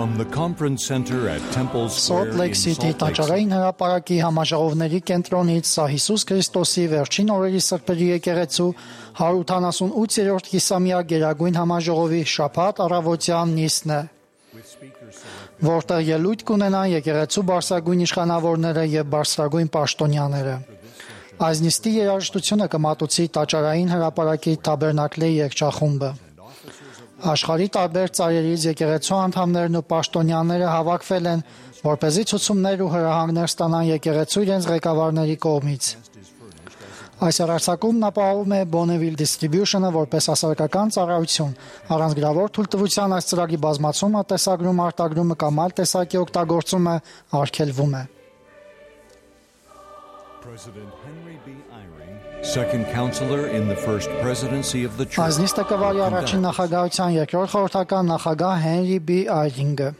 From the conference center at Temple Square Salt Lake City տաճարային հրապարակի համաժողովների կենտրոնից սա Հիսուս Քրիստոսի վերջին օրերի սրբերի եկեղեցու 188-րդ կիսամյա գերագույն համաժողովի շաբաթ առավոտյան նիստն է, որտեղ ելույթ կունենան եկեղեցու բարձրագույն իշխանավորները եւ բարձրագույն պաշտոնյաները։ Այս նիստի երաժշտությունը կմատուցի տաճարային հրապարակի Թաբերնակլի երգչախումբը։ Աշխարհի տարբեր ծայրերից եկեղեցու անդամներն ու պաշտոնյաները հավաքվել են, որպեսզի ցուցումներ ու հրահանգներ ստանան եկեղեցու իրենց ղեկավարների կողմից։ Այս հեռարձակումն ապահովում է Bonneville Distribution-ը որպես հասարակական ծառայություն, առանձնագրավոր թույլտվության այս ծրագրի բազմացումը, տեսագրումը, արտագրումը կամ այլ տեսակի օգտագործումը արգելվում է։ Second counselor in the first presidency of the church. Այս նիստը կվարի առաջին նախագահության երկրորդ խորհրդական նախագահ Հենրի B. Այրինգը։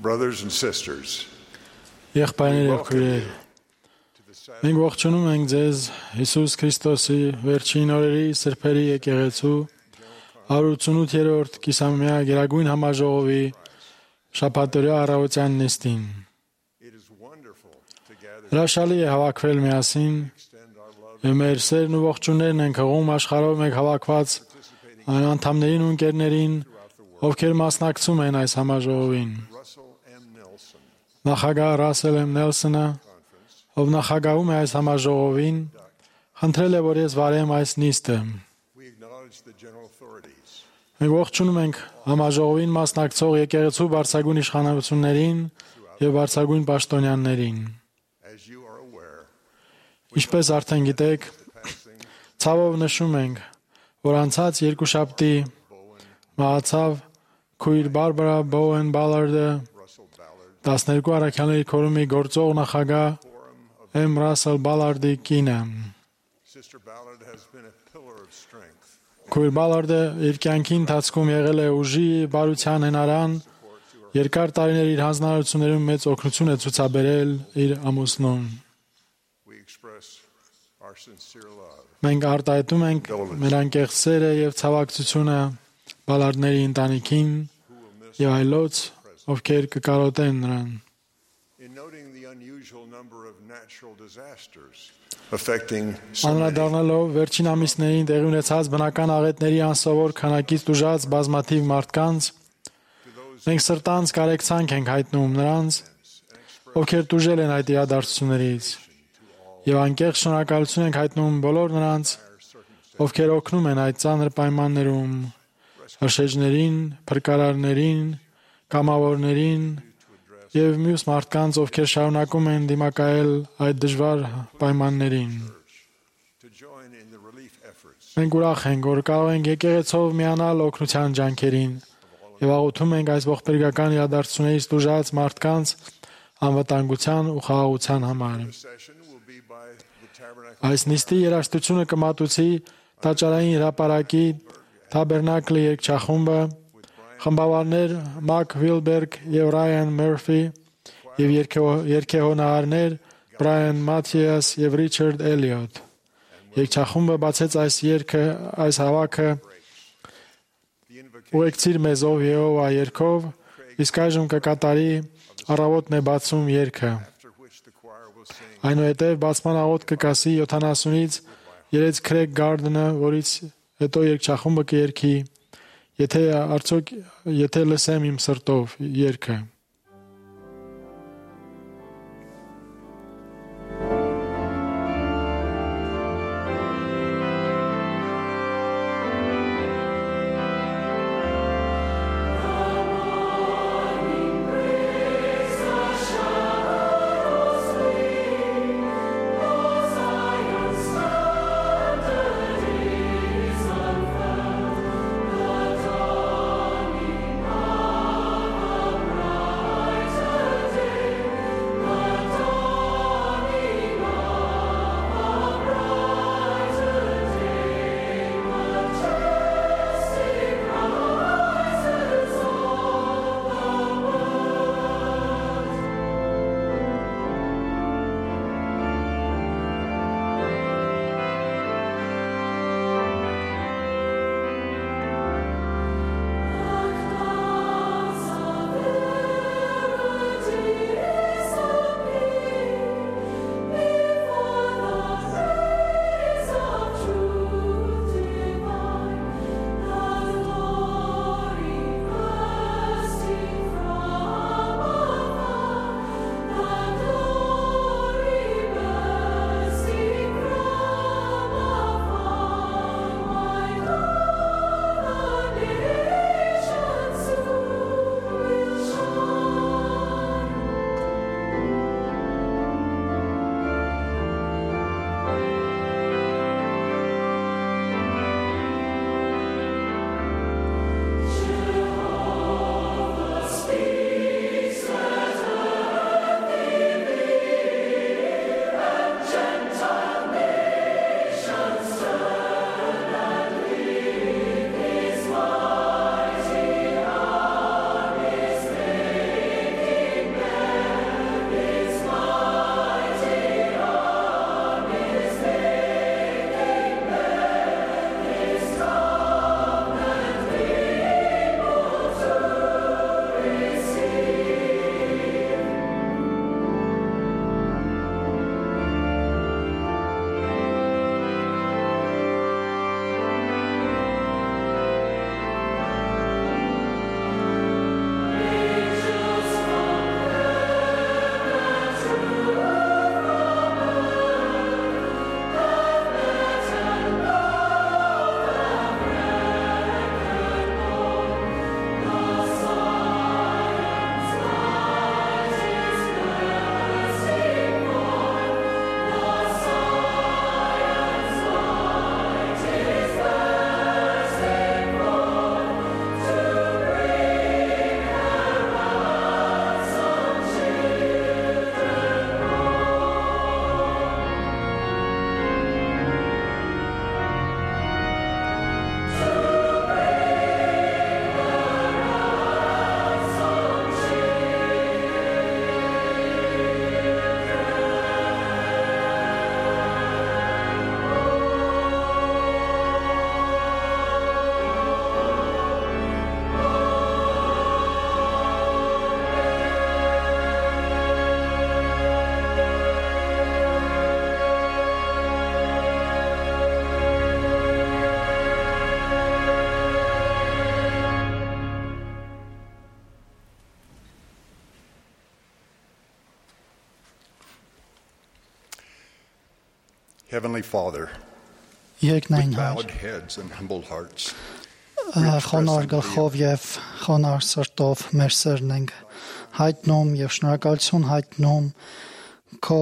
Brothers and sisters, Եղբայրներ եւ քույրեր, մենք ողջունում ենք ձեզ Հիսուս Քրիստոսի վերջին օրերի սրբերի եկեղեցու 188-րդ կիսամյա գերագույն համաժողովի շաբաթօրյա առավոտյան նիստին։ Հրաշալի է հավաքվել միասին եւ մեր սերն ու ողջուններն ենք հղում աշխարհով մեկ հավաքված այն անդամներին ու ընկերներին, ովքեր մասնակցում են այս համաժողովին։ Նախագահ Ռասել M. Նելսոնը, ով նախագահում է այս համաժողովին, խնդրել է, որ ես վարեմ այս նիստը։ Մենք ողջունում ենք համաժողովին մասնակցող եկեղեցու բարձրագույն իշխանություններին եւ բարձրագույն պաշտոնյաներին։ Ինչպես արդեն գիտեք, ցավով նշում ենք, որ անցած երկուշաբթի մահացավ քույր Բարբարա Բոուեն Բալարդը, 12 առաքյալների քորումի գործող նախագահ M. Ռասել Բալարդի կինը։ Քույր Բալարդը իր կյանքի ընթացքում եղել է ուժի, բարության հնարան, երկար տարիներ իր հանձնարարություններում մեծ օգնություն է ցուցաբերել իր ամուսնուն։ Մենք արտահայտում ենք մեր անկեղծ սերը եւ ցավակցությունը Բալարդների ընտանիքին եւ այլոց, ովքեր կկարոտեն նրան։ Անդրադառնալով վերջին ամիսներին տեղի ունեցած բնական աղետների անսովոր քանակից տուժած բազմաթիվ մարդկանց, մենք սրտանց կարեկցանք ենք հայտնում նրանց, ովքեր տուժել են այդ իրադարձություններից, եւ անկեղծ շնորհակալություն ենք հայտնում բոլոր նրանց, ովքեր օգնում են այդ ծանր պայմաններում, հրշեջներին, փրկարարներին, կամավորներին եւ մյուս մարդկանց, ովքեր շարունակում են դիմակայել այդ դժվար պայմաններին։ Մենք ուրախ ենք, որ կարող ենք եկեղեցով միանալ օգնության ջանքերին եւ աղոթում ենք այս ողբերգական իրադարձություններից տուժած մարդկանց անվտանգության ու խաղաղության համար։ Այս նիստի երաժշտությունը կմատուցի տաճարային հրապարակի Թաբերնակլի երգչախումբը, խմբավարներ Մակ Վիլբերգ եւ Ռայան Մերֆի եւ երգեհոնահարներ Բրայան Մաթիաս եւ Ռիչարդ Էլիոտ։ Երգչախումբը բացեց այս հավաքը Ուղեկցիր մեզով Եհովա երգով, իսկ այժմ կկատարի Առավոտն է բացում երգը։ Այնուհետև բացման աղոթ կկասի 70-ից երեց Քրեգ Գարդենը, որից հետո երգչախումբը կերգի Եթե լսեմ իմ սրտով երգը։ Heavenly Father, Երկնային with Հայր, bowed heads and humble hearts, խոնար գլխով եւ խոնար սրտով մեր սերն ենք հայտնում եւ շնորհակալություն հայտնում քո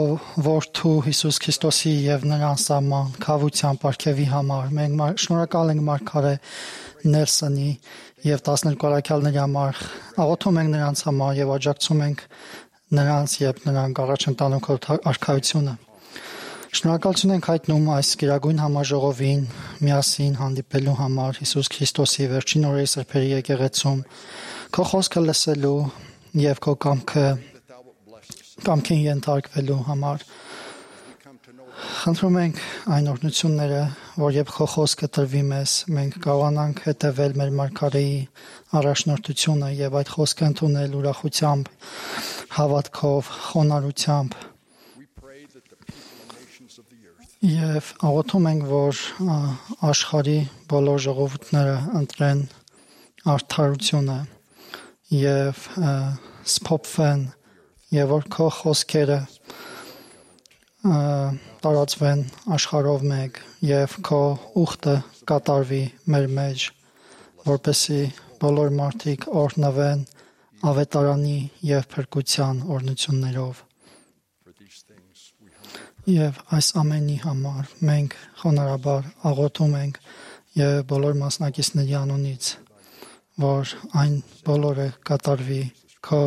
որդու Հիսուս Քրիստոսի եւ նրան սահման քավության պարգևի համար։ Մենք շնորհակալ ենք Մարգարե Նելսոնի եւ 12 առաքյալների համար, աղոթում ենք նրանց համար եւ աջակցում ենք նրանց եւ նրանք առաջ ընտանում քո արքայությունը։ Շնորհակալություն ենք հայտնում այս գերագույն համաժողովին միասին հանդիպելու համար Հիսուս Քրիստոսի վերջին օրերի սրբերի եկեղեցում քո խոսքը լսելու եւ քո կամքին ենթարկվելու համար։ Խնդրում ենք այն օրհնությունները, որ երբ քո խոսքը տրվի մեզ, մենք կարողանանք հետևել մեր Մարգարեի առաջնորդությունը եւ այդ խոսքը ընդունել ուրախությամբ, հավատքով, խոնարհությամբ։ Եվ աղոթում ենք, որ աշխարհի բոլոր ժողովուրդները ընտրեն արդարությունը եւ սփոփվեն եւ որ քո խոսքերը տարածվեն աշխարհով մեկ եւ քո ուխտը կատարվի մեր մեջ, որպեսզի բոլոր մարդիկ օրհնվեն ավետարանի եւ փրկության օրհնություններով։ Եվ այս ամենի համար մենք խոնարհաբար աղոթում ենք եւ բոլոր մասնակիցների անունից, որ այն բոլորը կատարվի քո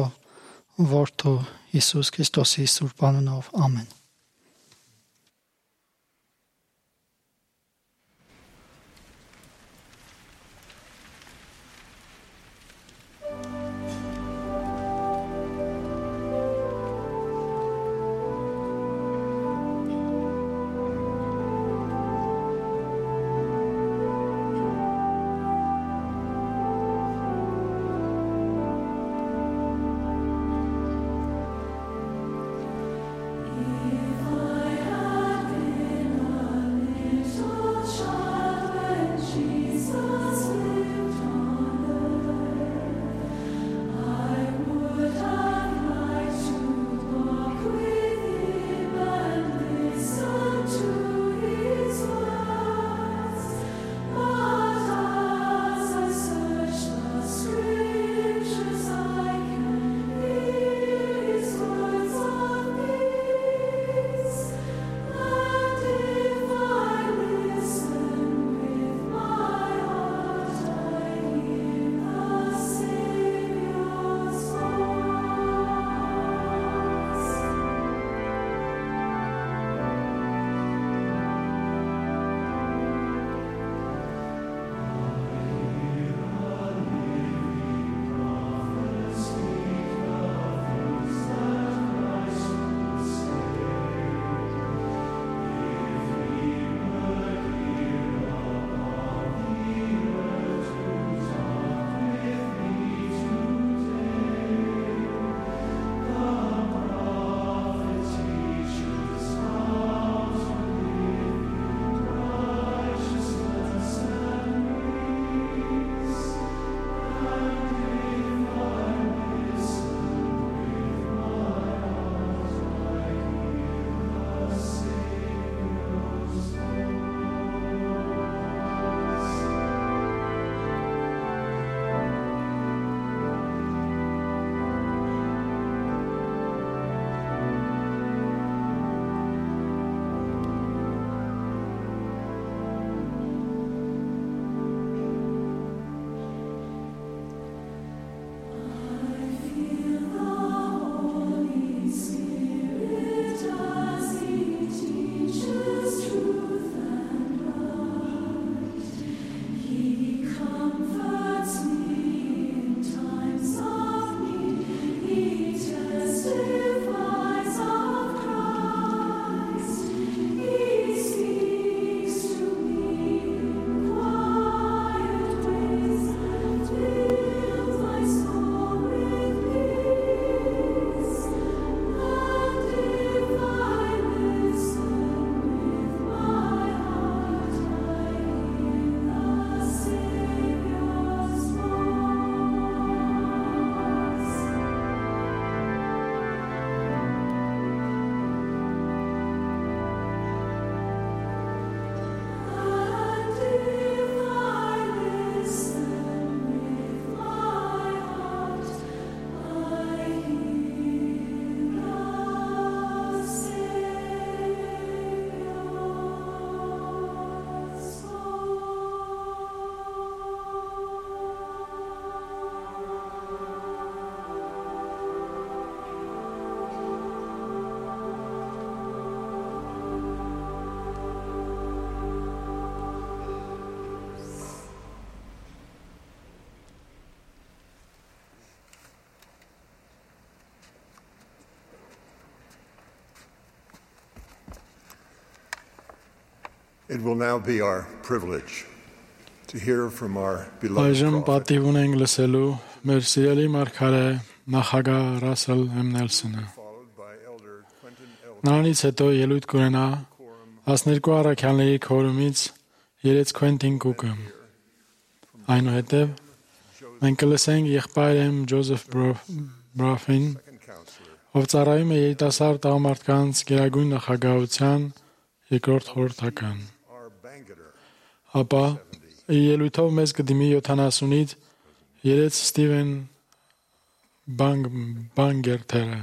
որդու Հիսուս Քրիստոսի սուրբ անունով։ Ամեն։ It will now be our privilege to hear from our beloved Այժմ prophet, պատիվ ունենք լսելու մեր սիրելի մարգարե նախագահ Ռասել M. Նելսոնը։ followed by Elder Quentin L. Նրանից հետո ելույթ կունենա 12 առաքյալների քորումից երեց Քվենտին Կուկը։ Այնուհետև մենք կլսենք եղբայր M. Ջոզեֆ Բրաֆին, second counselor, ով ծառայում է երիտասարդ տղամարդկանց գերագույն նախագահության երկրորդ խորհրդական։ our banqueter, Ապա ելույթով մեզ կդիմի 70-ից երեց Ստիվեն Բանգերթերը։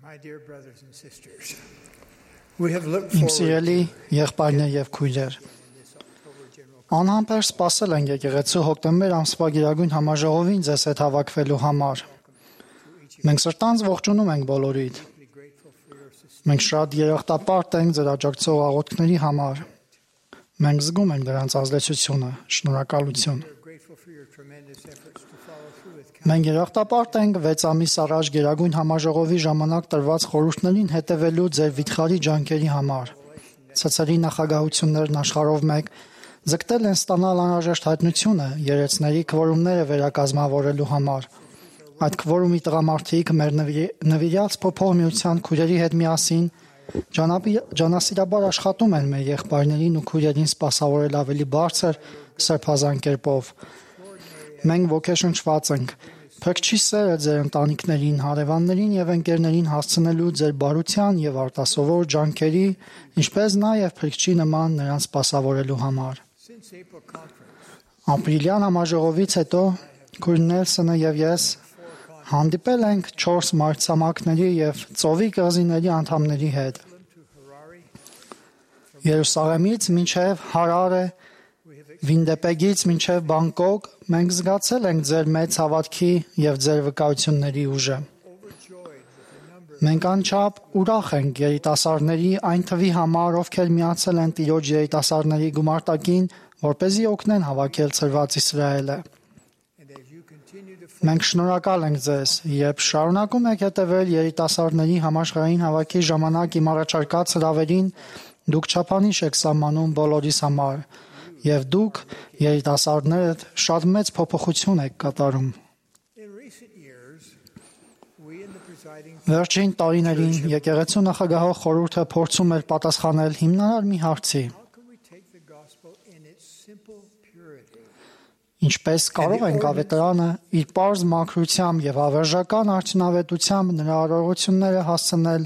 My dear brothers and sisters, we have looked Իմ forward սիրելի եղբայրներ եւ քույրեր, անհամբեր սպասել ենք եկեղեցու հոկտեմբեր ամսվա գերագույն համաժողովին ձեզ հետ հավաքվելու համար։ Մենք սրտանց ողջունում ենք բոլորիդ։ Մենք շատ երախտապարտ ենք ձեր աջակցող աղոթքների համար։ Մենք զգում ենք դրանց ազդեցությունը, շնորհակալություն։ grateful for your tremendous efforts to follow through with Մենք երախտապարտ ենք 6 ամիս առաջ գերագույն համաժողովի ժամանակ տրված խորհուրդներին հետևելու ձեր վիթխարի ջանքերի համար։ Ցածրի նախագահություններն աշխարհով մեկ ձգտել են ստանալ անհրաժեշտ հայտնությունը երեցների քվորումները վերակազմավորելու համար։ Այդ քվորումի տղամարդիկ մեր նվիրյալ փոփոխ միության քույրերի հետ միասին ջանասիրաբար աշխատում են մեր եղբայրներին ու քույրերին սպասավորել ավելի բարձր սրբազան կերպով։ Մենք ոգեշնչված ենք Փրկչի սերը ձեր ընտանիքներին, հարևաններին եւ ընկերներին հասցնելու ձեր բարության եւ արտասովոր ջանքերի, ինչպես նաեւ Փրկչի նման նրանց սպասավորելու համար։ since April conference. Ապրիլյան համաժողովից հետո Քույր Նելսոնը եւ ես հանդիպել ենք 4 մայրցամաքների եւ ծովի կղզիների անդամների հետ։ Երուսաղեմից մինչև Հարարե, Վինդեպեգից մինչև Բանգկոկ մենք զգացել ենք ձեր մեծ հավատքի եւ ձեր վկայությունների ուժը։ Մենք անչափ ուրախ ենք երիտասարդների այն թվի համար, ովքեր միացել են Տիրոջ երիտասարդների գումարտակին, որպեսզի օգնեն հավաքել ծրված Իսրայելը։ And as you continue to Մենք շնորհակալ ենք ձեզ, երբ շարունակում եք հետևել երիտասարդների համաշխարհային հավաքի ժամանակ իմ առաջարկած հրավերին, դուք չափանիշ եք սահմանում բոլորիս համար, եւ դուք երիտասարդներդ շատ մեծ փոփոխություն եք կատարում։ in recent years, we in the presiding Վերջին տարիներին եկեղեցու նախագահող խորհուրդը փորձում էր պատասխանել հիմնարար մի հարցի. how can we take the gospel in its simple purity Ինչպես կարող ենք ավետարանը իր պարզ մաքրությամբ եւ ավերժական արդյունավետությամբ նրա արարողությունները հասցնել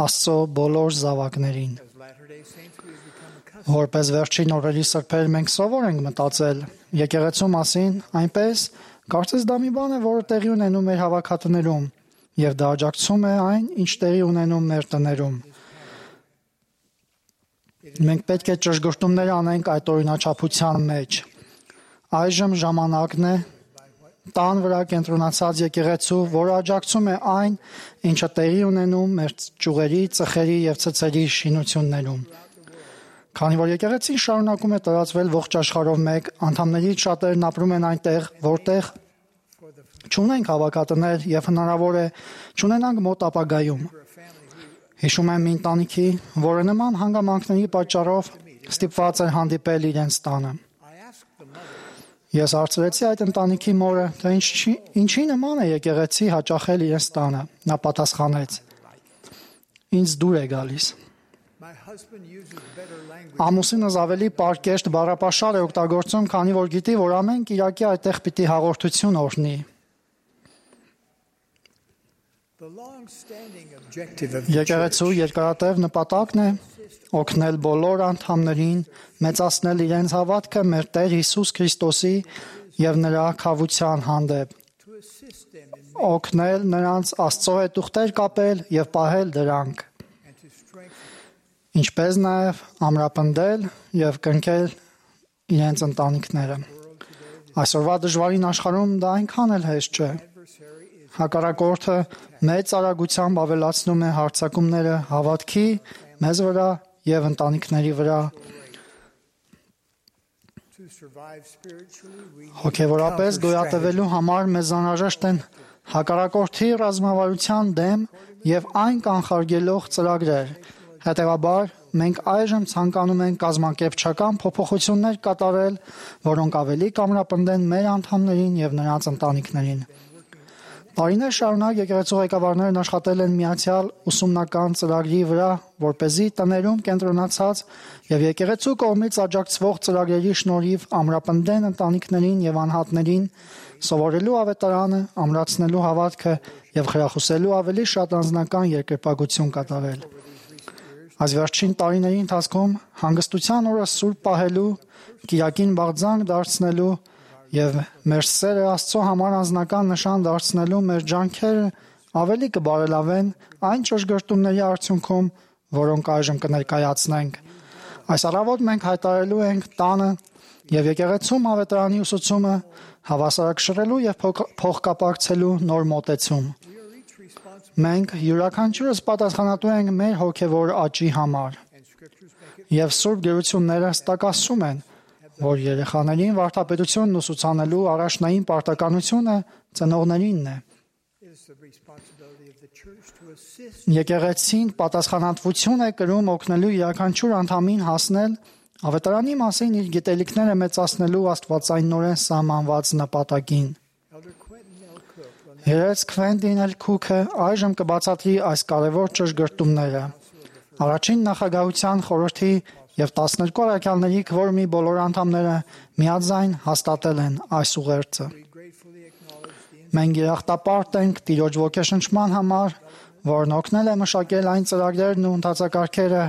Աստծո բոլոր զավակներին։ as Latter-day Saints we have become accustomed Որպես վերջին օրերի սրբեր մենք սովոր ենք մտածել եկեղեցու մասին, այնպես կարծես դա մի բան է, որը տեղի ունենում մեր հավաքատներում եւ դա աջակցում է այն, ինչ տեղի ունենում մեր տներում։ Մենք պետք է ճշգրտումներ անենք այդ օրինաչափության մեջ։ Այժմ ժամանակն է տան վրա կենտրոնացած եկեղեցու, որը աջակցում է այն, ինչը տեղի ունենում մեր ճյուղերի, ծխերի եւ ցցերի շինություններում։ Քանի որ եկեղեցին շարունակում է տարածվել ողջ աշխարհով մեկ, անդամներից շատերն ապրում են այնտեղ, որտեղ չունենք հավաքատներ եւ հնարավոր է չունենանք մոտ ապագայում։ Հիշում եմ մի ընտանիքի, որը նման հանգամանքների պատճառով ստիպված էր հանդիպել իրենց տանը։ I asked the mother Ես հարցրեցի այդ ընտանիքի մորը, թե ինչի նման է եկեղեցի հաճախել իրենց տանը։ Նա պատասխանեց. Ինձ դուր է գալիս։ my husband uses better language Ամուսինս ավելի պարկեշտ բառապաշար է օգտագործում, քանի որ գիտի, որ ամեն Կիրակի այդտեղ պիտի հաղորդություն օրհնի։ the long-standing objective of the Եկեղեցու երկարատև նպատակն է օգնել բոլոր անդամներին մեծացնել իրենց հավատքը մեր Տեր Հիսուս Քրիստոսի եւ նրա քավության հանդեպ, to assist them in օգնել նրանց Աստծո հետ ուխտեր կապել եւ պահել դրանք, and to strengthen ինչպես նաեւ ամրապնդել եւ կնքել իրենց ընտանիքները։ Այսօրվա դժվարին աշխարհում դա այնքան էլ հեշտ չէ։ Հակառակորդը մեծ արագությամբ ավելացնում է հարձակումները հավատքի մեզ վրա եւ ընտանիքների վրա։ to survive spiritually we Հոգեվորապես գոյատևելու համար մեզ անհրաժեշտ են հակառակորդի ռազմավարության դեմ եւ այն կանխարգելող ծրագրեր։ Հետևաբար մենք այժմ ցանկանում ենք կազմակերպչական փոփոխություններ կատարել, որոնք ավելի կամրապնդեն մեր անդամներին եւ նրանց ընտանիքներին։ Տարիներ շարունակ եկեղեցու ղեկավարներն աշխատել են միացյալ ուսումնական ծրագրի վրա, որպեսզի տներում կենտրոնացած եւ եկեղեցու կողմից աջակցվող ծրագրերի շնորհիվ ամրապնդեն ընտանիքներին եւ անհատներին սովորելու ավետարանը, ամրացնելու հավատքը եւ խրախուսելու ավելի շատ անձնական երկրպագություն կատարել։ Այս վերջին տարիների ընթացքում հանգստության օրը սուրբ պահելու, կիրակին բաղձանք դարձնելու եւ մեր սերը Աստծո համար անձնական նշան դարձնելու մեր ջանքերը ավելի կբարելավեն այն ճշգրտումների արդյունքում, որոնք այժմ կներկայացնենք։ Այս առավոտ մենք հայտարարելու ենք տանը եւ եկեղեցում ավետարանի ուսուցումը հավասարակշռելու եւ փոխկապակցելու նոր մոտեցում։ Մենք յուրաքանչյուրս պատասխանատու ենք մեր հոգեվոր աճի համար։ Եվ սուրբ գերությունները ստակասում են, որ երեխաներին վարդապետությունն ուսուցանելու առաջնային պարտականությունը ծնողներինն է։ Եկեղեցին պատասխանատվություն է կրում օգնելու յուրաքանչյուր անդամին հասնել ավետարանի մասին իր գիտելիքները մեծացնելու աստվածայնորեն սահմանված նպատակին։ Երեց Քվենտին Էլ Քուքը այժմ կբացատրի այս կարևոր ճշգրտումները։ Առաջին նախագահության խորհրդի եւ 12 առաքյալների քվորումի բոլոր անդամները միաձայն հաստատել են այս ուղերձը։ Մենք երախտապարտ ենք Տիրոջ ոգեշնչման համար, որն օգնել է մշակել այն ծրագրերն ու ընթացակարգերը,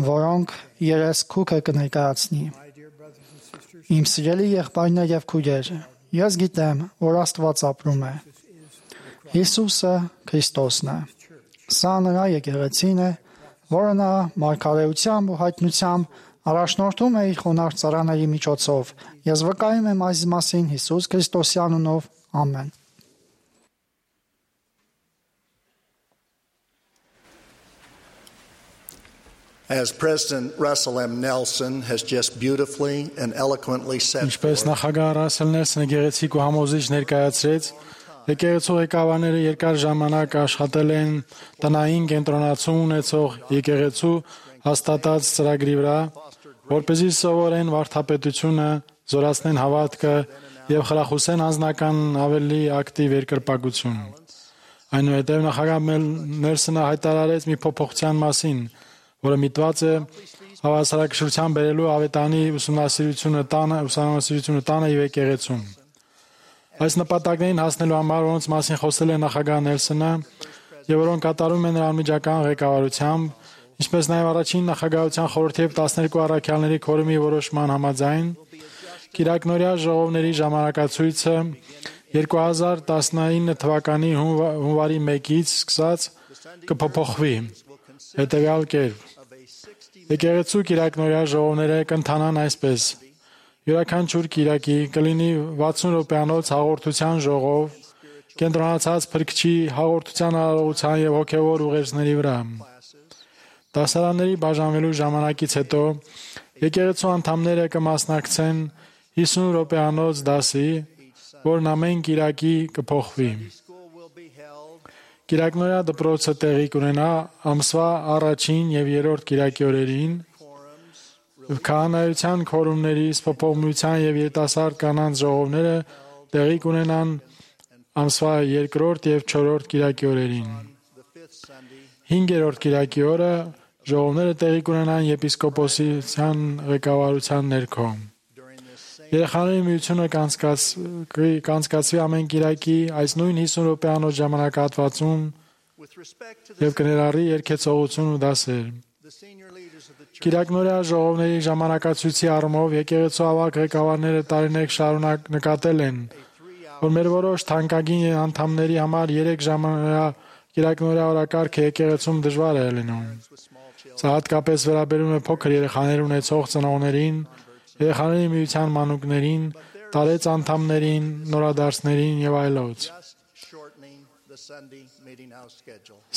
որոնք Երես Քուքը կներկայացնի։ Իմ սիրելի եղբայրներ եւ քույրեր, ես գիտեմ, որ Աստված ապրում է։ Հիսուսը Քրիստոսն է։ Սա նրա եկեղեցին է, որը նա մարգարեությամբ ու հայտնությամբ առաջնորդում է իր խոնարհ ծառաների միջոցով։ Ես վկայում եմ այս մասին Հիսուս Քրիստոսի անունով։ Ամեն։ As President Russell M. Nelson has just beautifully and eloquently said, Ինչպես նախագահ Ռասել Նելսոնը գեղեցիկ ու համոզիչ ներկայացրեց, եկեղեցու ղեկավարները երկար ժամանակ աշխատել են տնային կենտրոնացում ունեցող եկեղեցու հաստատած ծրագրի վրա, որպեսզի սովորեն վարդապետությունը, զորացնեն հավատքը եւ խրախուսեն անձնական ավելի ակտիվ երկրպագություն։ Այնուհետև նախագահ Նելսոնը հայտարարեց մի փոփոխության մասին, որը միտված է հավասարակշռության բերելու ավետանի ուսումնասիրությունը տանը եւ եկեղեցում։ Այս նպատակներին հասնելու համար, որոնց մասին խոսել է նախագահ Նելսոնը եւ որոնք կատարում են նրա անմիջական ղեկավարությամբ, ինչպես նաեւ առաջին նախագահության խորհրդի եւ 12 առաքյալների քորումի որոշման համաձայն, Կիրակնորյա ժողովների ժամանակացույցը 2019 թվականի հունվարի 1-ից սկսած կփոփոխվի հետևյալ կերպ։ Եկեղեցու Կիրակնորյա ժողովները կընթանան այսպես. յուրաքանչյուր Կիրակի կլինի 60 րոպեանոց հաղորդության ժողով, կենտրոնացած Փրկչի հաղորդության արարողության եւ հոգեվոր ուղերձների վրա։ Դասարանների բաժանվելու ժամանակից հետո եկեղեցու անդամները կմասնակցեն 50 րոպեանոց դասի, որն ամեն Կիրակի կփոխվի։ Կիրակնորյա դպրոցը տեղի կունենա ամսվա առաջին եւ երրորդ Կիրակի օրերին, քահանայության քորումների, սփոփողության եւ երիտասարդ կանանց ժողովները տեղի կունենան ամսվա երկրորդ եւ չորրորդ Կիրակի օրերին։ 5-րդ Կիրակի օրը ժողովները տեղի կունենան եպիսկոպոսության ղեկավարության ներքո։ Երեխաների միությունը կանցկացվի ամեն Կիրակի այս նույն 50 րոպեանոց ժամանակահատվածում եւ կներառի երգեցողություն ու դասեր։ Կիրակնորյա ժողովների ժամանակացույցի առումով եկեղեցու ավագ ղեկավարները տարիներ շարունակ նկատել են, որ մեր որոշ թանկագին անդամների համար 3 ժամանակ Կիրակնորյա օրակարգը եկեղեցում դժվար է լինում։ Սա հատկապես վերաբերում է փոքր երեխաներ ունեցող ծնողներին, երեխաների միության մանուկներին, տարեց անդամներին, նորադարձներին եւ այլոց։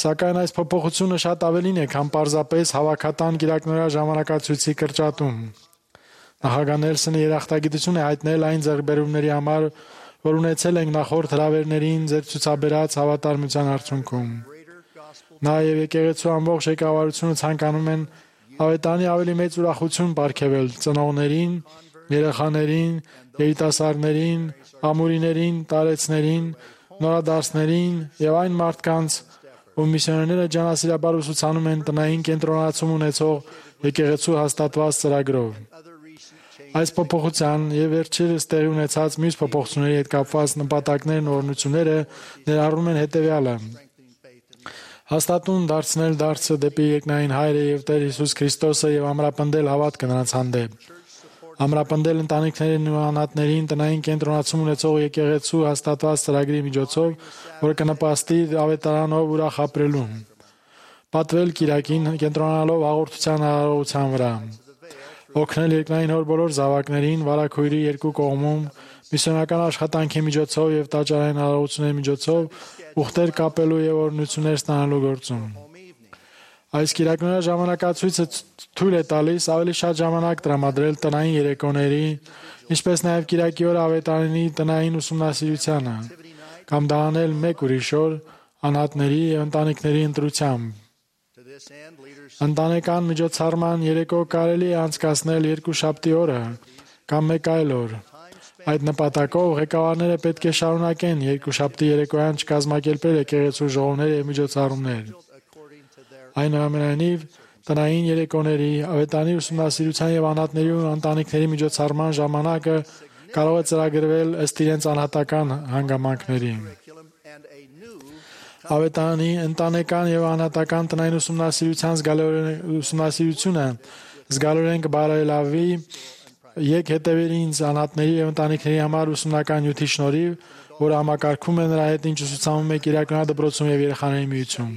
Սակայն այս փոփոխությունը շատ ավելին է, քան պարզապես հավաքատան Կիրակնորյա ժամանակացույցի կրճատում։ Նախագահ Նելսոնը երախտագիտություն է հայտնել այն ձեռքբերումների համար, որ ունեցել ենք նախորդ հրավերներին ձեր ցուցաբերած հավատարմության արդյունքում։ Նա եւ եկեղեցու ամբողջ ղեկավարությունը ցանկանում են Ավետարանի ավելի մեծ ուրախություն պարգևել ծնողներին, երեխաներին, երիտասարդներին, ամուրիներին, տարեցներին, նորադարձներին եւ այն մարդկանց, ում միսիոներները ջանասիրաբար ուսուցանում են տնային կենտրոնացում ունեցող եկեղեցու հաստատված ծրագրով։ Այս փոփոխության եւ վերջերս տեղի ունեցած մյուս փոփոխությունների հետ կապված նպատակներն ու օրհնությունները ներառում են հետեւյալը. հաստատուն դարձնել դարձը դեպի երկնային Հայրը եւ Տեր Հիսուս Քրիստոսը եւ ամրապնդել հավատքը նրանց հանդեպ։ Ամրապնդել ընտանիքներին ու անհատներին տնային կենտրոնացում ունեցող եկեղեցու հաստատված ծրագրի միջոցով, որը կնպաստի ավետարանով ուրախ ապրելուն։ Պատվել Կիրակին կենտրոնանալով հաղորդության արարողության վրա։ Օգնել երկնային Հոր բոլոր զավակներին վարակույրի երկու կողմում միսիոնական աշխատանքի միջոցով եւ տաճարային արարողությունների միջոցով ուխտեր կապելու եւ օրհնություններ ստանալու գործում։ Այս կիրակնորա ժամանակացույցը թույլ է տալիս ավելի շատ ժամանակ տրամադրել տնային երեկոների, ինչպես նաև կիրակի օրը ավետարանի տնային ուսումնասիրությանը, կամ դա անել մեկ ուրիշ օր անհատների եւ ընտանիքների ընտրությամբ։ Ընտանեկան միջոցառման երեկո կարելի է անցկացնել երկուշաբթի օրը կամ մեկ այլ օր։ Այդ նպատակով ղեկավարները պետք է շարունակեն երկուշաբթի երեկոյան չկազմակերպել եկեղեցու ժողովներ եւ միջոցառումներ։ Այնուամենայնիվ, տնային երեկոների, ավետարանի ուսումնասիրության եւ անհատների ու ընտանիքների միջոցառման ժամանակը կարող է ծրագրվել ըստ իրենց անհատական հանգամանքների։ Ավետարանի ընտանեկան եւ անհատական տնային ուսումնասիրությունը զգալորեն կբարելավի եկ հետևել ինձ անհատների եւ ընտանիքների համար ուսումնական նյութի շնորհիվ, որը համակարգում է նրա հետ ինչ ուսուցանում է Կիրակոնյա դպրոցում եւ երեխաների միություն։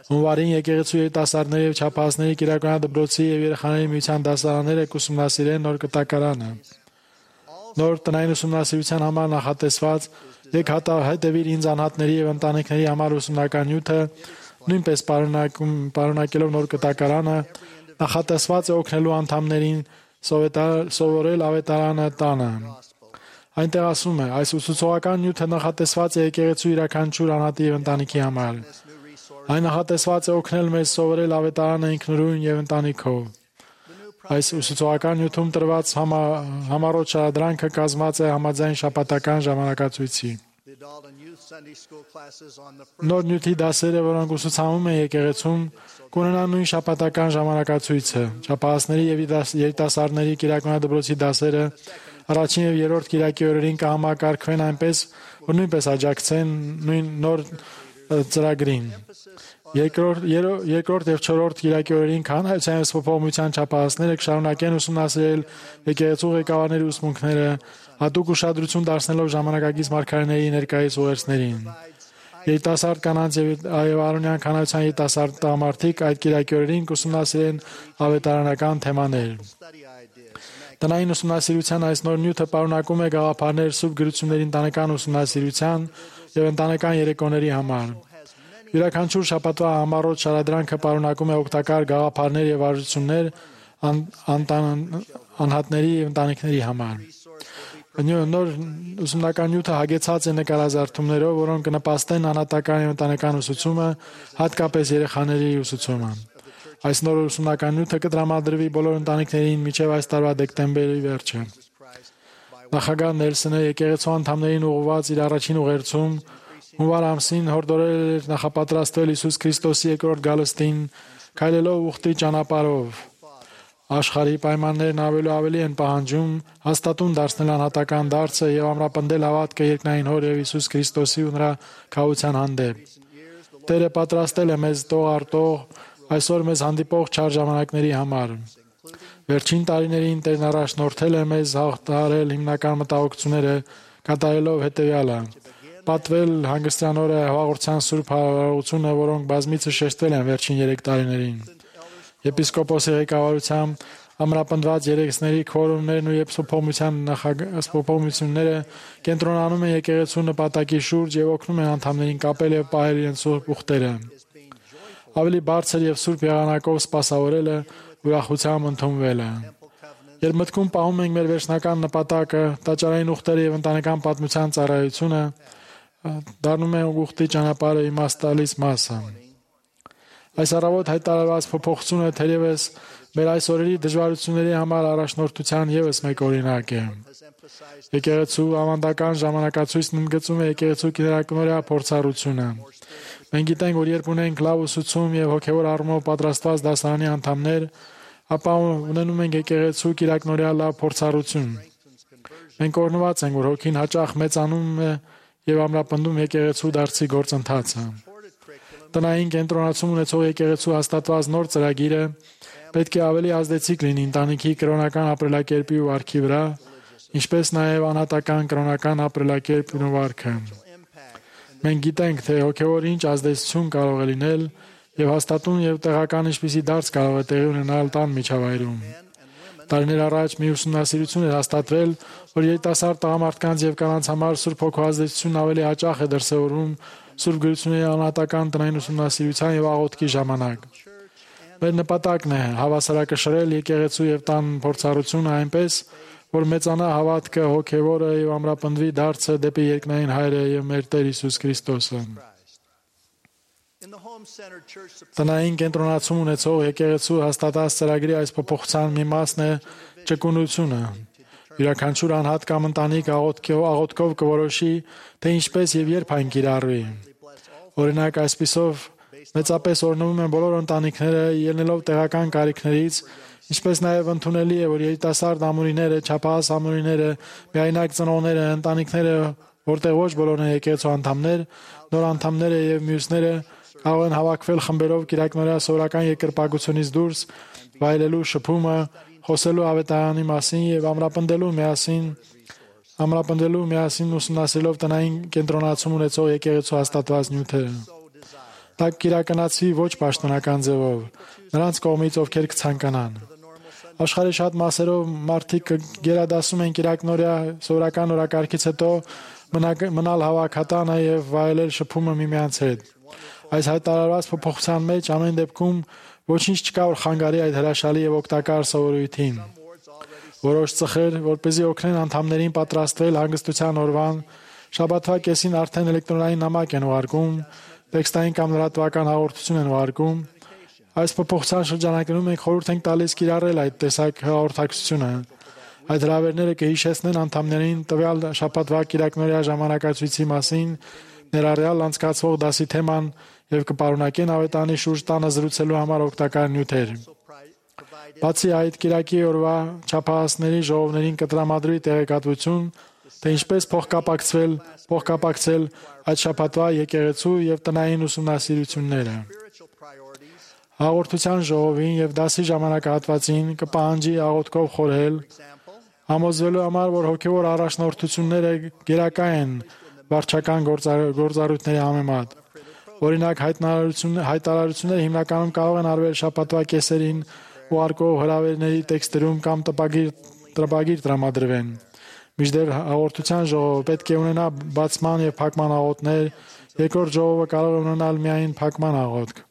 Հունվարին եկեղեցու երիտասարդների եւ չափահասների Կիրակոնյա դպրոցի եւ երեխաների միության դասարանները կուսումնասիրեն նոր կտակարանը։ Նոր տնային ուսումնասիրության համար նախատեսված եկ հետևիր ինձ անհատների եւ ընտանիքների համար ուսումնական նյութը, նույնպես պարունակելով նոր կտակարանը, նախատեսված է օգնելու անդամներին սովորել ավետարանը տանը։ Այնտեղ ասում է, այս ուսուցողական նյութը նախատեսված է եկեղեցու յուրաքանչյուր անհատի եւ ընտանիքի համար։ Այն նախատեսված է օգնել մեզ սովորել ավետարանը ինքնուրույն եւ ընտանիքով։ Այս ուսուցողական նյութում տրված համառոտ շարադրանքը կազմված է համաձայն շաբաթական ժամանակացույցի։ Նոր նյութի դասերը, որոնք ուսուցանում են եկեղեցում, կունենան նույն շաբաթական ժամանակացույցը։ Չափահասների եւ երիտասարդների Կիրակոնյա դպրոցի դասերը առաջին եւ երրորդ կիրակի օրերին կհամակարգվեն այնպես, որ նույնպես աջակցեն նույն նոր ծրագրին։ Երկրորդ եւ չորրորդ կիրակի օրերին քահանայության եւ սփոփողության չափահասները կշարունակեն ուսումնասիրել եկեղեցու ղեկավարների ուսմունքները, հատուկ ուշադրություն դարձնելով ժամանակակից մարգարեների ներկայիս ուղերձներին։ Երիտասարդ կանանց եւ արոնյան քահանայության երիտասարդ տղամարդիկ այդ կիրակի օրերին կուսումնասիրեն ավետարանական թեմաներ։ Տնային ուսումնասիրության այս նոր նյութը պարունակում է գաղափարներ սուրբ գրությունների ընտանեկան ուսումնասիրության եւ ընտանեկան երեկոների համար։ Յուրաքանչյուր շաբաթվա համառոտ շարադրանքը պարունակում է օգտակար գաղափարներ եւ արժություններ անհատների եւ ընտանիքների համար։ Նոր ուսումնական նյութը հագեցած է նկարազարդումներով, որոնք կնպաստեն անհատական եւ ընտանեկան ուսուցումը, հատկապես երեխաների ուսուցումը։ Այս նոր ուսումնական նյութը կտրամադրվի բոլոր ընտանիքներին մինչև այս տարվա դեկտեմբերի վերջը։ Նախագահ Նելսոնը եկեղեցու անդամներին ուղղված իր առաջին ուղերձում հունվար ամսին հորդորել էր նախապատրաստվել Հիսուս Քրիստոսի երկրորդ գալստին, քայլելով ուխտի ճանապարհով։ Աշխարհի պայմաններն ավելի են պահանջում հաստատուն դարձնել անհատական դարձը եւ ամրապնդել հավատքը երկնային Հոր եւ Հիսուս Քրիստոսի ու նրա քահության հանդեպ։ Տերը պատրաստել է մեզ տող արտող այսօր մեզ հանդիպող չար ժամանակների համար։ Վերջին տարիներին Տերն առաջնորդել է մեզ հաղթահարել հիմնական մտահոգությունները, կատարելով հետեւյալը. պատվել հանգստյան օրը հաղորդության սուրբ հարարությունը, որոնք բազմիցս շեշտվել են վերջին 3 տարիներին։ Եպիսկոպոսի ղեկավարությամբ ամրապնդված երեքսների քվորումներն ու սփոփողությունները կենտրոնանում են եկեղեցու նպատակի շուրջ եւ օգնում են անդամներին կապել եւ պահել իրենց սուրբ ուխտերը։ Ավելի բարձր եւ սուրբ եղանակով սպասավորելը ուրախությամբ ընդունվել է։ Երբ մտքում պահում ենք մեր վերջնական նպատակը, տաճարային ուխտերը եւ ընտանեկան պատմության ծառայությունը, դառնում է ուխտի ճանապարհը իմաստ տալիս մասը։ Այս առավոտ հայտարարված փոփոխությունը թերևս մեր այս օրերի դժվարությունների համար առաջնորդության ևս մեկ օրինակ է։ Եկեղեցու ավանդական ժամանակացույցն ընդգծում է եկեղեցու կիրակնօրյա փորձառությունը։ Մենք գիտենք, որ երբ ունենք լավ ուսուցում եւ հոգեվոր առումով պատրաստված դասարանի անդամներ, ապա ունենում ենք եկեղեցու կիրակնօրյա լավ փորձառություն։ Մենք օրհնված ենք, որ հոգին հաճախ մեծանում է եւ ամրապնդում եկեղեցու դարձի գործընթացը։ Տնային կենտրոնացում ունեցող եկեղեցու հաստատված նոր ծրագիրը պետք է ավելի ազդեցիկ լինի ընտանիքի կրոնական ապրելակերպի ու վարքի վրա, ինչպես նաև անհատական կրոնական ապրելակերպն ու վարքը։ Մենք գիտենք, թե հոգևոր ինչ ազդեցություն կարող է լինել եւ հաստատուն եւ տեղական ինչպիսի դարձ կարող է տեղի ունենալ տան միջավայրում։ Տարիներ առաջ մի ուսումնասիրություն էր հաստատվել, որ երիտասարդ տղամարդկանց եւ կանանց համար Սուրբ Հոգու ազդեցությունն ավելի հաճախ է դրսևորվում Սուրբ Գրությունների անհատական տնային ուսումնասիրության եւ աղոթքի ժամանակ։ Մեր նպատակն է հավասարակշռել եկեղեցու եւ տան փորձառությունը այնպես, որ մեծանա հավատքը, հոգեվորը եւ ամրապնդվի դարձը դեպի երկնային Հայրը եւ մեր Տեր Հիսուս Քրիստոսը։ Տնային կենտրոնացում ունեցող եկեղեցու հաստատած ծրագրի այս փոփոխության մի մասն է ճկունությունը։ Յուրաքանչյուր անհատ կամ ընտանիք աղոթքով կորոշի, թե ինչպես եւ երբ այն կիրառվի։ Օրինակ, այսպիսով մեծապես օրհնվում են բոլոր ընտանիքները, ելնելով տեղական կարիքներից, ինչպես նաև ընդունելի է, որ երիտասարդ ամուրիները, չափահաս ամուրիները, միայնակ ծնողները, ընտանիքները, որտեղ ոչ բոլորն են եկեղեցու անդամներ, նոր անդամները եւ մյուսները կարող են հավաքվել խմբերով կիրակնօրյա սովորական երկրպագությունից դուրս, վայելելու շփումը, խոսելու ավետարանի մասին եւ ամրապնդելու միասին ուսումնասիրելով տնային կենտրոնացում ունեցող եկեղեցու հաստատված նյութերը։ Դա կիրականացվի ոչ պաշտոնական ձևով, նրանց կողմից, ովքեր կցանկանան։ Աշխարհի շատ մասերով մարդիկ գերադասում են կիրակնօրյա սովորական օրակարգից հետո մնալ հավաքատանը եւ վայելել շփումը միմյանց հետ։ Այս հայտարարված փոփոխության մեջ ամեն դեպքում ոչինչ չկա, որ խանգարի այդ հրաշալի եւ օգտակար սովորույթին։ Որոշ ծխեր, որպեսզի օգնեն անդամներին պատրաստվել հանգստության օրվան, շաբաթվա կեսին արդեն էլեկտրոնային նամակ են ուղարկում, տեքստային կամ լրատվական հաղորդություն են ուղարկում։ Այս փոփոխության շրջանակներում մենք խորհուրդ ենք տալիս կիրառել այդ տեսակ հաղորդակցությունը։ Այդ հրավերները կհիշեցնեն անդամներին տվյալ շաբաթվա կիրակնօրյա ժամանակացույցի մասին, ներառյալ անցկացվող դասի թեման եւ կպարունակեն ավետարանի շուրջ տանը զրուցելու համար օգտակար նյութեր։ Բացի այդ, կիրակի օրվա չափահասների ժողովներին կտրամադրվի տեղեկատվություն, թե ինչպես փոխկապակցել այդ շաբաթվա եկեղեցու եւ տնային ուսումնասիրությունները։ Հաղորդության ժողովին եւ դասի ժամանակահատվածին կպահանջի աղոթքով խորհել, համոզվելու համար, որ հոգեվոր առաջնորդությունները գերակա են վարչական գործառույթների համեմատ։ Օրինակ, հայտարարությունները հիմնականում կարող են արվել շաբաթվա կեսերին ուղարկող հրավերների տեքստերում կամ տպագիր տրամադրվեն։ Մինչդեռ հաղորդության ժողովը պետք է ունենա բացման եւ փակման աղոթներ, երկրորդ ժողովը կարող է ունենալ միայն փակման աղոթք։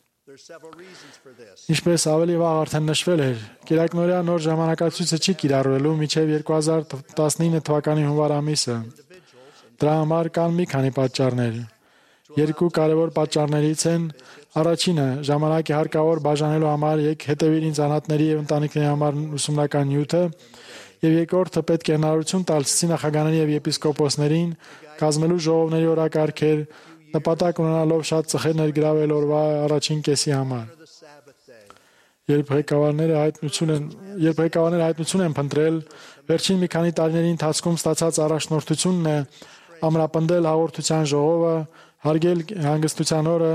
Ինչպես ավելի վաղ արդեն նշվել էր, կիրակնօրյա նոր ժամանակացույցը չի կիրառվելու մինչև 2019 թվականի հունվար ամիսը։ Դրա համար կան մի քանի պատճառներ։ Երկու կարևոր պատճառներից են առաջինը ժամանակի հարկավոր բաժանելու համար հետևիր ինձ անհատների եւ ընտանիքների համար ուսումնական նյութը, եւ երկրորդը պետք է հնարավորություն տալ ցիսի նախագահների եւ եպիսկոպոսներին կազմելու ժողովների օրակարգեր, նպատակ ունենալով շատ ծխեր ներգրավել օրվա առաջին կեսի համար։ Երբ ղեկավարները հայտնություն են փնտրել, վերջին մի քանի տարիների ընթացքում ստացած առաջնորդությունն է ամրապնդել հաղորդության ժողովը, հարգել հանգստության օրը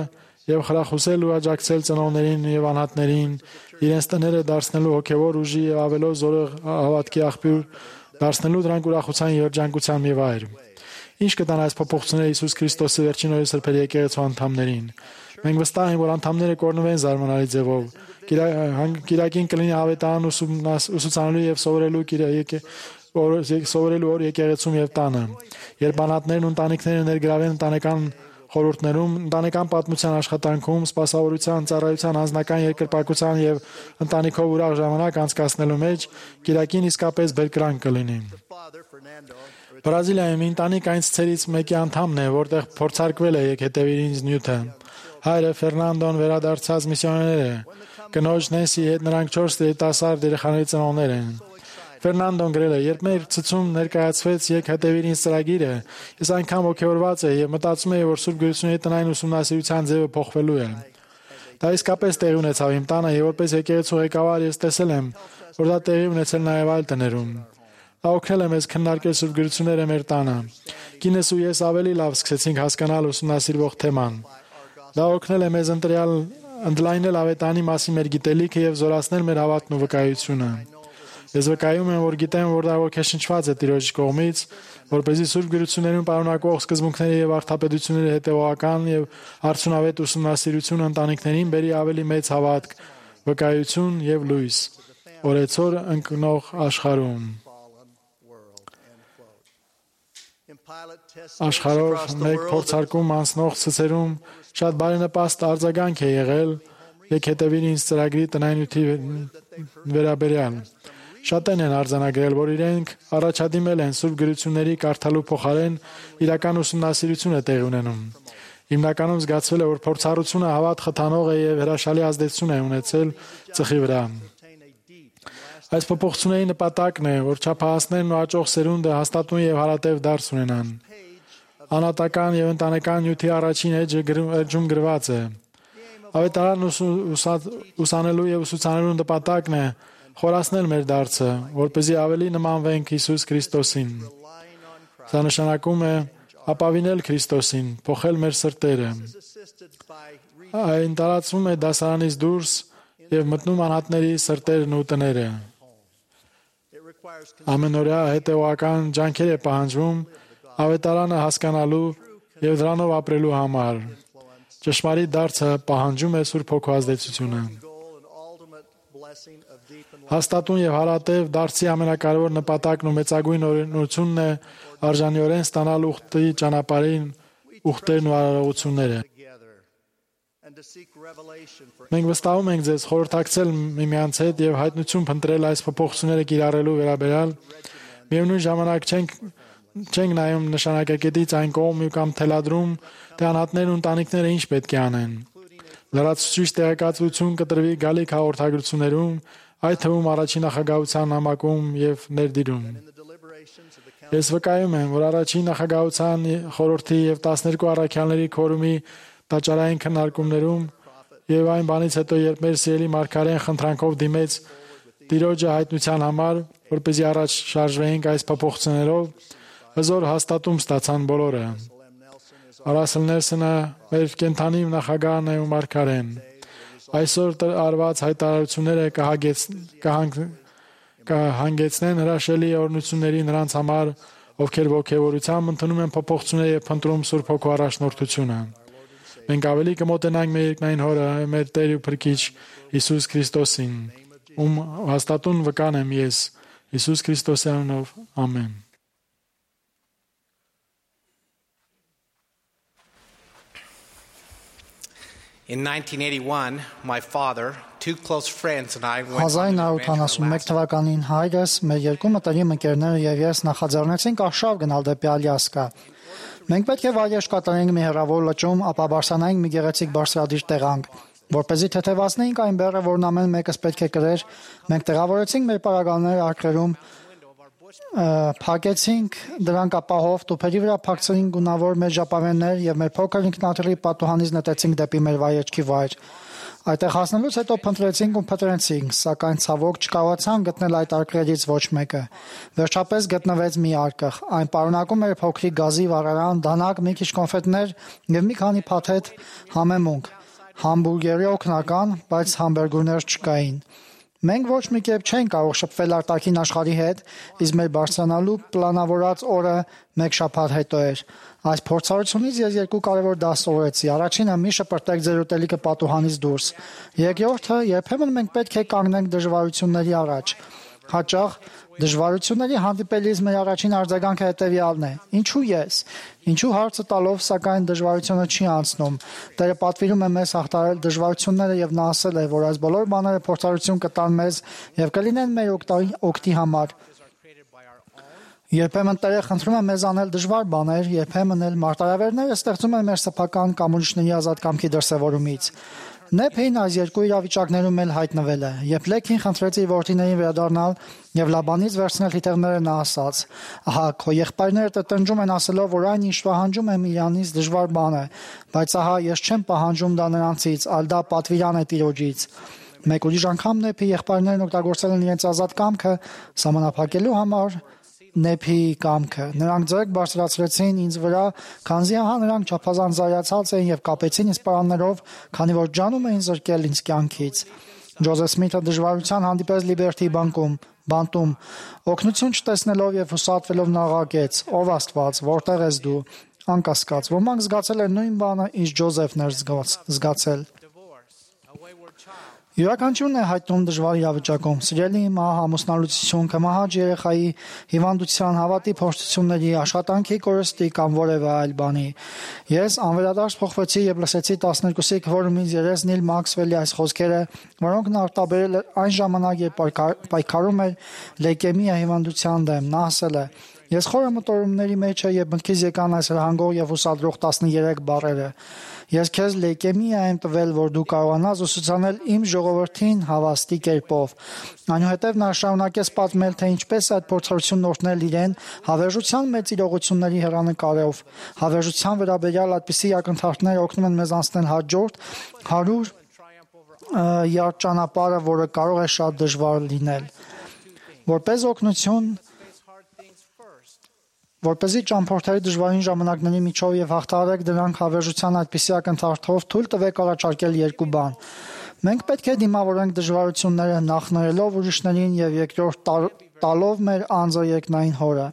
եւ խրախուսել ու աջակցել ծնողներին եւ անհատներին իրենց տները դարձնելու հոգեվոր ուժի եւ ավելով զորեղ հավատքի աղբյուր, դարձնելու դրանք ուրախության եւ երջանկության մի վայր։ Ինչ կտան այս փոփոխությունները Հիսուս Քրիստոսի վերջին օրերի սրբերի եկեղեցու անդամներին։ Մենք վստահ ենք, որ անդամները կօրհնվեն զարմանալի ձևով։ Կիրակին կլինի ավետարան ուսուցանելու եւ սովորելու օր եկեղեցում եւ տանը։ Երբ անհատներն ու ընտանիքները ներգրավեն ընտանեկան խորհուրդներում, ընտանեկան պատմության աշխատանքում, սպասավորության, ծառայության, անձնական երկրպագության եւ ընտանիքով ուրախ ժամանակ անցկացնելու մեջ կիրակին իսկապես բերկրանք կլինի։ Բրազիլիայում ընտանիք այն ցցերից մեկի անդամն է, որտեղ փորձարկվել է հետևիր ինձ նյութը։ Հայրը Ֆերնանդոն վերադարձած միսիոներ է։ Կնոջ Նենսի հետ նրանք 4 երիտասարդ երեխաների ծնողներ են։ Ֆերնանդոն գրել է. «Երբ մեր ցցում ներկայացվեց «Եկ հետևիր ինձ» ծրագիրը, ես այնքան ոգևորված էի եւ մտածում էի, որ Սուրբ Գրությունների տնային ուսումնասիրության ձևը փոխվելու է։ Դա իսկապես տեղի ունեցավ իմ տանը եւ որպես եկեղեցու ղեկավար ես տեսել եմ, որ դա տեղի ունեցել նաեւ այլ տներում։ Դա օգնել է մեզ քննարկել Սուրբ Գրությունները մեր տանը։ Կինս ու ես ավելի լավ սկսեցինք հասկանալ ուսումնասիրվող թեման։ Դա օգնել է մեզ ընդլայնել ավետանի մասին մեր գիտելիքը եւ զորացնել մեր հավատն ու վկայությունը։ Ես վկայում եմ, որ գիտեմ, որ դա ոգեշնչված է Տիրոջ կողմից, որպեսզի Սուրբ Գրություններում պարունակվող սկզբունքների եւ արդապետությունների հետեւողական եւ արդյունավետ ուսումնասիրությունը ընտանիքներին բերի ավելի մեծ հավատք, վկայություն եւ լույս օրեցօր ընկնող աշխարհում։ Աշխարհով մեկ փորձարկում անցնող ցցերում շատ բարենպաստ արձագանք է եղել «Եկ հետևիր ինձ» ծրագրի տնայնույթի վերաբերյալ։ Շատերն են արձանագրել, որ իրենք առաջադիմել են Սուրբ Գրությունների կարդալու փոխարեն իրական ուսումնասիրություն է տեղի ունենում։ Հիմնականում զգացվել է, որ փորձառությունը հավատ խթանող է եւ հրաշալի ազդեցություն է ունեցել ծխի վրա։ Այս փոփոխությունների նպատակն է, որ չափահասներն ու աճող սերունդը հաստատուն եւ հարատև դարձ ունենան։ Անատական եւ ընտանեկան նյութի առաջին էջում գրված է. Ավետարանն ուսանելու եւ ուսուցանելու նպատակն է խորացնել մեր դարձը, որպեսզի ավելի նմանվենք Հիսուս Քրիստոսին։ Սա նշանակում է ապավինել Քրիստոսին, փոխել մեր սրտերը։ Այն տարածվում է դասարանից դուրս եւ մտնում անհատների սրտերն ու տները։ Ամենօրյա հետեւական ջանքեր է պահանջվում ավետարանը հասկանալու եւ դրանով ապրելու համար։ Ճշմարիտ դարձը պահանջում է Սուրբ Հոգու ազդեցությունը։ Հաստատուն եւ հարատև դարձի ամենակարևոր նպատակն ու մեծագույն օրենությունն է արժանիորեն ստանալ ուխտի ճանապարհին ուխտերն ու արարողությունները։ Մենք վստահում ենք ձեզ խորհրդակցել միմյանց հետ եւ հայտնություն փնտրել այս փոփոխությունները կիրառելու վերաբերյալ։ Միևնույն ժամանակ չենք նայում նշանակակետից այն կողմ կամ թելադրում, թե անհատներն ու ընտանիքները ինչ պետք է անեն։ Լրացուցիչ տեղեկատվություն կտրվի գալիք հաղորդագրություններում, այդ թվում առաջին նախագահության նամակում եւ ներդիրում։ Ես վկայում եմ, որ առաջին նախագահության խորհրդի եւ 12 առաքյալների քորումի տաճարային քննարկումներում եւ այն բանից հետո, երբ մեր սիրելի մարգարեն խնդրանքով դիմեց Տիրոջը հայտնության համար, որպեսզի առաջ շարժվեինք այս փոփոխություններով, հզոր հաստատում ստացան բոլորը։ Ռասել Նելսոնը մեր կենթանի նախագահն է ու մարգարեն։ Այսօր արված հայտարարությունները կհանգեցնեն հրաշալի օրհնությունների նրանց համար, ովքեր ոգևորությամբ ընդունում են փոփոխությունները եւ փնտրում Սուրբ Հոգու առաջնորդությունը։ Մենք ավելի կմոտենանք մեր երկնային Հորը, մեր Տեր ու Փրկիչ Հիսուս Քրիստոսին, ում հաստատուն վկան եմ ես, Հիսուս Քրիստոսի անունով, ամեն։ In 1981, my father, two close friends and I went 1981 թվականին հայրս, մեր երկու մտերիմ ընկերները եւ ես նախաձեռնեցինք արշավ գնալ դեպի Ալյասկա։ Մենք պետք է վայրեջք կատարենք մի հեռավոր լճում, ապա բարձրանայինք մի գեղեցիկ բարձրադիր տեղանք, որպեսզի թեթևացնեինք այն բեռը, որն ամեն մեկս պետք է կրեր։ Մենք տեղավորեցինք մեր պարագաները արկղերում, փակեցինք դրանք ապահով, տուփերի վրա փակցրինք գունավոր մեր ժապավեններ եւ մեր փոքր ինքնաթիռի պատուհանից նետեցինք դեպի մեր վայրեջքի վայր։ Այդտեղ հասնելուց հետո փնտրեցինք ու փնտրեցինք, սակայն ցավոք չկարողացանք գտնել այդ արկղերից ոչ մեկը։ Վերջապես գտնվեց մի արկղ։ Այն պարունակում էր փոքրիկ գազի վառարան, դանակ, մի քիչ կոնֆետներ եւ մի քանի փաթեթ համեմունք։ Համբուրգերի օգնական, բայց համբերգուրներ չկային։ Մենք ոչ մի կերպ չենք կարող շփվել արտաքին աշխարհի հետ, իսկ մեր բարձրանալու պլանավորած օրը մեկ շաբաթ հետո էր։ Այս փորձառությունից ես երկու կարևոր դաս սովորեցի։ Առաջինը՝ մի շպրտեք ձեր ուտելիքը պատուհանից դուրս։ Երկրորդը՝ երբեմն մենք պետք է կանգնենք դժվարությունների առաջ։ Հաճախ դժվարությունների հանդիպելիս մեր առաջին արձագանքը հետևյալն է. ինչու ես։ Ինչու հարցը տալով, սակայն դժվարությունը չի անցնում։ Տերը պատվիրում է մեզ հաղթահարել դժվարությունները եւ նա ասել է, որ այս բոլոր բաները փորձառություն կտան մեզ եւ կլինեն մեր օգտի համար։ Երբեմն Տերը խնդրում է մեզ անել դժվար բաներ, երբեմն էլ մարտահրավերները ստեղծում են մեր սեփական կամ ուրիշների ազատ կամքի դրսևորումից։ Նեփին այս երկու իրավիճակներում էլ հայտնվել է։ Երբ Լեքին խնդրեց իր որդիներին վերադառնալ եւ Լաբանից վերցնել թիթեղները, նա ասաց. «Ահա, քո եղբայրները տնջում են ասելով, որ այն ինչ պահանջում եմ իրանից դժվար բան է, բայց ահա ես չեմ պահանջում դա նրանցից, այլ դա պատվիրան է Տիրոջից»։ Մեկ ուրիշ անգամ Նեփի եղբայրներն օգտագործել են իրենց ազատ կամքը սահմանափակելու համար Նեփի կամքը։ Նրանք ձեռք բարձրացրեցին ինձ վրա, քանզի ահա նրանք չափազանց զայացած էին եւ կապեցին ինձ պարաններով, քանի որ ջանում էին զրկել ինձ կյանքից։ Ջոզեֆ Սմիթը դժվարության հանդիպեց Լիբերթի բանտում, օգնություն չտեսնելով եւ հուսատվելով նաղակեց. «Ով Աստված, որտեղ ես դու»։ Անկասկած, ոմանք զգացել են նույն բանը, ինչ Ջոզեֆն էր զգացել։ Յուրաքանչյուրն է հայտնում դժվար իրավիճակում՝ սիրելի մահ, ամուսնալուծություն, կմահաճ երեխայի, հիվանդության, հավատի փորձությունների, աշխատանքի կորստի կամ որևէ այլ բանի։ Ես անվերադարձ փոխվեցի եւ լսեցի 12-ի քվորումից Երես Նիլ Մաքսվելի այս խոսքերը, որոնք նա արտաբերել էր այն ժամանակ, երբ պայքարում էր լեյկեմիա հիվանդության դեմ։ Նա ասել է. «Ես խորը մտորումների մեջ եմ եւ մտքից եկան այս հրահանգող եւ ուսադրող 13 բառերը։ Ես քեզ լեյկեմիա եմ տվել, որ դու կարողանաս ուսուցանել իմ ժողովրդին հավաստի կերպով»։ Այնուհետև նա շարունակեց պատմել, թե ինչպես այդ փորձառությունն օրհնել իրեն հավերժության մեծ իրողությունների հեռանկարով։ Հավերժության վերաբերյալ այդպիսի ակնթարթներ օգնում են մեզ անցնել հաջորդ 100 յարդ ճանապարհը, որը կարող է շատ դժվար լինել։ Որպես օգնություն Որպեսզի ճամփորդերի դժվարին ժամանակների միջով եւ հաղթահարեք դրանք հավերժության այդպիսի ակնթարթով, թույլ տվեք առաջարկել երկու բան։ Մենք պետք է դիմավորենք դժվարությունները նախ նայելով ուրիշներին եւ երկրորդ տալով մեր անձը երկնային Հորը։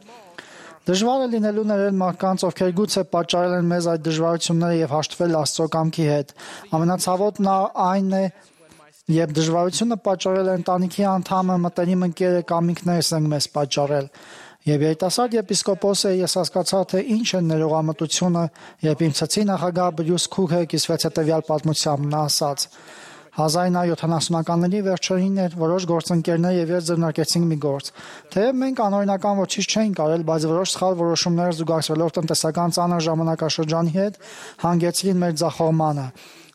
Դժվար է լինելու ներել մարդկանց, ովքեր գուցե պատճառել են մեզ այդ դժվարությունները եւ հաշտվել Աստծո կամքի հետ։ Ամենացավոտն այն է, երբ դժվարությունը պատճառել է ընտանիքի անդամը, մտերիմ ընկերը կամ ինքներս ենք մեզ պատճառել։ Եվ երիտասարդ եպիսկոպոսը ես հասկացա, թե ինչ է ներողամտությունը, երբ իմ ցեցի նախագահ Բրյուս Քուքը կիսվեց հետևյալ պատմությամբ։ Նա ասաց. 1970-ականների վերջերին էր, որոշ գործընկերներ եւ ես ձեռնարկեցինք մի գործ։ Թեև մենք անօրինական ոչինչ չէինք արել, բայց որոշ սխալ որոշումներ զուգակցվելով տնտեսական ծանր ժամանակաշրջանի հետ հանգեցրին մեր ձախողմանը։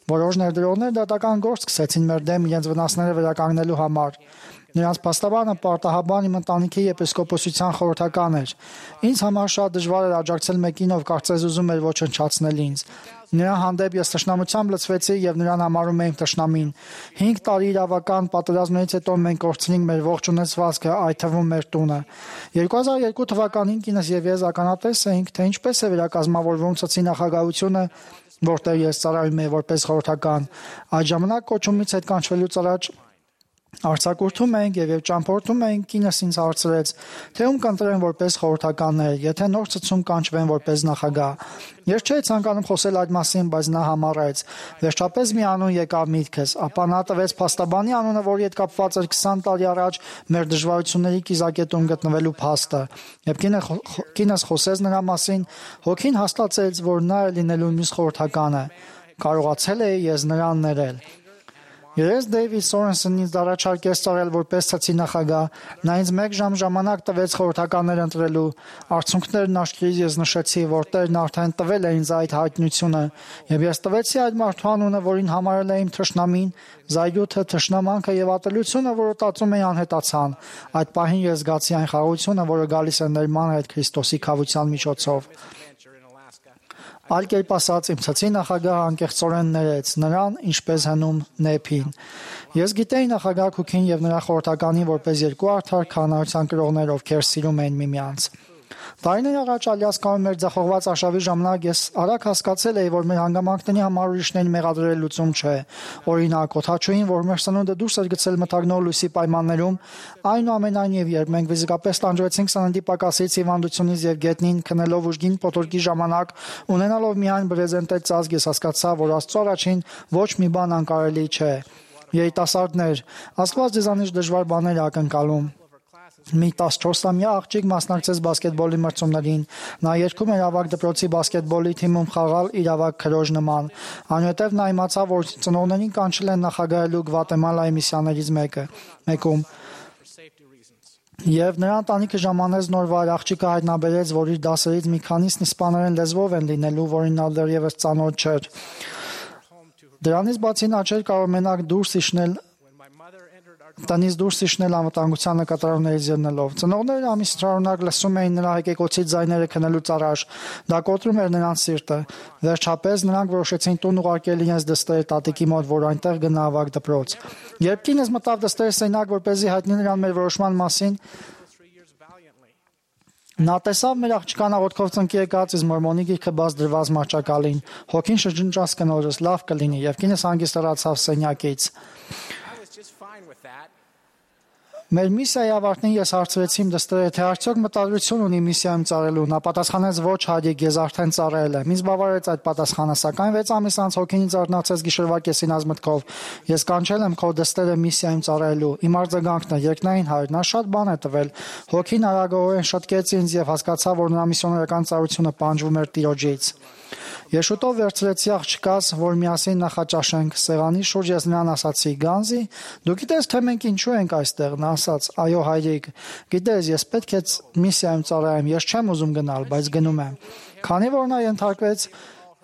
Որոշ ներդրողներ դատական գործ սկսեցին մեր դեմ իրենց վնասները վերականգնելու համար։ Նրանց փաստաբանը պարտահաբան իմ ընտանիքի եպիսկոպոսության խորհրդական էր։ Ինձ համար շատ դժվար էր աջակցել մեկին, ով կարծես ուզում էր ոչնչացնել ինձ։ Նրա հանդեպ ես թշնամությամբ լցվեցի եւ նրան համարում էի թշնամին։ 5 տարի իրավական պատերազմներից հետո մենք կորցրինք մեր ողջ ունեցվածքը, այդ թվում մեր տունը։ 2002 թվականին կինս եւ ես ականատես էինք, թե ինչպես է վերակազմավորվում ցցի նախագահությունը, որտեղ ես ծառայում եմ որպես խորհրդական։ Այդ ժամանակ կոչումից հետ կանչվելուց առաջ արձակուրդում ենք եւ ճամփորդում ենք, կինս ինձ հարցրեց, թե ում կընտրեն որպես խորհրդականներ, եթե նոր ցցում կանչվեն որպես նախագահ։ Ես չէի ցանկանում խոսել այդ մասին, բայց նա համառեց։ Վերջապես մի անուն եկավ միտքս, ապա նա տվեց փաստաբանի անունը, որի հետ կապված էր 20 տարի առաջ մեր դժվարությունների կիզակետում գտնվելու փաստը։ Եվ կինս խոսեց նրա մասին, հոգին հաստատեց, որ նա է լինելու մյուս խորհրդականը։ Կարողացել էի ես նրան ներել։ Երես Դեյվիդ Սորենսոնն ինձ առաջարկեց ծառայել որպես ցցի նախագահ։ Նա ինձ 1 ժամ ժամանակ տվեց խորհրդականներ ընտրելու։ Արդյունքներն աչքերից ես նշեցի, որ Տերն արդեն տվել է ինձ այդ հայտնությունը, եւ ես տվեցի այդ մարդու անունը, որին համարել եմ թշնամին, զայրույթը, թշնամանքը եւ ատելությունը, որը տածում էի անհետացան։ Այդ պահին ես զգացի այն խաղաղությունը, որը գալիս է ներման հետ Քրիստոսի քավության միջոցով։ Այլ կերպ ասած, իմ ցցի նախագահը անկեղծորեն ներեց նրան, ինչպես հնում Նեփին։ Ես գիտեի նախագահ Քուքին եւ նրա խորհրդականին որպես երկու արդար քահանայության կրողներ, ովքեր սիրում են միմյանց։ Տարիներ առաջ Ալյասկայում մեր ձախողված արշավի ժամանակ ես արագ հասկացել էի, որ մեր հանգամանքների համար ուրիշներին մեղադրել լուծում չէ։ Օրինակ, օդաչուին, որ մեր սնունդը դուրս էր գցել մթագնող լույսի պայմաններում, այնուամենայնիվ, երբ մենք ֆիզիկապես տանջվեցինք սննդի պակասից, հիվանդությունից եւ գետնին քնելով ուժգին փոթորկի ժամանակ, ունենալով միայն բրեզենտեր ծածկ, ես հասկացա, որ Աստծո առաջին ոչ մի բան անկարելի չէ։ Երիտասարդներ, Աստված ձեզանից դժվար բաներ է ակնկալում։ Մի 14-ամյա աղջիկ մասնակցեց բասկետբոլի մրցումներին։ Նա երգում էր ավագ դպրոցի բասկետբոլի թիմում խաղալ իր ավագ քրոջ նման։ Այնուհետև նա իմացավ, որ ծնողներին կանչել են նախագահելու Գվատեմալայի միսիաներից մեկում։ Եվ նրա ընտանիքը ժամանեց նոր վայր, աղջիկը հայտնաբերեց, որ իր դասերից մի քանիսն իսպաներեն լեզվով են լինելու, որին նա դեռևս ծանոթ չէր։ Դրանից բացի նա չէր կարող մենակ տնից դուրս իջնել անվտանգության նկատառումներից ելնելով։ Ծնողները ամիս շարունակ լսում էին նրա հեկեկոցի ձայները քնելուց առաջ։ Դա կոտրում էր նրանց սիրտը։ Վերջապես նրանք որոշեցին տուն ուղարկել իրենց դստերը տատիկի մոտ, որ այնտեղ գնա ավագ դպրոց։ Երբ կինս մտավ դստերը սենյակ, որպեսզի հայտնի նրան մեր որոշման մասին, նա տեսավ մեր աղջկան աղոթքով ծնկի եկած իսկ մորմոնի գիրքը բաց դրված մահճակալին։ Հոգին շրջնջաց կնոջս, լավ կլինի, եւ կինս հանգիստ հեռացավ սենյակից։ Մեր միսիայի ավարտին ես հարցրեցի իմ դստերը, թե արդյոք մտադրություն ունի միսիայում ծառայելու։ Նա պատասխանեց. ոչ, հայրիկ, ես արդեն ծառայել եմ։ Ինձ բավարարեց այդ պատասխանը, սակայն 6 ամիս անց հոգին ինձ արթնացրեց գիշերվա կեսին ազմտքով։ Ես կանչել եմ քո դստերը միսիայում ծառայելու։ Իմ արձագանքն է, երկնային հայր, նա շատ բան է տվել։ Հոգին արագորեն շտկեց ինձ եւ հասկացա, որ նրա միսիոներական ծառայությունը պահանջվում էր Տիրոջից։ Ես շուտով վերցրեցի աղջկաս, որ միասին նախաճաշենք։ Սեղանի շուրջ ես նրան ասացի. «Գանզի, դու գիտես, թե մենք ինչու ենք այստեղ»։ Նա ասաց. «Այո, հայրիկ, գիտես, ես պետք է միսիայում ծառայեմ, ես չեմ ուզում գնալ, բայց գնում եմ»։ Քանի որ նա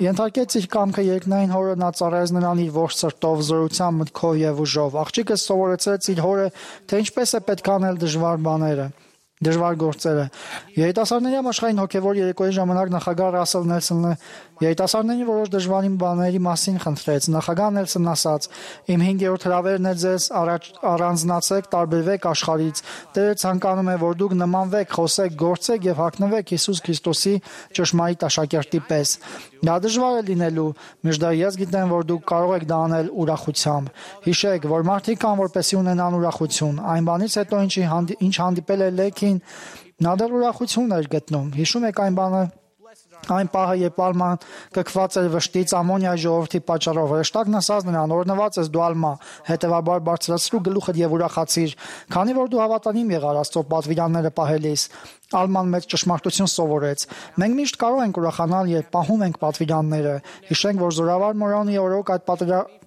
ենթարկեց իր կամքը երկնային հորը, նա ծառայեց նրան իր ողջ սրտով, զորությամբ, մտքով եւ ուժով։ Աղջիկը սովորեցրեց իր հորը, թե ինչպես է պետք անել դժվար գործերը։ Երիտասարդների համաշխարհային հոգևոր երեկոյի ժամանակ նախագահ Ռասել Նելսոնը երիտասարդների որոշ դժվարին բաների մասին խնդրեց։ Նախագահ Նելսոնն ասաց. «Իմ 5-րդ հրավերն է ձեզ, առանձնացեք, տարբերվեք աշխարհից։ Տերը ցանկանում է, որ դուք նմանվեք, խոսեք, գործեք եւ հագնվեք Հիսուս Քրիստոսի ճշմարիտ աշակերտի պես։ Դա դժվար է լինելու, միշտ ես գիտեմ, որ դուք կարող եք դա անել ուրախությամբ։ Հիշեք, որ մարդիկ կան, որպեսզի ունենան ուրախություն։ Այն բանից հետո ինչ հանդիպել է Լեքին, նա դեռ ուրախություն էր գտնում։ Հիշում եք այն պահը, երբ Ալման կքված էր վշտից ամոնիայի ժողովրդի պատճառով։ Հրեշտակն ասաց նրան. «Օրհնված ես դու Ալմա, հետևաբար բարձրացրու գլուխդ եւ ուրախացիր, քանի որ դու հավատանիմ եղար Աստծո պատվիրանները պահելիս»։ Ալման մեծ ճշմարտություն սովորեց։ Մենք միշտ կարող ենք ուրախանալ, երբ պահում ենք պատվիրանները։ Հիշենք, որ Զորավար Մորոնի օրոք այդ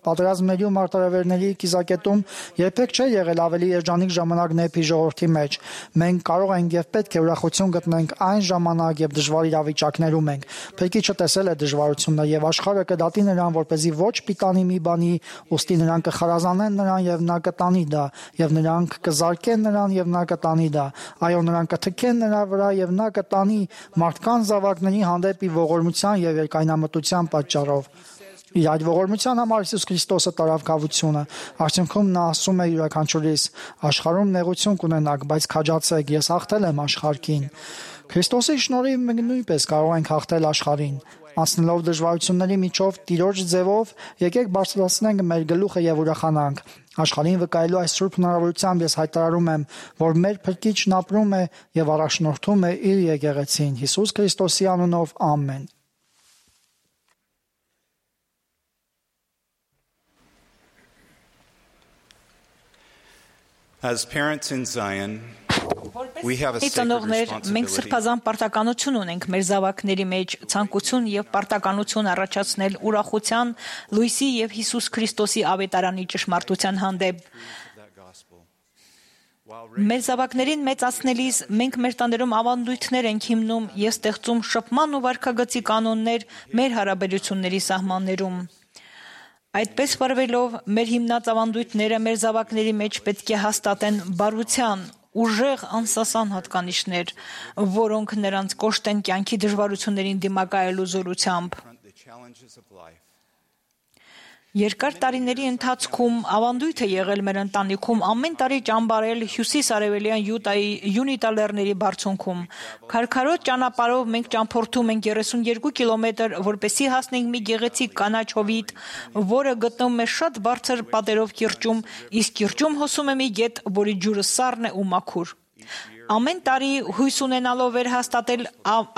պատերազմների ու մարտահրավերների կիզակետում երբեք չէ եղել ավելի երջանիկ ժամանակ նեփի ժողովրդի մեջ։ Մենք կարող ենք եւ պետք է ուրախություն գտնենք այն ժամանակ, երբ դժվար իրավիճակներում ենք։ Փրկիչը տեսել է դժվարությունները եւ աշխարհը կդատի նրան, որպեսզի ոչ պիտանի մի բանի, ուստի նրանք կխարազանեն նրան եւ նա կտանի դա, եւ նրանք կզարկեն նրան եւ նա կտանի դա։ Այո, նրանք կթքեն նրա վրա եւ նա կտանի մարդկան զավակների հանդեպ իր ողորմության եւ երկայնամտության պատճառով։ Իր այդ ողորմության համար Հիսուս Քրիստոսը տարավ կավությունը։ Արդյունքում նա ասում է յուրաքանչյուրիս. աշխարհում նեղություն կունենաք, բայց քաջացեք, ես հաղթել եմ աշխարհին։ Քրիստոսի շնորհիվ մենք նույնպես կարող ենք հաղթել աշխարհին։ Անցնելով դժվարությունների միջով Տիրոջ ձևով, եկեք բարձրացնենք մեր գլուխը եւ ուրախանանք։ Աշխարհին վկայելու այս սուրբ հնարավորությամբ ես հայտարարում եմ, որ մեր Փրկիչն ապրում է եւ առաջնորդում է իր եկեղեցին։ Հիսուս Քրիստոսի անունով, ամեն։ As parents in Zion, we have a sacred Ծնողներ, մենք responsibility սրբազան պարտականություն ունենք մեր զավակների մեջ ցանկություն եւ պարտականություն առաջացնել ուրախության, լույսի եւ Հիսուս Քրիստոսի ավետարանի ճշմարտության հանդեպ։ Մեր զավակներին մեծացնելիս մենք մեր տաներում ավանդույթներ ենք հիմնում եւ ստեղծում շփման ու վարքագծի կանոններ մեր հարաբերությունների սահմաններում։ Այդպես վարվելով մեր հիմնած ավանդույթները մեր զավակների մեջ պետք է հաստատեն բարության, ուժեղ անսասան հատկանիշներ, որոնք նրանց կոշտեն կյանքի դժվարություններին դիմակայելու զորությամբ։ Երկար տարիների ընթացքում ավանդույթ է եղել մեր ընտանիքում ամեն տարի ճամբարել հյուսիս-արևելյան Յուտայի Յունիտա լեռների բարձունքում։ Քարքարոտ ճանապարհով մենք ճամփորդում ենք 32 կիլոմետր, որպեսզի հասնենք մի գեղեցիկ կանաչ հովիտ, որը գտնվում է շատ բարձր պատերով կիրճում, իսկ կիրճում հոսում է մի գետ, որի ջուրը սառն է ու մաքուր։ Ամեն տարի հույս ունենալով վերհաստատել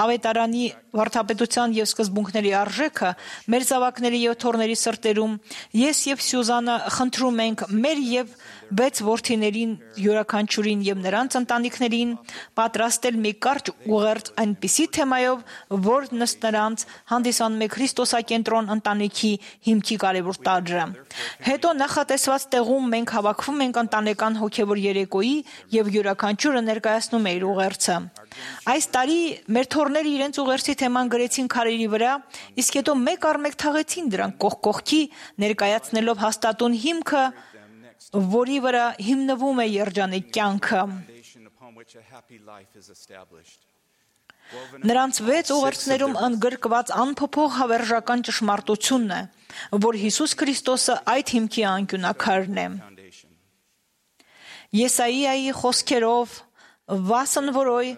ավետարանի վարդապետության եւ սկզբունքների արժեքը մեր զավակների եւ թորների սրտերում, ես եւ Սյուզանը խնդրում ենք մեր եւ 6 որդիներին յուրաքանչյուրին եւ նրանց ընտանիքներին պատրաստել մի կարճ ուղերձ այնպիսի թեմայով, որ նրանց հանդիսանում է Քրիստոսակենտրոն ընտանիքի հիմքի կարևոր տարրը։ Հետո նախատեսված տեղում մենք հավաքվում ենք ընտանեկան հոգևոր երեկոյի եւ յուրաքանչյուրը ներկայացնում է իր ուղերձը։ Այս տարի մեր թորները իրենց ուղերձի թեման գրեցին քարերի վրա, իսկ հետո մեկ առ մեկ թաղեցին դրանք կողք կողքի, ներկայացնելով հաստատուն հիմքը, որի վրա հիմնվում է երջանիկ կյանքը։ Նրանց 6 ուղերձներում ընդգրկված անփոփոխ հավերժական ճշմարտությունն է, որ Հիսուս Քրիստոսը այդ հիմքի անկյունակարն է։ Եսայիայի խոսքերով «Վասն որոյ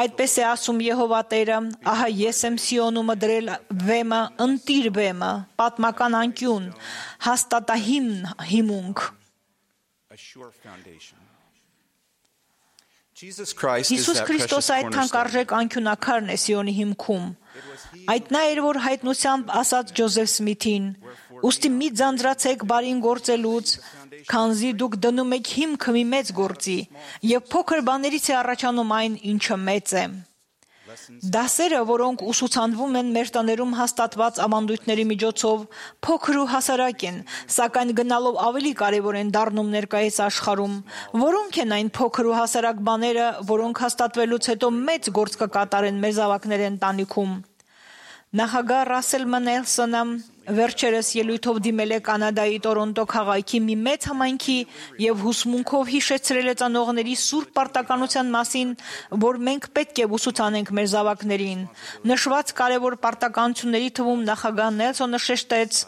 այդպես է ասում Եհովա Տերը, ահա ես եմ Սիոնումը դրել վեմը, ընտիր վեմը, պատմական անկյուն, հաստատահիմն հիմունք»։ Հիսուս Քրիստոսը այդ թանկարժեք անկյունակարն է Սիոնի հիմքում։ Այդ նա էր, որ հայտնությամբ ասաց Ջոզեֆ Սմիթին. «Ուստի մի ձանձրացեք բարին գործելուց, քանզի դուք դնում եք հիմքը մի մեծ գործի, եւ փոքր բաներից է առաջանում այն, ինչը մեծ է»։ Դասերը, որոնք ուսուցանվում են մեր տներում հաստատված ավանդույթների միջոցով, փոքր ու հասարակ են, սակայն գնալով ավելի կարևոր են դառնում ներկայիս աշխարհում։ Որոնք են այն փոքր ու հասարակ բաները, որոնք հաստատվելուց հետո մեծ գործ կկատարեն մեր զավակների ընտանիքում։ Նախագահ Ռասել Նելսոնը վերջերս ելույթով դիմել է Կանադայի Տորոնտո քաղաքի մի մեծ համայնքի եւ հուսմունքով հիշեցրել է ծնողների սուրբ պարտականության մասին, որ մենք պետք է ուսուցանենք մեր զավակներին։ Նշված կարևոր պարտականությունների թվում նախագահ Նելսոնը շեշտեց,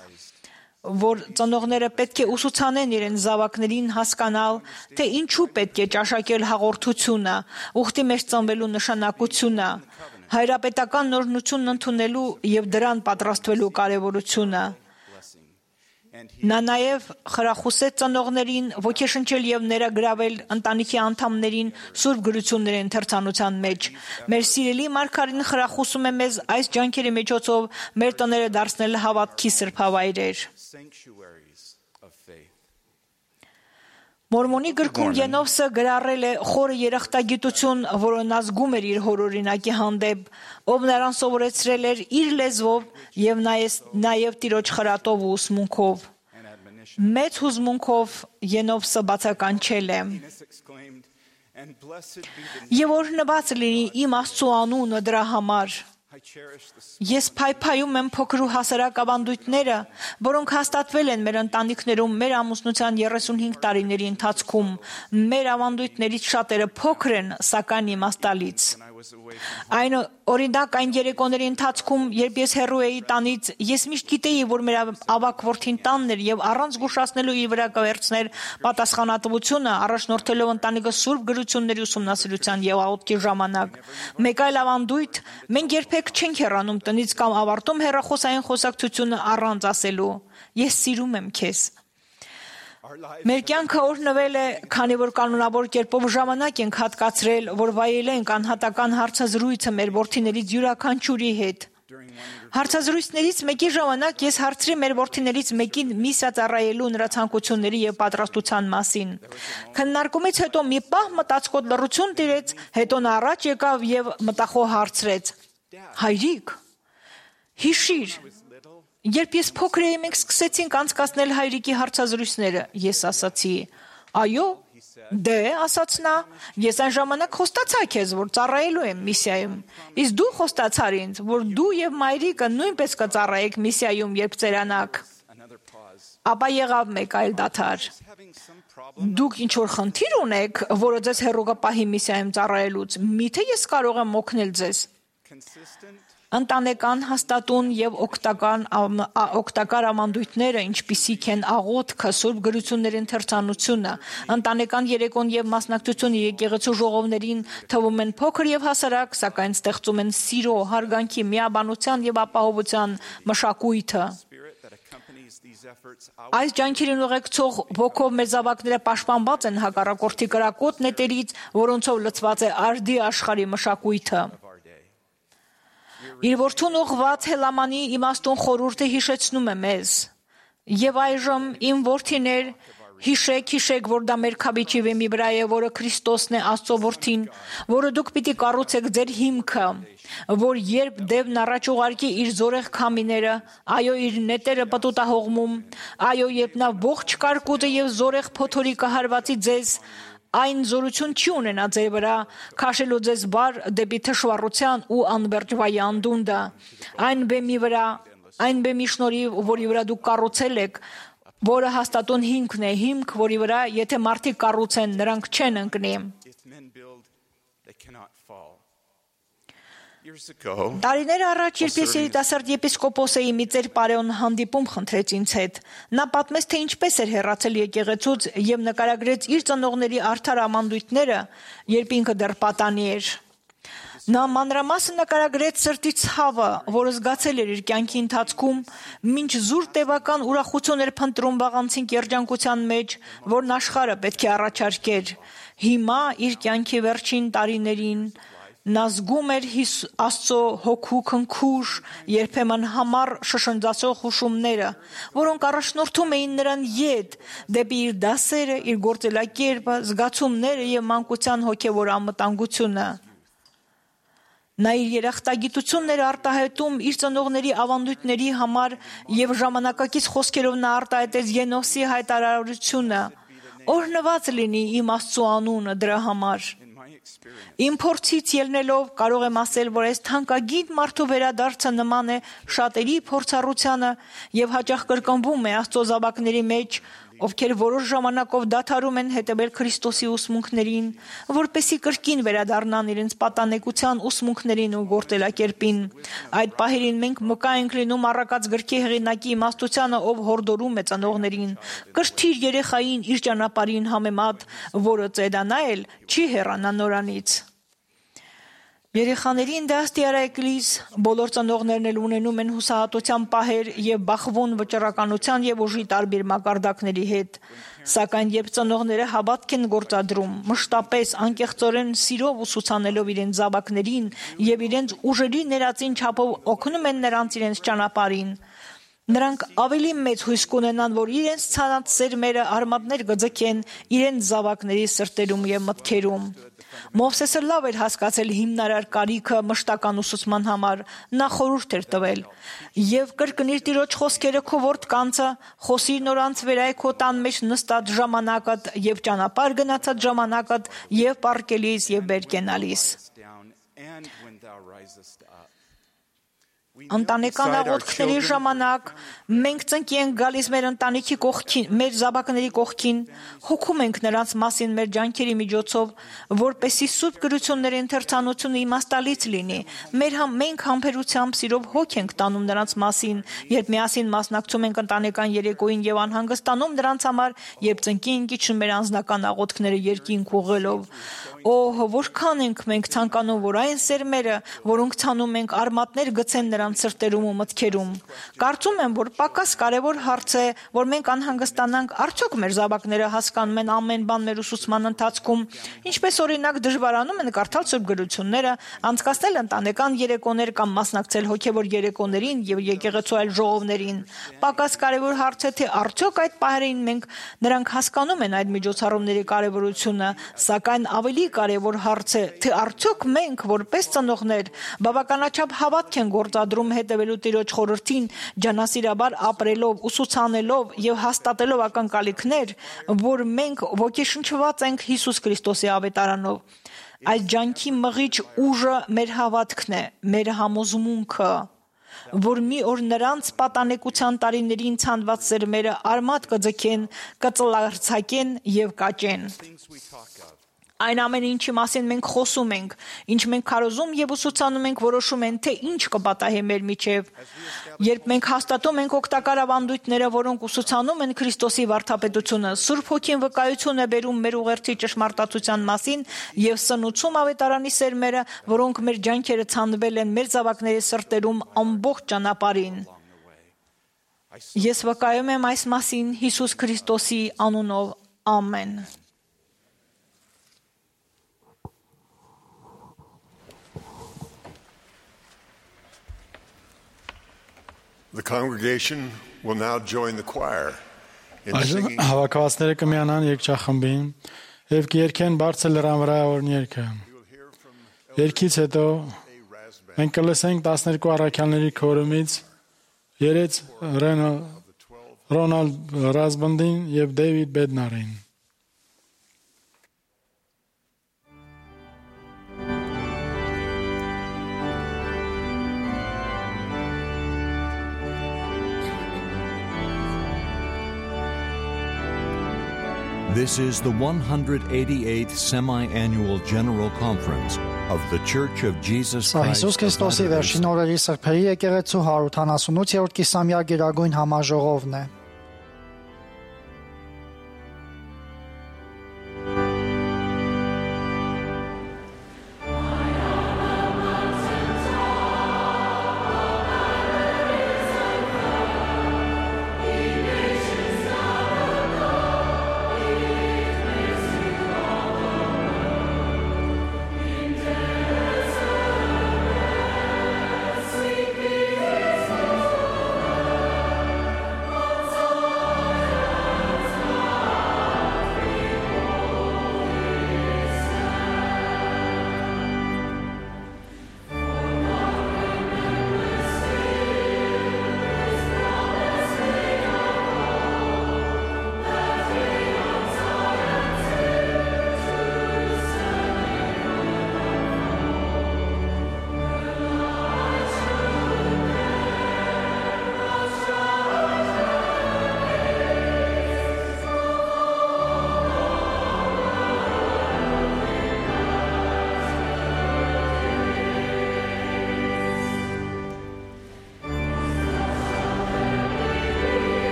որ ծնողները պետք է ուսուցանեն իրենց զավակներին հասկանալ, թե ինչու պետք է ճաշակել հաղորդությունը, ուխտի մեջ ծնվելու նշանակությունը, հայրապետական նորնությունն ընդունելու եւ դրան պատրաստվելու կարեւորությունը։ Նա նաեւ խրախուսեց ծնողներին ոգեշնչել եւ ներգրավել ընտանիքի անդամներին սուրբ գրությունների ընթերցանության մեջ։ Մեր սիրելի մարգարին խրախուսում է մեզ այս ջանքերի միջոցով մեր տները դարձնել հավատքի սրբավայրեր։ Մորմոնի գրքում Ենովսը գրառել է խորը երախտագիտություն, որը նա զգում էր իր հորօրինակի հանդեպ, ով նրան սովորեցրել էր իր լեզվով եւ նաեւ տիրոջ խրատով ու ուսմունքով։ Մեծ հուզմունքով Ենովսը բացականչել է. «Եվ օրհնված լինի իմ Աստծու անունը դրա համար։ Ես փայփայում եմ փոքր ու հասարակ ավանդույթները, որոնք հաստատվել են մեր ընտանիքներում մեր ամուսնության 35 տարիների ընթացքում։ Մեր ավանդույթներից շատերը փոքր են, սակայն իմաստալից։ Այն օրինակ այն երեկոների ընթացքում, երբ ես հեռու էի տանից, ես միշտ գիտեի, որ մեր ավագ որդին տանն էր եւ առանց զգուշացնելու իր վրա կվերցներ պատասխանատվությունը, առաջնորդելով ընտանիքը սուրբ գրությունների ուսումնասիրության եւ աղոթքի ժամանակ։ Մեկ այլ ավանդույթ, մենք երբեք չենք հեռանում տնից կամ ավարտում հեռախոսային խոսակցությունը առանց ասելու. «Ես սիրում եմ քեզ»։ Մեր կյանքը օրհնվել է, քանի որ կանոնավոր կերպով ժամանակ ենք հատկացրել, որ վայելենք անհատական հարցազրույցը մեր որդիներից յուրաքանչյուրի հետ։ Հարցազրույցներից մեկի ժամանակ ես հարցրի մեր որդիներից մեկին միսիա ծառայելու նրա ցանկությունների եւ պատրաստության մասին։ Քննարկումից հետո մի պահ մտածկոտ լռություն տիրեց, հետո նա առաջ եկավ եւ մտախոհ հարցրեց. «Հայրիկ, հիշիր, երբ ես փոքր էի, մենք սկսեցինք անցկացնել հայրիկի հարցազրույցները»։ Ես ասացի. «Այո, դե», ասաց նա, «ես այն ժամանակ խոստացա քեզ, որ ծառայելու եմ միսիայում։ Իսկ դու խոստացար ինձ, որ դու եւ մայրիկը նույնպես կծառայեք միսիայում, երբ ծերանաք»։ Ապա եղավ մեկ այլ դադար. «Դուք ինչ որ խնդիր ունեք, որը ձեզ հեռու կպահի միսիայում ծառայելուց, միթե ես կարող եմ օգնել ձեզ»։ Ընտանեկան հաստատուն եւ օգտակար ավանդույթները, ինչպիսիք են աղոթքը, սուրբ գրությունների ընթերցանությունը, ընտանեկան երեկոն եւ մասնակցությունը եկեղեցու ժողովներին թվում են փոքր եւ հասարակ, սակայն ստեղծում են սիրո, հարգանքի, միաբանության եւ ապահովության մշակույթը։ Այս ջանքերին ուղեկցող ոգով մեր զավակները պաշտպանված են հակառակորդի կրակոտ նետերից, որոնցով լցված է արդի աշխարհի մշակույթը։ Իր որդուն ուղղված Հելամանի իմաստուն խորհուրդը հիշեցնում է մեզ. «Եվ այժմ իմ որդիներ, Հիշեք, որ դա մեր քաբիչի վեմի վրա է, որը Քրիստոսն է, Աստծո որդին, որը դուք պիտի կառուցեք ձեր հիմքը, որ երբ դևն առաջ ուղարկի իր զորեղ քամիները, այո, իր նետերը պտուտահողմում, այո, երբ նա ողջ կարկուտը եւ զորեղ փոթորիկը հարվածի ձեզ, այն զորություն չի ունենա ձեր վրա, քաշելու ձեզ բար դեպի թշվառության ու անվերջվայի անդունդը, այն բեմի շնորհիվ, որի վրա դուք կառուցել եք, որը հաստատուն հիմքն է, հիմք, որի վրա, եթե մարդիկ կառուցեն, նրանք չեն ընկնի։ Տարիներ առաջ, երբ ես երիտասարդ եպիսկոպոս էի, մի ծեր Պարեոն հանդիպում խնդրեց ինձ հետ։ Նա պատմեց, թե ինչպես էր հեռացել եկեղեցուց եւ նկարագրեց իր ծնողների արդար ամանդույթները, երբ ինքը դեռ պատանի էր։ Նա մանրամասն նկարագրեց սրտի ցավը, որը զգացել էր իր կյանքի ընթացքում, մինչ զուր տևական ուրախություն էր փնտրում վաղանցին երջանկության մեջ, որն աշխարհը պետք է առաջարկեր։ Հիմա իր կյանքի վերջին տարիներին նա զգում էր Աստծո հոգու քնքուշ, երբեմն համառ շշնջացող հուշումները, որոնք առաջնորդում էին նրան ետ, դեպի իր դասերը, իր գործելակերպը, զգացումները եւ մանկության հոգեվոր անվտանգությունը։ Նա իր երախտագիտությունները արտահայտում իր ծնողների ավանդույթների համար եւ ժամանակակից խոսքերով նա արտահայտեց Ենոսի հայտարարությունը. «Օրհնված լինի իմ Աստծո անունը դրա համար»։ Իմ փորձից ելնելով կարող եմ ասել, որ այս թանկագին մարդու վերադարձը նման է շատերի փորձառությանը եւ հաճախ կրկնվում է Աստծո զավակների մեջ, ովքեր որոշ ժամանակով դադարում են հետևել Քրիստոսի ուսմունքներին, որպեսզի կրկին վերադառնան իրենց պատանեկության ուսմունքներին ու գործելակերպին։ Այդ պահերին մենք մկա ենք լինում առակած գրքի հեղինակի իմաստությանը, ով հորդորում է ծնողներին. «Կրթիր երեխային իր ճանապարհին համեմատ, որը ծեդանա էլ չի հեռանա նորանից»։ Երեխաներին դաստիարակելիս բոլոր ծնողներն էլ ունենում են հուսահատության պահեր եւ բախվում վճռականության եւ ուժի տարբեր մակարդակների հետ, սակայն երբ ծնողները հավատք են գործադրում, մշտապես անկեղծորեն սիրով ուսուցանելով իրենց զավակներին եւ իրենց ուժերի ներածին չափով օգնում են նրանց իրենց ճանապարհին, նրանք ավելի մեծ հույս կունենան, որ իրենց ցանած սերմերը արմատներ կձգեն իրենց զավակների սրտերում եւ մտքերում։ Մովսեսը լավ էր հասկացել հիմնարար կարիքը մշտական ուսուցման համար, նա խորհուրդ էր տվել. «Եվ կրկնիր Տիրոջ խոսքերը քո որդկանցը, խոսիր նորանց վերայ քո տան մեջ նստած ժամանակդ եւ ճանապարհ գնացած ժամանակդ եւ պառկելիս եւ վեր կենալիս»։ Ընտանեկան աղոթքների ժամանակ մենք ծնկի ենք գալիս մեր ընտանիքի կողքին, մեր զավակների կողքին, հոգում ենք նրանց մասին մեր ջանքերի միջոցով, որպեսզի սուրբ գրությունների ընթերցանությունը իմաստալից լինի։ Մենք համբերությամբ սիրով հոգ ենք տանում նրանց մասին, երբ միասին մասնակցում ենք ընտանեկան երեկոյին եւ անհանգստանում նրանց համար, երբ ծնկի ենք իջնում մեր անձնական աղոթքները երկինք ուղղելով։ Օհ, որքան ենք մենք ցանկանում, որ այն սերմերը, որոնք ցանում ենք, արմատներ գցեն նրանց սրտերում ու մտքերում։ Կարծում եմ, որ պակաս կարևոր հարց է, որ մենք անհանգստանանք, արդյոք մեր զավակները հասկանում են ամեն բան մեր ուսուցման ընթացքում, ինչպես օրինակ դժվարանում են կարդալ սուրբ գրությունները, անցկացնել ընտանեկան երեկոներ կամ մասնակցել հոգևոր երեկոներին եւ եկեղեցու այլ ժողովներին։ Պակաս կարևոր հարց է, թե արդյոք այդ պահերին նրանք հասկանում են այդ միջոցառումների կարևորությունը, սակայն ավելի կարևոր հարց է, թե արդյոք մենք, որպես ծնողներ, բավականաչափ հավատք են գործադրում հետևելու Տիրոջ խորհրդին, ջանասիրաբար ապրելով, ուսուցանելով եւ հաստատելով ակնկալիքներ, որ մենք ոգեշնչված ենք Հիսուս Քրիստոսի ավետարանով։ Այդ ջանքի մղիչ ուժը մեր հավատքն է, մեր համոզմունքը, որ մի օր նրանց պատանեկության տարիներին ցանված սերմերը արմատ կձգեն, կծլարձակեն եւ կաճեն։ Այն ամեն ինչի մասին մենք խոսում ենք, ինչ մենք քարոզում եւ ուսուցանում ենք, որոշում են, թե ինչ կպատահի մեր միջև։ Երբ մենք հաստատում ենք օգտակար ավանդույթները, որոնք ուսուցանում են Քրիստոսի վարդապետությունը, Սուրբ Հոգին վկայություն է բերում մեր ուղերձի ճշմարտացության մասին եւ սնուցում ավետարանի սերմերը, որոնք մեր ջանքերը ցանվել են մեր զավակների սրտերում ամբողջ ճանապարհին։ Ես վկայում եմ այս մասին Հիսուս Քրիստոսի անունով։ Ամեն։ The congregation will now join the choir Այժմ հավաքվածները կմիանան երգչախմբին եւ կերկեն բարձր լեռան վրա օրն երգը։ Երգից հետո մենք կլսենք 12 առաքյալների քորումից երեց Ռոնալդ Ռազբանդին եւ Դեյվիդ Բեդնարին։ This is the 188th Semi-Annual General Conference of the Church of Jesus Christ. Հիսուս Քրիստոսի վերջին օրերի սրբերի եկեղեցու 178-րդ կիսամյա գերագույն համաժողովն է։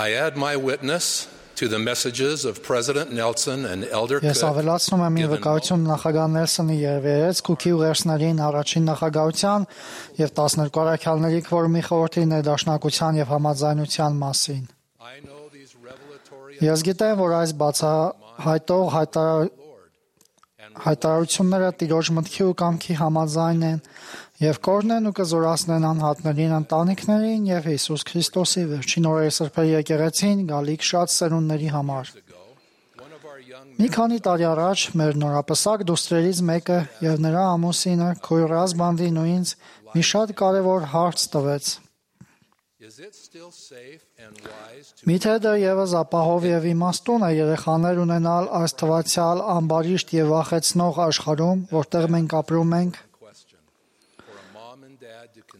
I add my witness to the messages of President Nelson and Elder Ես ավելացնում եմ իմ վկայություն նախագահ Նելսոնի եւ Երեց Քուքի ուղերձներին առաջին նախագահության եւ 12 առաքյալների քվորումի խորհրդի ներդաշնակության եւ համաձայնության մասին։ Ես գիտեմ, որ այս բացահայտող հայտարարությունները Տիրոջ մտքի ու կամքի համաձայն են եւ կօրհնեն ու կզորացնեն անհատներին, ընտանիքներին եւ Հիսուս Քրիստոսի վերջին օրերի սրբերի եկեղեցին գալիք շատ սերունդների համար։ Մի քանի տարի առաջ մեր նորապսակ դուստրերից մեկը եւ նրա ամուսինը Քույր Ռազբանդին ու ինձ մի շատ կարեւոր հարց տվեց։ Միթե դա եւս ապահով եւ իմաստուն է երեխաներ ունենալ այս թվացial ամբարիշտ եւ վախեցնող աշխարհում, որտեղ մենք ապրում ենք։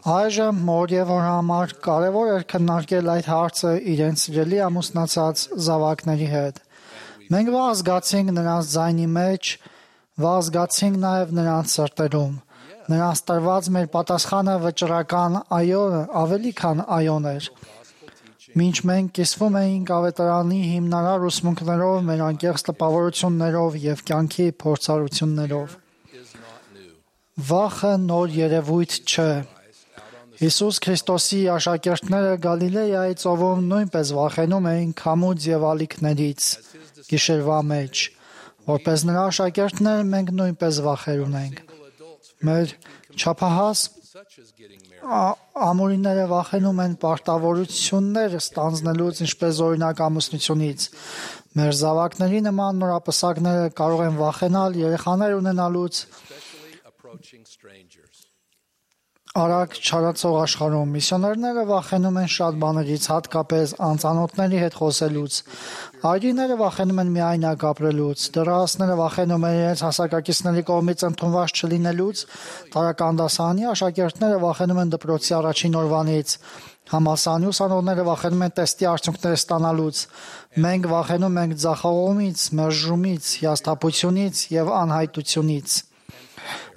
Այժմ մոր եւ հոր համար կարեւոր էր քննարկել այդ հարցը իրենց սիրելի ամուսնացած զավակների հետ։ Մենք վաղ զգացինք նրանց ձայնի մեջ, վաղ զգացինք նաեւ նրանց սրտերում։ Նրանց տրված մեր պատասխանը վճռական այոն ավելի քան այոն էր։ Մինչ մենք կիսվում էինք ավետարանի հիմնարար ուսմունքներով, մեր անկեղծ տպավորություններով եւ կյանքի փորձառություններով։ Վախը նոր երևույթ չէ։ Հիսուս Քրիստոսի աշակերտները Գալիլեայի ծովում նույնպես վախենում էին քամուց եւ ալիքներից գիշերվա մեջ, որպես նրա աշակերտներ մենք նույնպես վախեր ունենք։ Մեր չափահաս Ամորիները վախենում են պարտավորություններ ստանձնելուց, ինչպես օրինակ ամուսնությունից։ Մեր զավակների նման նորապսակները կարող են վախենալ երեխաներ ունենալուց արագ չարացող աշխարհում։ Միսիոներները վախենում են շատ բաներից, հատկապես անծանոթների հետ խոսելուց։ Այրիները վախենում են միայնակ ապրելուց։ Դեռահասները վախենում են իրենց հասակակիցների կողմից ընդունված չլինելուց։ Տարրական դասարանի աշակերտները վախենում են դպրոցի առաջին օրվանից։ Համալսարանի ուսանողները վախենում են տեստի արդյունքներ ստանալուց։ Մենք վախենում ենք ձախողումից, մերժումից, հիասթափությունից եւ անհայտությունից։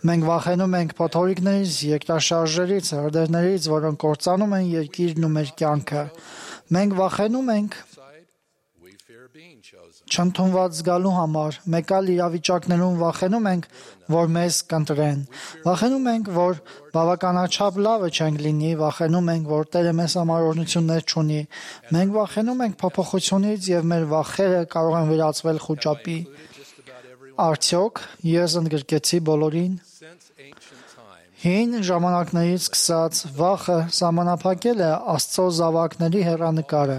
Մենք վախենում ենք փոթորիկներից, երկրաշարժերից, հրդեհներից, որոնք կործանում են երկիրն ու մեր կյանքը։ Մենք վախենում ենք չընդունված զգալու համար։ Մեկ այլ իրավիճակներում վախենում ենք, որ մեզ կընտրեն։ Վախենում ենք, որ բավականաչափ լավը չենք լինի, վախենում ենք, որ Տերը մեզ համար օրհնություններ չունի։ Մենք վախենում ենք փոփոխությունից եւ մեր վախերը կարող են վերածվել խուճապի։ Արդյոք ես ընդգրկեցի բոլորին։ Հին ժամանակներից սկսած վախը սահմանափակել է Աստծո զավակների հեռանկարը։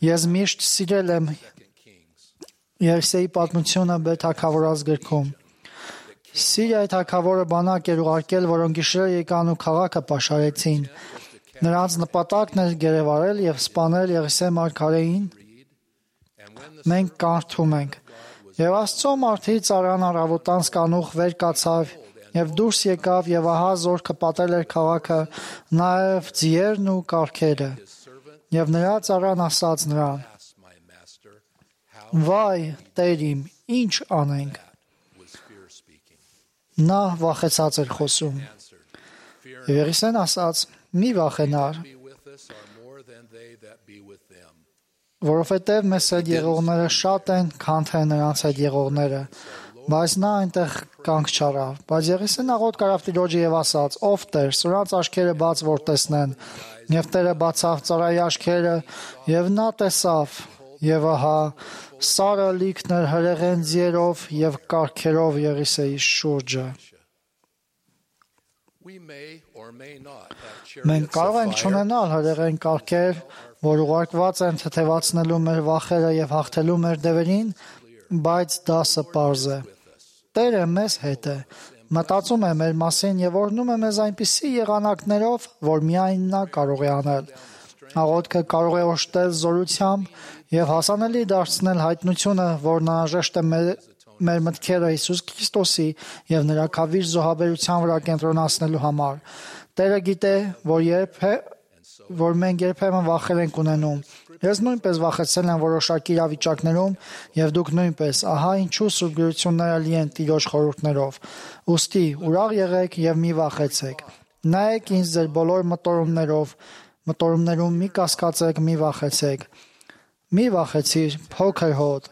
Ես միշտ սիրել եմ Եսայի պատմությունը Բեթ թագավորաց գրքում։ Սիրիայի թագավորը բանակ էր ուղարկել, որոնք գիշերը եկան ու քաղաքը պաշարեցին։ Նրանց նպատակն էր գերեվարել եւ սպանել Եղիսե մարգարեին։ Մենք կարդում ենք. Եվ Աստծո մարդից Արան առավոտան կանուխ վեր կացավ եւ դուրս եկավ եւ ահա զորքը պատել էր քաղաքը, նաեւ ձիերն ու կառքերը։ Եվ նրա ծառան ասաց նրան. Վայ, Տեր իմ, ինչ անենք։ Նա վախեցած էր խոսում։ Եվ Եղիսեն ասաց. մի վախենար, որովհետև մեզ հետ եղողները շատ են, քան թե նրանց հետ եղողները, բայց նա այնտեղ կանգ չառավ։ Բայց Եղիսեն աղոտ կարավ Տիրոջը եւ ասաց. ով Տեր, սրանց աչքերը բաց որ տեսնեն։ Եվ Տերը բացավ ծառայի աչքերը, եւ նա տեսավ, եւ ահա Սարը լիքն էր հրեղեն ձիերով եւ կառքերով Եղիսեի շուրջը։ Մենք կարող ենք չունենալ հրեղեն կառքեր, որ ուղարկված են թեթևացնելու մեր վախերը եւ հաղթելու մեր դևերին, բայց դասը պարզ է։ Տերը մեզ հետ է, մտածում է մեր մասին եւ օրհնում է մեզ այնպիսի եղանակներով, որ միայն նա կարող է անել։ Աղոթքը կարող է օժտել զորությամբ եւ հասանելի դարձնել հայտնությունը, որն անհրաժեշտ է մեր մտքերը Հիսուս Քրիստոսի եւ նրա քավիր զոհաբերության վրա կենտրոնացնելու համար։ Տերը գիտե, որ մենք երբեմն վախեր ենք ունենում։ Ես նույնպես վախեցել եմ որոշակի իրավիճակներում եւ դուք նույնպես, ահա ինչու Սուրբ Գրությունները լի են Տիրոջ խորհուրդներով։ Ուստի ուրախ եղեք եւ մի վախեցեք։ Նայեք ինձ ձեր բոլոր մտորումներում մի կասկածեք, մի վախեցեք։ Մի վախեցիր, փոքր հոտ։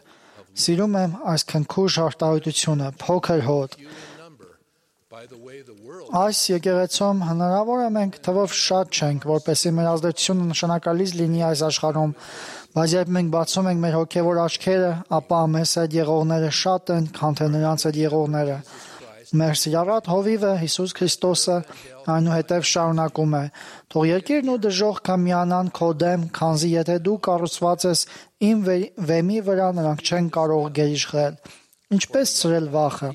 Սիրում եմ այս քնքուշ արտահայտությունը, փոքր հոտ։ Այս եկեղեցում հնարավոր է մենք թվով շատ չենք, որպեսզի մեր ազդեցությունը նշանակալից լինի այս աշխարհում, բայց երբ մենք բացում ենք մեր հոգևոր աչքերը, ապա մեզ հետ եղողները շատ են, քան թե նրանց հետ եղողները։ Մեր սիրառատ հովիվը Հիսուս Քրիստոսը այնուհետև շարունակում է. Թող երկիրն ու դժոխքը միանան քո դեմ, քանզի եթե դու կառուցված ես իմ վեմի վրա, նրանք չեն կարող գերիշխել։ Ինչպես ցրել վախը։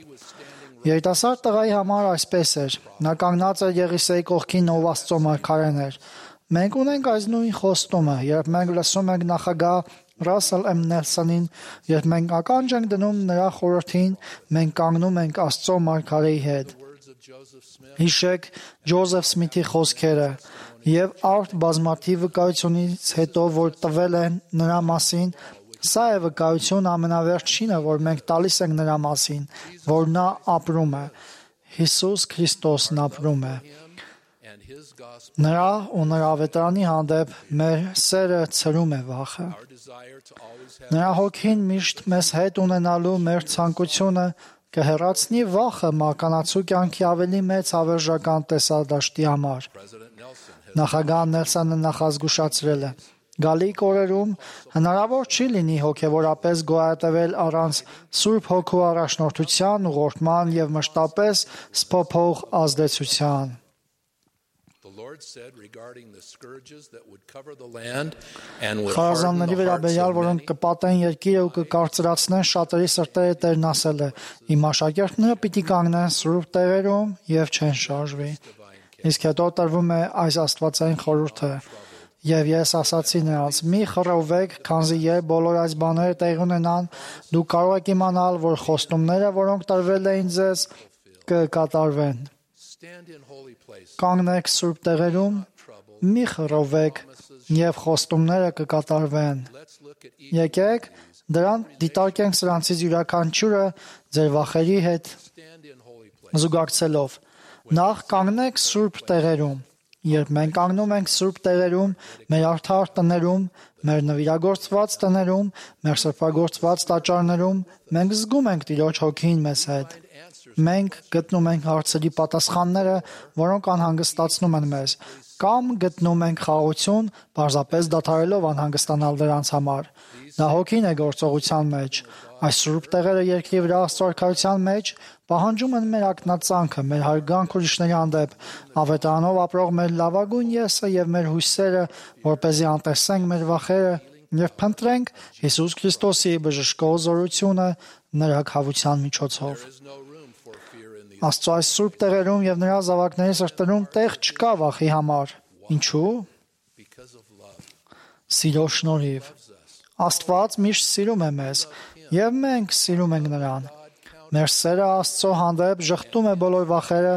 Երիտասարդ տղայի համար այսպես էր։ Նա կանգնած էր Եղիսեի կողքին, ով Աստծո մարգարեն էր։ Մենք ունենք այս նույն խոստումը, երբ մենք լսում ենք նախագահ Ռասել M. Նելսոնին, երբ մենք ականջ ենք դնում նրա խորհրդին, մենք կանգնում ենք Աստծո մարգարեի հետ։ Հիշեք Ջոզեֆ Սմիթի խոսքերը եւ արդ բազմաթիվ վկայությունից հետո, որ տվել են նրա մասին, սա է վկայություն ամենավերջինը, որ մենք տալիս ենք նրա մասին, որ նա ապրում է։ Հիսուս Քրիստոսն ապրում է։ Նրա ու նրա ավետարանի հանդեպ մեր սերը ցրում է վախը։ Նրա հոգին միշտ մեզ հետ ունենալու մեր ցանկությունը կհեռացնի վախը մականացու կյանքի ավելի մեծ հավերժական տեսադաշտի համար։ Նախագահ Նելսոնը նախազգուշացրել է. Գալիք օրերում հնարավոր չի լինի հոգևորապես գոյատևել առանց Սուրբ Հոգու առաջնորդության, ուղղորդման եւ մշտապես սփոփող ազդեցության։ Խարազանների վերաբերյալ, որոնք կպատեն երկիրը ու կկարծրացնեն շատերի սրտերը, Տերն ասել է. «Իմ աշակերտները պիտի կանգնեն սուրբ տեղերում եւ չեն շարժվի»։ Իսկ հետո տրվում է այս աստվածային խորհուրդը. «Եվ ես ասացի նրանց. մի խռովվեք, քանզի երբ բոլոր այս բաները տեղի ունենան, դուք կարող եք իմանալ, որ խոստումները, որոնք տրվել էին ձեզ, կկատարվեն։ Կանգնեք սուրբ տեղերում, մի խռովվեք, եւ խոստումները կկատարվեն։ Եկեք դրան դիտարկենք սրանցից յուրաքանչյուրը ձեր վախերի հետ զուգակցելով։ Նախ կանգնեք սուրբ տեղերում։ Երբ մենք կանգնում ենք սուրբ տեղերում, մեր արդար տներում, մեր նվիրագործված տներում, մեր սրբագործված տաճարներում, մենք զգում ենք Տիրոջ հոգին մեզ հետ։ Մենք գտնում ենք հարցերի պատասխանները, որոնք անհանգստացնում են մեզ, կամ գտնում ենք խաղաղություն, պարզապես դադարելով անհանգստանալ դրանց համար։ Դա հոգին է գործողության մեջ։ Այս սուրբ տեղերը երկրի վրա Աստծո արքայության մեջ պահանջում են մեր ակնածանքը, մեր հարգանք ուրիշների հանդեպ, ավետարանով ապրող մեր լավագույն եսը եւ մեր հույսերը, որպեսզի անտեսենք մեր վախերը եւ փնտրենք Հիսուս Քրիստոսի բժշկող զորությունը նրա քավության միջոցով։ Աստծո այս սուրբ տեղերում եւ նրա զավակների սրտերում տեղ չկա վախի համար։ Ինչու՞։ Սիրո շնորհիվ։ Աստված միշտ սիրում է մեզ, եւ մենք սիրում ենք նրան։ Մեր սերը Աստծո հանդեպ ժխտում է բոլոր վախերը,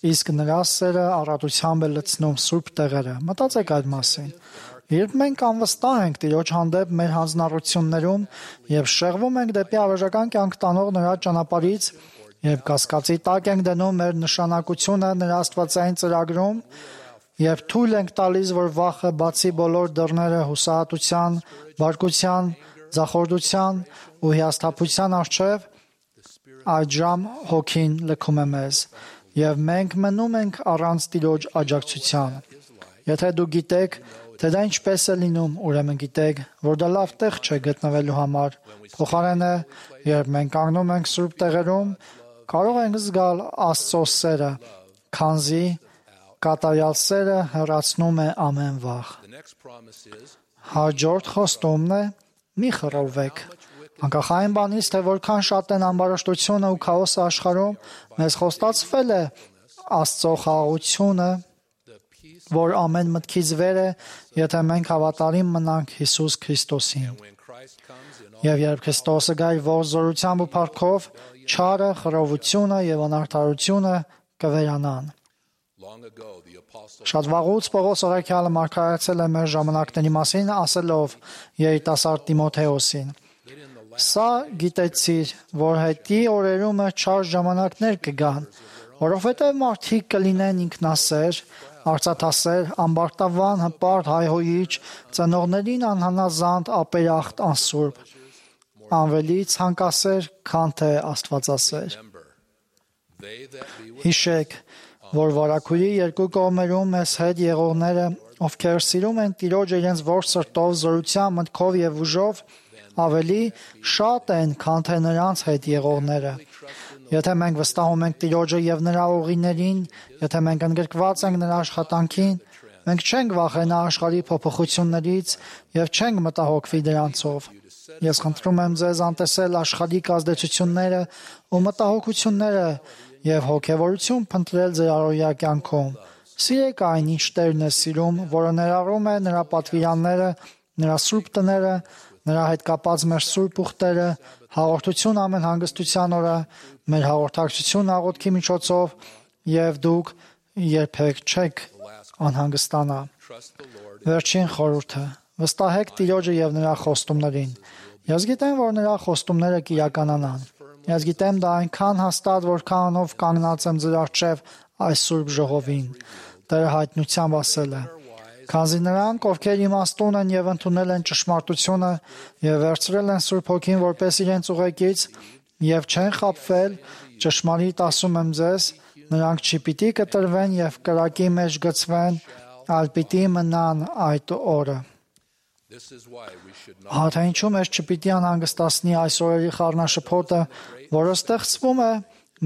իսկ նրա սերը առատությամբ է լցնում սուրբ տեղերը։ Մտածեք այդ մասին։ Երբ մենք անվստահ ենք Տիրոջ հանդեպ մեր հանձնառություններում եւ շեղվում ենք դեպի առողջական կյանք տանող նրա ճանապարհից, երբ կասկածի տակ ենք դնում մեր նշանակությունը նրա աստվածային ծրագրում, եւ թույլ ենք տալիս, որ վախը բացի բոլոր դռները հուսահատության, բարկության, ձախորդության ու հիասթափության առջև, այժմ հոգին լքում է մեզ, եւ մենք մնում ենք առանց Տիրոջ աջակցության։ Եթե դուք գիտեք, թե դա ինչպես է լինում, ուրեմն գիտեք, որ դա լավ տեղ չէ գտնվելու համար։ Փոխարենը, երբ մենք կանգնում ենք սուրբ տեղերում, կարող ենք զգալ Աստծո սերը, քանզի կատարյալ սերը հեռացնում է ամեն վախ։ Հաջորդ խոստումն է՝ մի խռովվեք։ Անկախ այն բանից, թե որքան շատ են ամբարշտությունը ու քաոսը աշխարհում, մեզ խոստացվել է Աստծո խաղաղությունը, որ ամեն մտքից վեր է, եթե մենք հավատարիմ մնանք Հիսուս Քրիստոսին։ Եվ երբ Քրիստոսը գա իր ողջ զորությամբ ու փառքով, չարը, խռովությունը եւ անարդարությունը կվերանան։ Շատ վաղուց Պողոս օրաքյալը մարգարեցել է մեր ժամանակների մասին, ասելով երիտասարդ Տիմոթեոսին. «Սա գիտեցիր, որ հետի օրերումը չար ժամանակներ կգան, որովհետև մարդիկ կլինեն ինքնասեր, արծաթասեր, ամբարտավան, հպարտ, հայհոյիչ, ծնողներին անհանազանդ, ապերախտ, անսուրբ, ավելի ցանկասեր, քան թե աստվածասեր»։ Հիշեք, որ վարագույրի երկու կողմերում մեզ հետ եղողները, ովքեր սիրում են Տիրոջը իրենց ողջ սրտով, զորությամբ, մտքով եւ ուժով, ավելի շատ են, քան թե նրանց հետ եղողները։ Եթե մենք վստահում ենք Տիրոջը եւ նրա ուղիներին, եթե մենք ընդգրկված ենք նրա աշխատանքին, մենք չենք վախենա աշխարհի փոփոխություններից եւ չենք մտահոգվի դրանցով։ Ես խնդրում եմ ձեզ անտեսել աշխարհիկ ազդեցությունները ու մտահոգությունները եւ հոգեվորություն փնտրել ձեր առօրյա կյանքում։ Սիրեք այն, ինչ Տերն է սիրում, որը ներառում է նրա պատվիրանները, նրա սուրբ տները, նրա հետ կապած մեր սուրբ ուխտերը, հաղորդություն ամեն հանգստության օրը, մեր հաղորդակցություն աղոթքի միջոցով, եւ դուք երբեք չեք անհանգստանա։ Վերջին խորհուրդը. վստահեք Տիրոջը եւ նրա խոստումներին։ Ես գիտեմ, որ նրա խոստումները կիրականանան։ Ես գիտեմ դա այնքան հաստատ, որքանով կանգնած եմ ձեր առջև այս սուրբ ժողովին։ Տերը հայտնությամբ ասել է. քանզի նրանք, ովքեր իմաստուն են եւ ընդունել են ճշմարտությունը եւ վերցրել են Սուրբ Հոգին որպես իրենց ուղեկից եւ չեն խաբվել, ճշմարիտ ասում եմ ձեզ, նրանք չպիտի կտրվեն եւ կրակի մեջ գցվեն, այլ պիտի մնան այդ օրը։ Հա թե ինչու մեզ չպիտի անհանգստացնի այս օրերի խառնաշփոթը, որը ստեղծվում է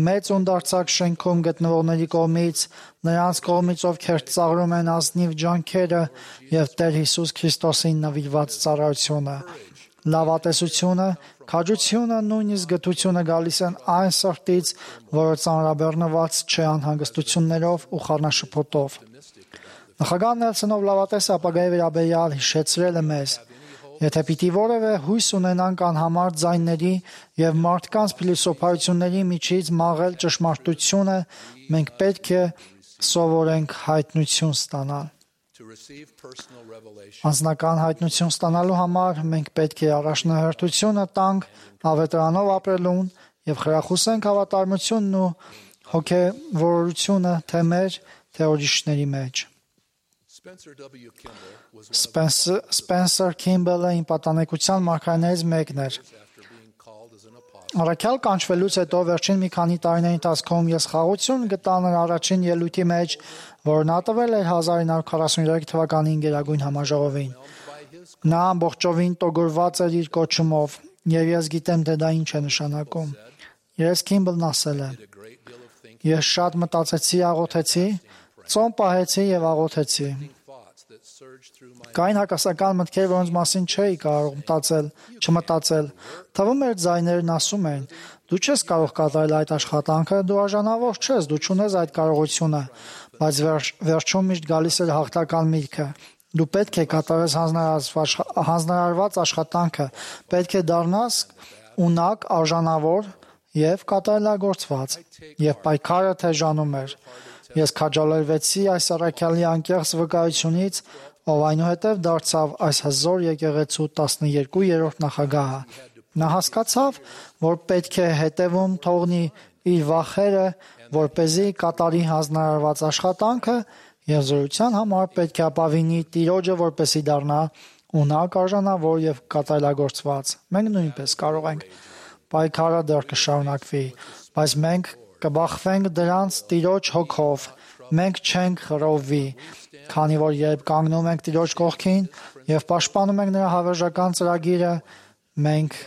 մեծ ունդարձակ շենքում գտնվողների կողմից, նրանց կողմից, ովքեր ծաղրում են ազնիվ ջանքերը եւ Տեր Հիսուս Քրիստոսին նվիրված ծառայությունը։ Լավատեսությունը, քաջությունը, նույնիսկ գթությունը գալիս են այն սրտից, որը ծանրաբեռնված չէ անհանգստություններով ու խառնաշփոթով։ Նախագահ Նելսոնով լավատեսը ապագայի վերաբերյալ հիշեցրել է մեզ. եթե պիտի որևէ հույս ունենանք անհամար ձայնների եւ մարդկանց փիլիսոփայությունների միջից մաղել ճշմարտությունը, մենք պետք է սովորենք հայտնություն ստանալ։ Անձնական հայտնություն ստանալու համար մենք պետք է առաջնահերթությունը տանք ավետարանով ապրելուն եւ խրախուսենք հավատարմությունն ու հոգեվորությունը թե մեր, թե ուրիշների մեջ։ Սպենսեր Քիմբելը իմ պատանեկության մարգարեներից մեկն էր։ Առաքյալ կանչվելուց հետո վերջին մի քանի տարիների ընթացքում ես խաղաղություն գտա նրա առաջին ելույթի մեջ, որ նա տվել էր 1943 թվականին Գերագույն համաժողովին։ Նա ամբողջովին տոգորված էր իր կոչումով, եւ ես գիտեմ, թե դա ինչ է նշանակում։ Ես Քիմբելն ասել է. ես շատ մտածեցի, աղոթեցի, ծոմ պահեցի եւ աղոթեցի։ Կային հակասական մտքեր, որոնց մասին չէի կարող չմտածել։ Թվում էր ձայներն ասում էին. դու չես կարող կատարել այդ աշխատանքը, դու արժանավոր չես, դու չունես այդ կարողությունը, բայց վերջում միշտ գալիս էր հաղթական միտքը. դու պետք է կատարես հանձնարարված աշխատանքը, պետք է դառնաս ունակ, արժանավոր եւ կատարելագործված, եւ պայքարը թեժանում էր։ Ես քաջալերվեցի այս առաքյալի անկեղծ վկայությունից, ով այնուհետև դարձավ այս հզոր եկեղեցու 12-րդ նախագահը։ Նա հասկացավ, որ պետք է հետևում թողնի իր վախերը, որպեսզի կատարի հանձնարարված աշխատանքը եւ զորության համար պետք է ապավինի Տիրոջը, որպեսզի դառնա ունակ, արժանավոր եւ կատարելագործված։ Մենք նույնպես կարող ենք։ Պայքարը դեռ կշարունակվի, բայց մենք կբախվենք դրանց Տիրոջ հոգով։ Մենք չենք խռովվի, քանի որ երբ կանգնում ենք Տիրոջ կողքին եւ պաշտպանում ենք նրա հավերժական ծրագիրը, մենք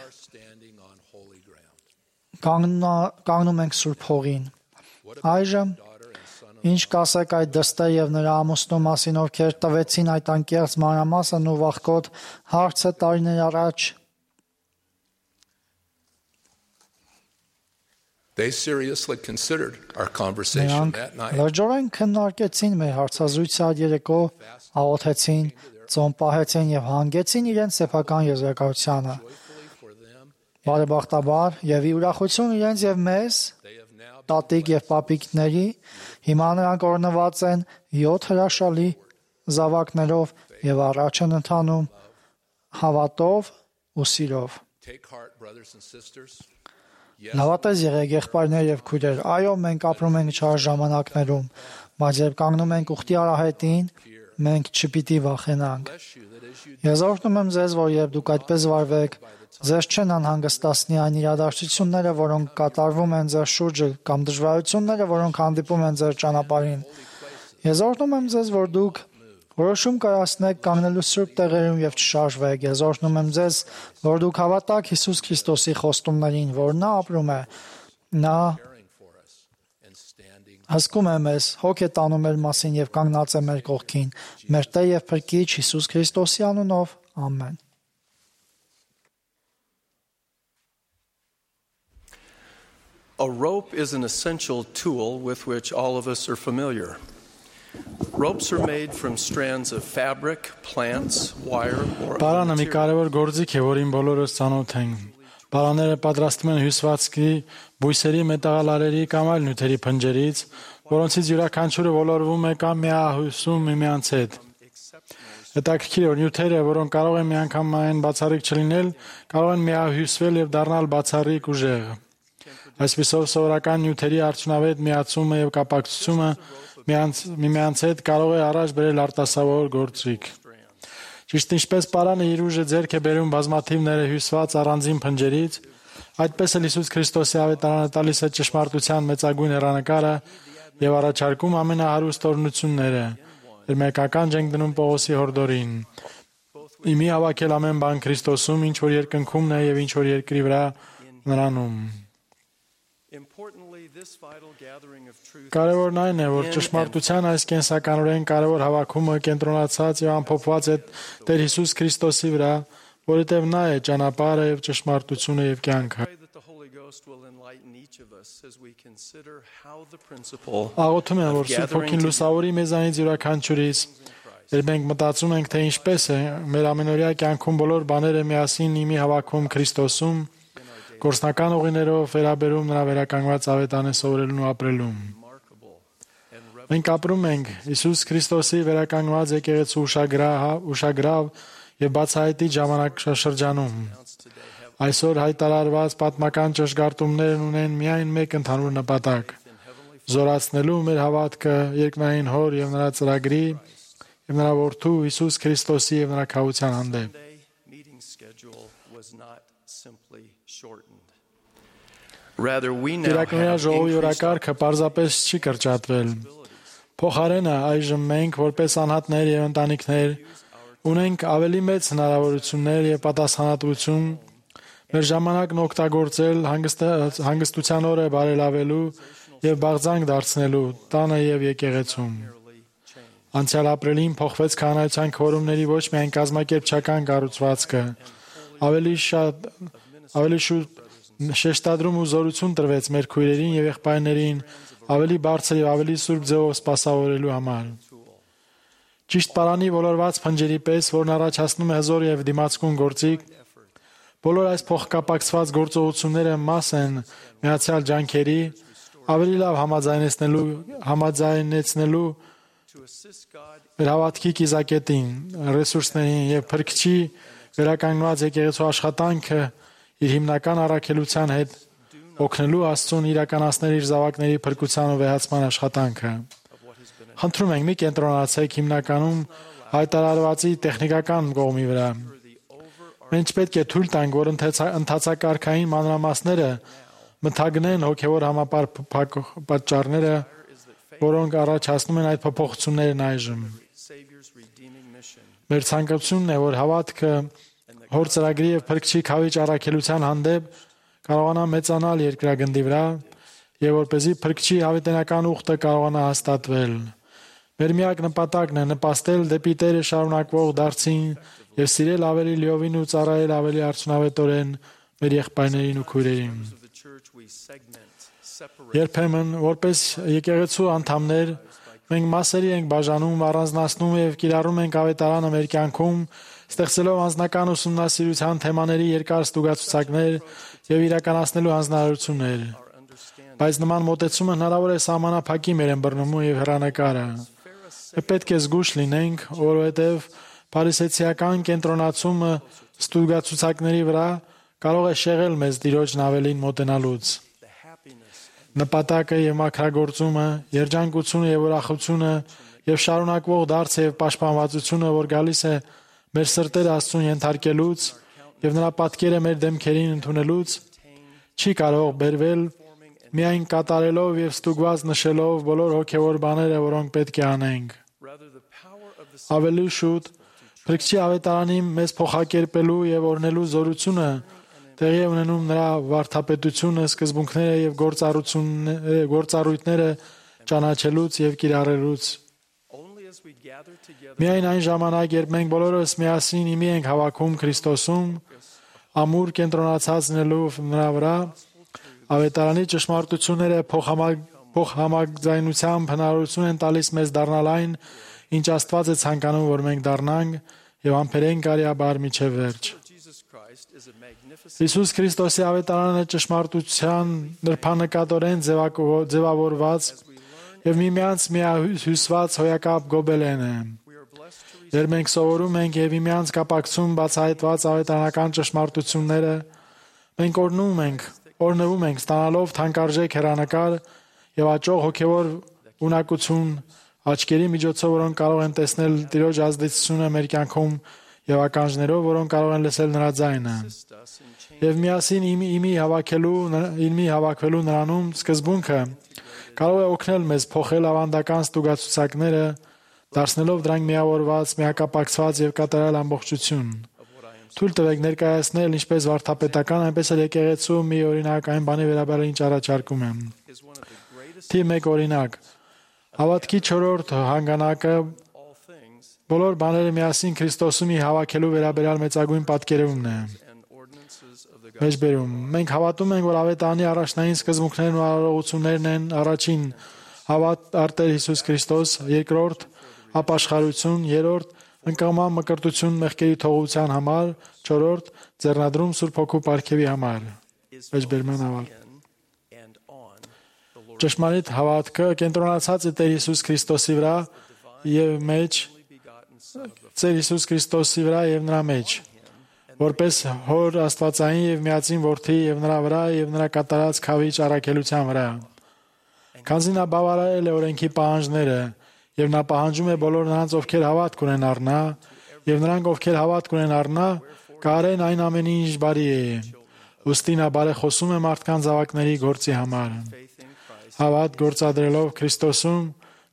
կանգնում ենք Սուրբ Հողին։ Այժմ ինչ կասեք այդ դստեր եւ նրա ամուսնու մասին, ովքեր տվեցին այդ անկեղծ մանրամասն ու վախկոտ հարցը տարիներ առաջ։ They seriously considered our conversation that night. Լրջորեն քննարկեցին մեր հարցազրույցը այդ երեկո, աղոթեցին, ծոմ պահեցին եւ հանգեցին իրենց սեփական եզրակացությանը։ Բարեբախտաբար եւ ի ուրախություն իրենց եւ մեզ, տատիկ եւ պապիկների, հիմա նրանք օրնված են 7 հրաշալի զավակներով եւ առաջ են ընթանում հավատով ու սիրով։ Լավատես եղեք եղբայրներ եւ քույրեր, այո, մենք ապրում ենք չար ժամանակներում, բայց երբ կանգնում ենք ուխտի արահետին, մենք չպիտի վախենանք։ Ես օրհնում եմ ձեզ, որ երբ դուք այդպես վարվեք, ձեզ չեն անհանգստացնի այն իրադարձությունները, որոնք կատարվում են ձեր շուրջը, կամ դժվարությունները, որոնք հանդիպում են ձեր ճանապարհին։ Ես օրհնում եմ ձեզ, որ դուք որոշում կայացնեք կանգնելու սուրբ տեղերում եւ չշարժվեք։ Ես օրհնում եմ ձեզ, որ դուք հավատաք Հիսուս Քրիստոսի խոստումներին, որ նա ապրում է։ Նա հսկում է մեզ, հոգ է տանում մեր մասին եւ կանգնած է մեր կողքին։ Մեր Տեր եւ Փրկիչ Հիսուս Քրիստոսի անունով, ամեն։ A rope is an essential tool with which all of us are familiar. Ropes are made from strands of fabric, plants, wire, or Պարանը մի կարևոր գործիք է, որին բոլորս ծանոթ ենք։ Պարանները պատրաստում են հյուսվածքի, բույսերի, մետաղալարերի կամ այլ նյութերի փնջերից, որոնցից յուրաքանչյուրը ոլորվում է կամ միահյուսում միմյանց հետ։ Հետաքրքիր է, որ նյութերը, որոնք կարող են միանգամայն բացառիկ չլինել, կարող են միահյուսվել եւ դառնալ բացառիկ ուժեղ։ Այսպիսով սովորական նյութերի արդյունավետ միացումը եւ կապակցությունը միմյանց հետ կարող է առաջ բերել արտասովոր գործիք։ Ճիշտ ինչպես պարանը իր ուժը ձեռք է բերում բազմաթիվ ներհյուսված առանձին փնջերից, այդպես էլ Հիսուս Քրիստոսի ավետարանը տալիս է ճշմարտության մեծագույն հեռանկարը եւ առաջարկում ամենահարուստ օրհնությունները։ Երմեկական ջենք դնում Պողոսի հորդորին։ Իմի հավաքել ամեն բան Քրիստոսում, ինչ որ երկնքումն է եւ ինչ որ երկրի վրա նրանում։ Կարևորն այն է, որ ճշմարտության այս կենսականորեն կարևոր հավաքումը կենտրոնացած եւ ամփոփված է Տեր Հիսուս Քրիստոսի վրա, որովհետեւ նա է ճանապարհը եւ ճշմարտությունը եւ կյանքը։ Աղոթում եմ, որ Սուրբ Հոգին լուսավորի մեզանից յուրաքանչյուրիս, երբ մենք մտածում ենք, թե ինչպես է մեր ամենօրյա կյանքում բոլոր բաները միասին իմի հավաքում Քրիստոսում, գործնական ուղիներով վերաբերում նրա վերականգնված ավետարանը սովորելուն ու ապրելուն։ Մենք ապրում ենք Հիսուս Քրիստոսի վերականգնված եկեղեցու ուշագրավ եւ բացահայտիչ ժամանակաշրջանում։ Այսօր հայտարարված պատմական ճշգարտումներն ունեն միայն մեկ ընդհանուր նպատակ՝ զորացնելու մեր հավատքը երկնային Հոր եւ նրա ծրագրի եւ նրա որդու Հիսուս Քրիստոսի եւ նրա քավության հանդեպ։ Տիրակալի ժողովի օրակարգը պարզապես չի կրճատվել։ Փոխարենը այժմ մենք, որպես անհատներ եւ ընտանիքներ, ունենք ավելի մեծ հնարավորություններ եւ պատասխանատվություն մեր ժամանակն օգտագործել հանգստության օրը բարելավելու եւ բաղձանք դարձնելու տանը եւ եկեղեցում։ Անցյալ ապրիլին փոխվեց քահանայության քվորումների ոչ միայն կազմակերպչական կառուցվածքը, ավելի շուտ շեշտադրում ու զորություն տրվեց մեր քույրերին եւ եղբայրներին ավելի բարձր եւ ավելի սուրբ ձևով սպասավորելու համար։ Ճիշտ պարանի ոլորված փնջերի պես, որն առաջացնում է հզոր եւ դիմացկուն գործիք, բոլոր այս փոխկապակցված գործողությունները մաս են միացյալ ջանքերի ավելի լավ համաձայնեցնելու մեր հավատքի կիզակետին, ռեսուրսներին եւ Փրկչի վերականգնված եկեղեցու աշխատանքը իր հիմնական առաքելության հետ օգնելու Աստծուն իրականացնել իր զավակների փրկության ու վեհացման աշխատանքը։ Խնդրում ենք, մի կենտրոնացեք հիմնականում հայտարարվածի տեխնիկական կողմի վրա։ Մենք պետք է թույլ տանք, որ ընթացակարգային մանրամասները մթագնեն հոգևոր համապատճառները, որոնք առաջացնում են այդ փոփոխություններն այժմ։ Մեր ցանկությունն է, որ հավատքը Հոր ծրագրի եւ Փրկչի քավիճ առաքելության հանդեպ կարողանա մեծանալ երկրագնդի վրա եւ որպեսզի Փրկչի հավիտենական ուխտը կարողանա հաստատվել։ Մեր միակ նպատակն է նպաստել դեպի Տերը շարունակվող դարձին եւ սիրել ավելի լիովին ու ծառայել ավելի արդյունավետորեն մեր եղբայրներին ու քույրերին։ Երբեմն, որպես եկեղեցու անդամներ, մենք մասերի ենք բաժանում, առանձնացնում եւ կիրառում ենք ավետարանը մեր կյանքում, ստեղծելով անձնական ուսումնասիրության թեմաների երկար ստուգացուցակներ եւ իրականացնելու հանձնարարություններ։ Բայց նման մոտեցումը հնարավոր է սահմանափակի մեր ըմբռնումը եւ հեռանկարը։ Մենք պետք է զգուշ լինենք, որովհետեւ փարիսեցիական կենտրոնացումը ստուգացուցակների վրա կարող է շեղել մեզ Տիրոջն ավելին մոտենալուց։ Նպատակը եւ մաքրագործումը, երջանկությունը եւ ուրախությունը եւ շարունակվող դարձը եւ պաշտպանվածությունը, որ գալիս է մեր սրտերը Աստծուն ենթարկելուց եւ նրա պատկերը մեր դեմքերին ընդունելուց, չի կարող բերվել միայն կատարելով եւ ստուգված նշելով բոլոր հոգեվոր բաները, որոնք պետք է անենք։ Ավելի շուտ Փրկչի ավետարանի մեզ փոխակերպելու եւ օրհնելու զորությունը տեղի է ունենում նրա վարդապետությունը, սկզբունքները եւ գործառույթները ճանաչելուց եւ կիրառելուց։ Միայն այն ժամանակ, երբ մենք բոլորս միասին իմի ենք հավաքում Քրիստոսում, ամուր կենտրոնացած լինելով նրա վրա, ավետարանի ճշմարտությունները փոխհամաձայնությամբ հնարավորություն են տալիս մեզ դառնալ այն, ինչ Աստված է ցանկանում, որ մենք դառնանք եւ ամփերենք արիաբար միջև վերջ։ Հիսուս Քրիստոսի ավետարանը ճշմարտության նրբանկատորեն ձևավորված եւ միմյանց միահյուսված հոյակապ գոբելեն է։ Երբ մենք սովորում ենք եւ միմյանց կապակցում բացահայտված ավետարանական ճշմարտությունները, մենք օրնվում ենք ստանալով թանկարժեք հեռանկար եւ աճող հոգեվոր ունակություն աչքերի միջոցով, որոնք կարող են տեսնել Տիրոջ ազդեցությունը մեր կյանքում եւ ականջներով, որոնք կարող են լսել նրա ձայնը։ Եվ միասին իմի հավաքվելու նրանում սկզբունքը կարող է օգնել մեզ փոխել ավանդական ստուգացուցակները, դարձնելով դրանք միավորված, միակապակցված եւ կատարյալ ամբողջություն։ Թույլ տվեք ներկայացնել ինչպես վարդապետական, այնպես էլ եկեղեցու մի օրինակ այն բանի վերաբերյալ ինչ առաջարկում եմ։ Թիվ 1 օրինակ։ Հավատքի 4-րդ հանգանակը բոլոր բաները միասին Քրիստոսումի հավաքելու վերաբերյալ մեծագույն պատկերումն է։ Մեջբերում։ Մենք հավատում ենք, որ ավետարանի առաջնային սկզբունքներն ու արարողություններն են. առաջին՝ հավատ արտեր Հիսուս Քրիստոս, երկրորդ՝ ապաշխարություն, երրորդ՝ ընկալման մկրտություն մեղքերի թողության համար, չորրորդ՝ ձեռնադրում Սուրբ Հոգու պարգևի համար։ Մեջբերման ավարտ։ Ճշմարիտ հավատքը կենտրոնացած է Տեր Հիսուս Քրիստոսի վրա եւ մեջ, Տեր Հիսուս Քրիստոսի վրա եւ նրա մեջ, որպես Հոր Աստվածային եւ միածին Որդի եւ նրա վրա եւ նրա կատարած քավիճ առաքելության վրա։ Քանզի նա բավարարել է օրենքի պահանջները եւ նա պահանջում է բոլոր նրանց, ովքեր հավատք ունեն առ նա, եւ նրանք, ովքեր հավատք ունեն առ նա, կարեն այն ամենին, ինչ բարի է։ Ուստի նա բարեխոսում է մարդկանց զավակների գործի համար։ Հավատ գործադրելով Քրիստոսում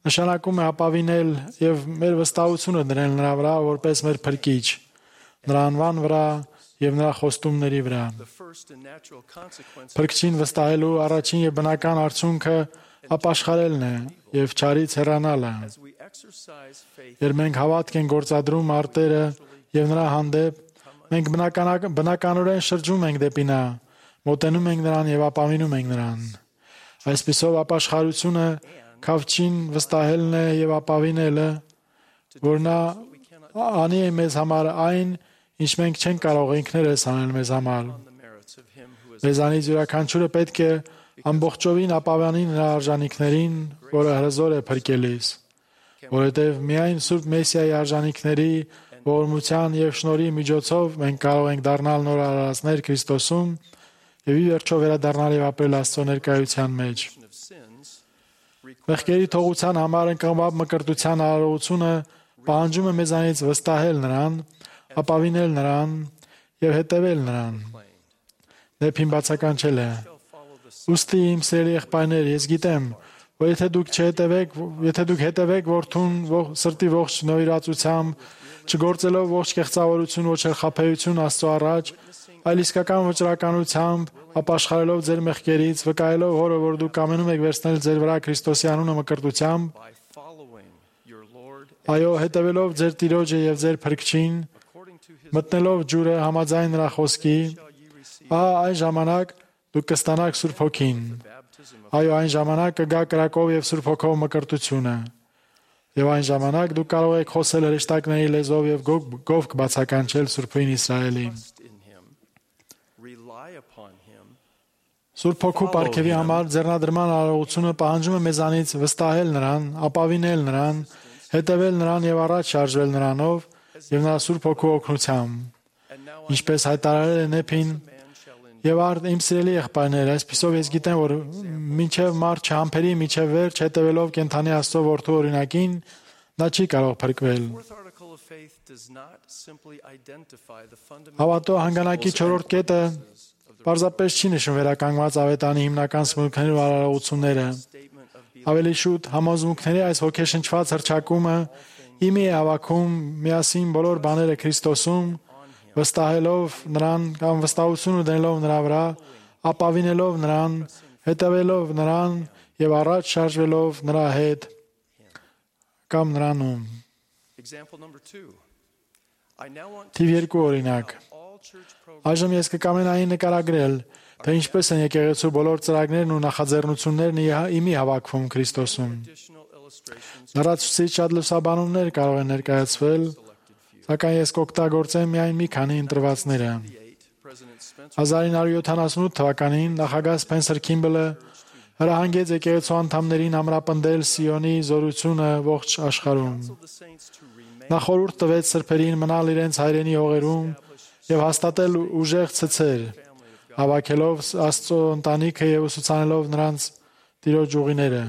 նշանակում է ապավինել եւ մեր վստահությունը դնել նրա վրա որպես մեր փրկիչ, նրա անվան վրա եւ նրա խոստումների վրա։ Փրկչին վստահելու առաջին եւ բնական արդյունքը ապաշխարելն է եւ չարից հեռանալը։ Երբ մենք հավատք ենք գործադրում արտերը եւ նրա հանդեպ, մենք բնականորեն շրջում ենք դեպի նա, մոտենում ենք նրան եւ ապավինում ենք նրան։ Այսպիսով ապաշխարությունը քավչին վստահելն է եւ ապավինելը, որ նա անի է մեզ համար այն, ինչ մենք չենք կարող ինքներս անել մեզ համար։ Մեզանից յուրաքանչյուրը պետք է ամբողջովին ապավանի նրա արժանինքներին, որը հրզոր է փրկելիս, որովհետև միայն Սուրբ Մեսիայի արժանինքների ողորմության եւ շնորհի միջոցով մենք կարող ենք դառնալ նոր արարածներ Քրիստոսում եւ ի վերջո վերադառնալ եւ ապրել Աստծո ներկայության մեջ։ Մեղքերի թողության համար ընկալման մկրտության արարողությունը պահանջում է մեզանից վստահել նրան, ապավինել նրան եւ հետևել նրան։ Դեպին բացականչել է։ Ուստի իմ սիրելի եղբայրներ, ես գիտեմ, որ եթե դուք հետևեք որդուն սրտի ողջ նվիրածությամբ, չգործելով ողջ կեղծավորություն, ոչ էլ խաբեություն Աստծո առաջ, այլ իսկական վճռականությամբ, ապաշխարելով ձեր մեղքերից, վկայելով Հորը, որ դուք կամենում եք վերցնել ձեր վրա Քրիստոսի անունը մկրտությամբ, այո, հետևելով ձեր Տիրոջը եւ ձեր Փրկչին, մտնելով ջուրը համաձայն նրա խոսքի, այն ժամանակ դուք կստանաք Սուրբ Հոգին։ Այո, այն ժամանակ կգա կրակով եւ Սուրբ Հոգով մկրտությունը։ Եվ այն ժամանակ դուք կարող եք խոսել հրեշտակների լեզվով եւ գով կբացականչել Սուրբին Իսրայելի։ Սուրբ Հոգու պարգևի համար ձեռնադրման արարողությունը պահանջում է մեզանից վստահել նրան, ապավինել նրան, հետևել նրան եւ առաջ շարժվել նրանով եւ նրա Սուրբ Հոգու օգնությամբ։ Ինչպես հայտարարել է Նեփին, եւ արդ իմ սիրելի եղբայրներ, այսպիսով ես գիտեմ, որ մինչև մարդ չհամբերի, մինչև վերջ հետևելով կենթանի Աստծո որդու օրինակին, նա չի կարող փրկվել։ Հավատո հանգանակի 4-րդ կետը պարզապես չի նշում վերականգնված ավետարանի հիմնական սմունքները ու արարողությունները։ Ավելի շուտ համոզմունքների այս ոգեշնչված հռչակումը իմի է հավաքում միասին բոլոր բաները Քրիստոսում, վստահելով նրան կամ վստահություն ունենալով նրա վրա, ապավինելով նրան, հետևելով նրան եւ առաջ շարժվելով նրա հետ կամ նրանում։ Թիվ 2 օրինակ։ Այժմ ես կկամենայի նկարագրել, թե ինչպես են եկեղեցու բոլոր ծրագրերն ու նախաձեռնություններն իմի հավաքվում Քրիստոսում։ Լրացուցիչ շատ լուսաբանումներ կարող են ներկայացվել, սակայն ես կօգտագործեմ միայն մի քանի ընտրվածները։ 1978 թվականին նախագահ Սփենսեր Քիմբելը հրահանգեց եկեղեցու անդամներին ամրապնդել Սիոնի զորությունը ողջ աշխարհում։ Նա խորհուրդ տվեց սրբերին մնալ իրենց հայրենի հողերում եւ հաստատել ուժեղ ցցեր, հավաքելով Աստծո ընտանիքը եւ ուսուցանելով նրանց Տիրոջ ուղիները։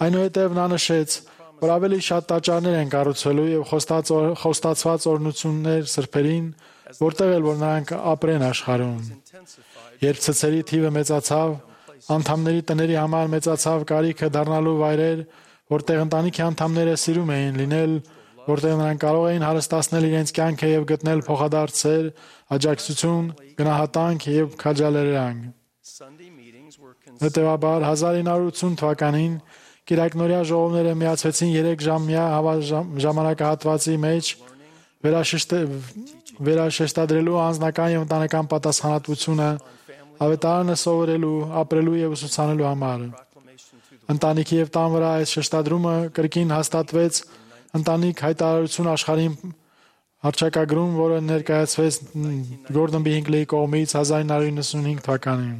Այնուհետև նա նշեց, որ ավելի շատ տաճարներ են կառուցվելու եւ խոստացված օրհնություններ սրբերին, որտեղ էլ որ նրանք ապրեն աշխարհում։ Երբ ցցերի թիվը մեծացավ, անդամների տների համար մեծացավ կարիքը դառնալու վայրեր, որտեղ ընտանիքի անդամները սիրում էին լինել, որտեղ նրանք կարող էին հարստացնել իրենց կյանքը եւ գտնել փոխադարձեր, աջակցություն, գնահատանք եւ քաջալերանք։ Հետևաբար 1980 թվականին Կիրակնորյա ժողովները միացվեցին 3 ժամյա ժամանակահատվածի մեջ վերաշեշտադրելու անձնական եւ ընտանեկան պատասխանատվությունը ավետարանը սովորելու, ապրելու եւ ուսուցանելու համար։ Ընտանիքի եւ տան վրա այս շեշտադրումը կրկին հաստատվեց ընտանիք հայտարարություն աշխարհին հռչակագրում, որը ներկայացվեց Գորդոն B. Հինքլեի կողմից 1995 թվականին։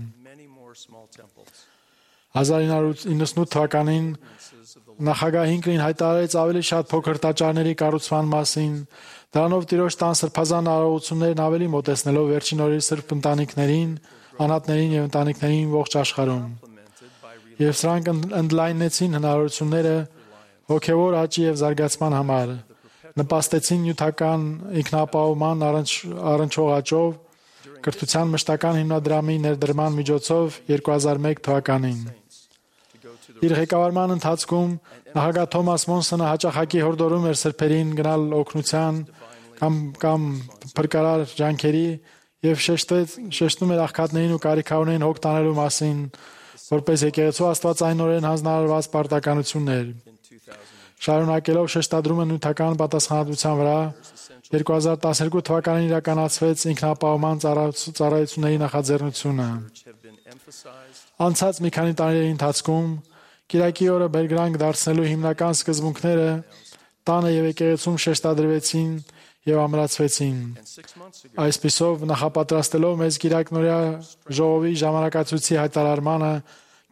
1998 թվականին նախագահ Հինքլին հայտարարեց ավելի շատ փոքր տաճարների կառուցման մասին, դրանով Տիրոջ տան սրբազան արարողություններն ավելի մոտեցնելով վերջին օրերի սրբ ընտանիքներին, անհատներին եւ ընտանիքներին ողջ աշխարհում։ Եվ սրանք ընդլայնեցին հնարավորությունները հոգևոր աճի եւ զարգացման համար, նպաստեցին նյութական ինքնապահովման առնչվող աճով, կրթության մշտական հիմնադրամի ներդրման միջոցով 2001 թվականին։ Իր ղեկավարման ընթացքում նախագահ Թոմաս Մոնսոնը հաճախակի հորդորում էր սրբերին գնալ օգնության կամ փրկարար ջանքերի եւ շեշտում էր աղքատներին ու կարիքավորներին հոգ տանելու մասին, որպես եկեղեցու աստվածայնորեն հանձնարարված պարտականություններ։ Շարունակելով շեշտադրումը նյութական պատասխանատվության վրա, 2012 թվականին իրականացվեց ինքնապահովման ծառայությունների նախաձեռնությունը։ Անցած մի քանի տարիների ընթացքում Կիրակի օրը բերկրանք դարձնելու հիմնական սկզբունքները տանը եւ եկեղեցում շեշտադրվեցին եւ ամրացվեցին։ Այսպիսով նախապատրաստելով մեզ Կիրակնորյա ժողովի ժամանակացույցի հայտարարմանը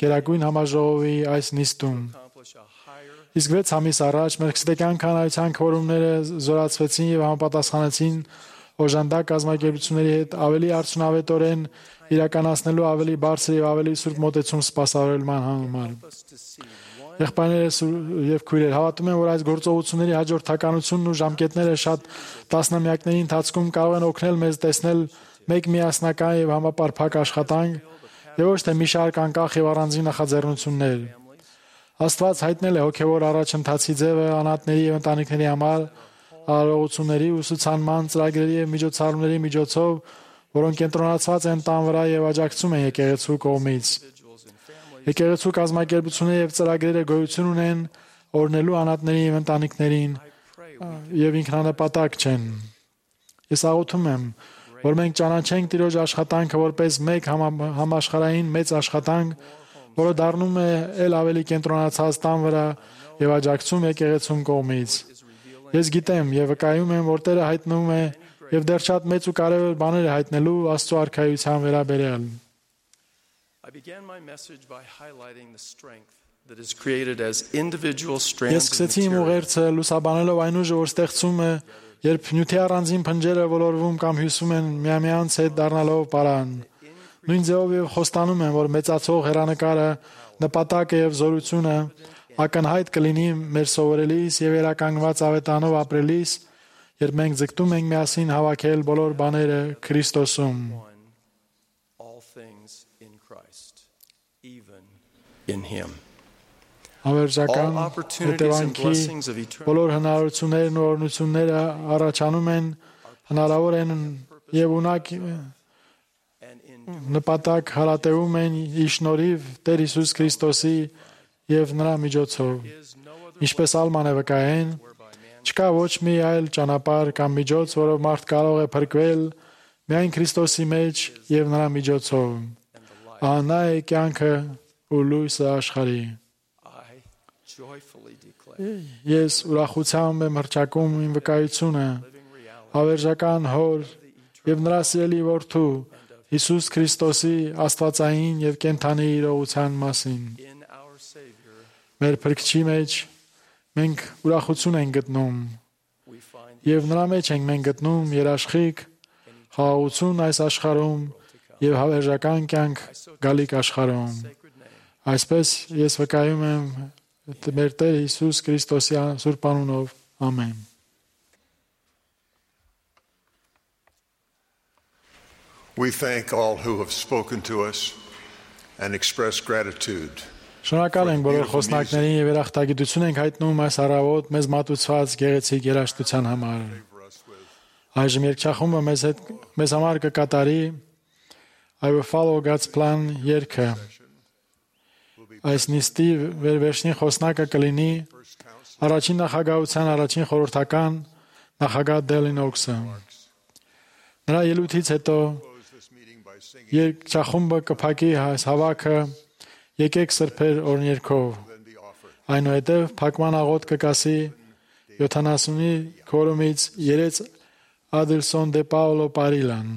Գերագույն համաժողովի այս նիստում։ Իսկ 6 ամիս առաջ մելքսեդեկյան քահանայության քվորումները զորացվեցին եւ համապատասխանեցին օժանդակ կազմակերպությունների հետ ավելի արդյունավետորեն իրականացնելու ավելի բարձր եւ ավելի սուրբ մոտեցում սպասավորման համար։ Եղբայրներս եւ քույրեր, հավատում եմ, որ այս գործողությունների հաջորդականությունն ու ժամկետները շատ տասնամյակների ընթացքում կարող են օգնել մեզ տեսնել մեկ միասնական եւ համապարփակ աշխատանք եւ ոչ թե մի շարք անկախ եւ առանձին նախաձեռնություններ։ Աստված հայտնել է հոգևոր առաջընթացի ձևը անհատների եւ ընտանիքների համար արարողությունների, ուսուցանման, ծրագրերի եւ միջոցառումների միջոցով, որոնք կենտրոնացված են տան վրա եւ աջակցում են եկեղեցու կողմից։ Եկեղեցու կազմակերպությունները եւ ծրագրերը գոյություն ունեն օրնելու անհատների եւ ընտանիքներին եւ ինքնանպատակ չեն։ Ես աղոթում եմ, որ մենք ճանաչենք Տիրոջ աշխատանքը որպես մեկ համաշխարհային մեծ աշխատանք, որը դառնում է ել ավելի կենտրոնացած տան վրա եւ աջակցում եկեղեցուն կողմից։ Ես գիտեմ եւ վկայում եմ, որ Տերը հայտնվում է եւ դեռ շատ մեծ ու կարեւոր բաներ է հայտնելու Աստծո արքայության վերաբերյալ։ Ես սկսեցի իմ ուղերձը լուսաբանելով այն ուժը, որ ստեղծում է, երբ նյութի առանձին փնջերը ոլորվում կամ հյուսում են միմյանց հետ դառնալով պարան։ Նույն ձևով եւ խոստանում եմ, որ մեծացող հերանեկարը, նպատակը եւ զորությունը ակնհայտ կլինի մեր սովորելիս եւ երականգնված ավետանով ապրելիս, երբ մենք ձգտում ենք միասին հավաքել բոլոր բաները Քրիստոսում։ Հավերժական հետևանքի բոլոր հնարավորություններն ու օրհնությունները առաջանում են, հնարավոր են եւ ունակ նպատակ հարատևում են ի շնորհիվ Տեր Հիսուս Քրիստոսի եւ նրա միջոցով։ Ինչպես Ալման է վկայեն, չկա ոչ մի այլ ճանապարհ կամ միջոց, որով մարդ կարող է փրկվել, միայն Քրիստոսի մեջ եւ նրա միջոցով։ Ահա նա է կյանքը ու լույսը աշխարհի։ Ես ուրախությամբ եմ հռչակում իմ վկայությունը հավերժական Հոր եւ նրա սիրելի Որդու Հիսուս Քրիստոսի աստվածային եւ կենդանի իրողության մասին։ Մեր Փրկչի մեջ մենք ուրախություն ենք գտնում եւ նրա մեջ ենք մենք գտնում երաշխիք, խաղաղություն այս աշխարհում եւ հավերժական կյանք գալիք աշխարհում։ Այսպես ես վկայում եմ մեր Տեր Հիսուս Քրիստոսի սուրբ անունով։ Ամեն։ We thank all who have spoken to us and expressed gratitude Շնորհակալ ենք բոլոր խոսնակներին եւ երախտագիտություն ենք հայտնում այս առավոտ մեզ մատուցված գեղեցիկ երաժշտության համար։ Այժմ երգչախումբը մեզ համար կկատարի I will follow God's plan երգը։ Այս նիստի վերջին խոսնակը կլինի առաջին նախագահության առաջին խորհրդական նախագահ Դելին Օքսը։ Նրա ելույթից հետո երգչախումբը կփակի այս հավաքը եկեք սրբեր օրհներգով։ Այնուհետև փակման աղոթ կկասի 70-ի քորումից երեց Ադելսոն դե Պաուլո Պարիլան։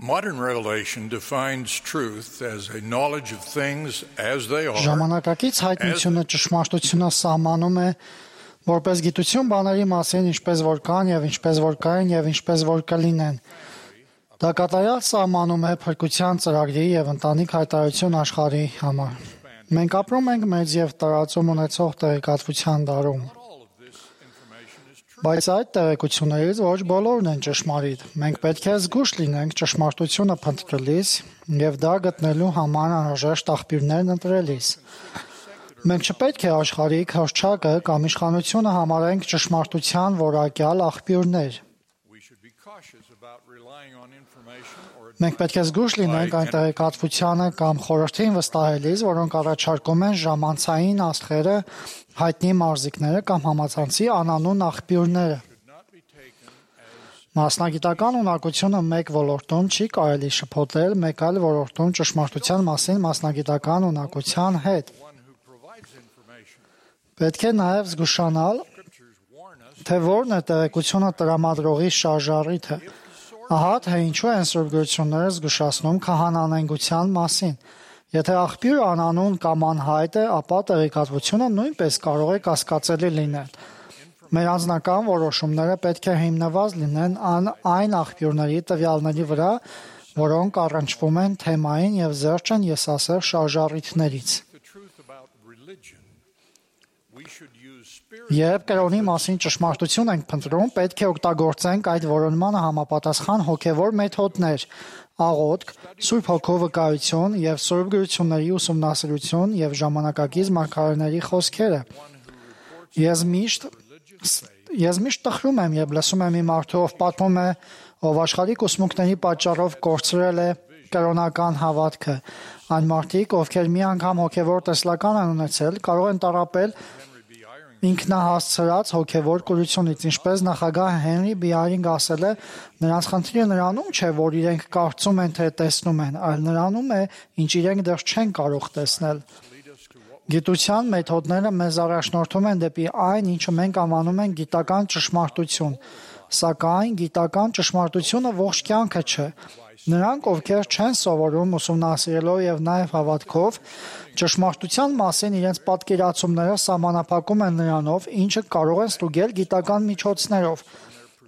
Modern revelation defines truth as a knowledge of things as they are. Ժամանակակից հայտնությունը ճշմարտությունը սահմանում է որպես գիտություն բաների մասին, ինչպես որ կան եւ ինչպես որ կային եւ ինչպես որ կլինեն։ Դա կատարյալ սահմանում է փրկության ծրագրի եւ ընտանիք հայտարարություն աշխարհի համար։ Մենք ապրում ենք մեծ եւ տարածում ունեցող տեղեկատվության դարում։ Բայց այդ տեղեկություններից ոչ բոլորն են ճշմարիտ։ Մենք պետք է զգույշ լինենք ճշմարտությունը փնտրելիս եւ դա գտնելու համար անհրաժեշտ աղբյուրներն ընտրելիս։ Մենք չպետք է աշխարհիկ հռչակը կամ իշխանությունը համարենք ճշմարտության որակյալ աղբյուրներ։ Մենք պետք է զգույշ լինենք այն տեղեկատվությանը կամ խորհրդին վստահելիս, որոնք առաջարկում են ժամանցային աստղերը, հայտնի մարզիկները կամ համացանցի անանուն աղբյուրները։ Մասնագիտական ունակությունը մեկ ոլորտում չի կարելի շփոթել մեկ այլ ոլորտում ճշմարտության մասին մասնագիտական ունակության հետ։ Պետք է նաև զգուշանալ, թե որն է տեղեկությունը տրամադրողի շարժառիթը։ Ահա թե ինչու են Սուրբ գրությունները զգուշացնում քահանանենգության մասին։ Եթե աղբյուրը անանուն կամ անհայտ է, ապա տեղեկատվությունը նույնպես կարող է կասկածելի լինել։ Մեր անձնական որոշումները պետք է հիմնված լինեն այն աղբյուրների տվյալների վրա, որոնք առնչվում են թեմային եւ զերծ են եսասեր շարժառիթներից։ Երբ կրոնի մասին ճշմարտություն ենք փնտրում, պետք է օգտագործենք այդ որոնմանը համապատասխան հոգևոր մեթոդներ՝ աղոթք, Սուրբ Հոգու վկայություն եւ Սուրբ գրությունների ուսումնասիրություն եւ ժամանակակից մարգարեների խոսքերը։ Ես միշտ տխրում եմ, երբ լսում եմ մի մարդու, ով պատմում է, ով աշխարհիկ ուսմունքների պատճառով կորցրել է կրոնական հավատքը։ Այն մարդիկ, ովքեր մի անգամ հոգևոր տեսլական են ունեցել, կարող են տառապել ինքնահասցրած հոգևոր կուրությունից, ինչպես նախագահ Հենրի Բիարինգ ասել է, նրանց խնդիրը նրանում չէ, որ իրենք կարծում են, թե տեսնում են, այլ նրանում է, ինչ իրենք դեռ չեն կարող տեսնել։ Գիտության մեթոդները մեզ առաջնորդում են դեպի այն, ինչը մենք անվանում ենք գիտական ճշմարտություն, սակայն գիտական ճշմարտությունը ողջ կյանքը չէ։ Նրանք, ովքեր չեն սովորում ուսումնասիրելով եւ նաեւ հավատքով, ճշմարտության մասին իրենց պատկերացումները սահմանափակում են նրանով, ինչը կարող են ստուգել գիտական միջոցներով։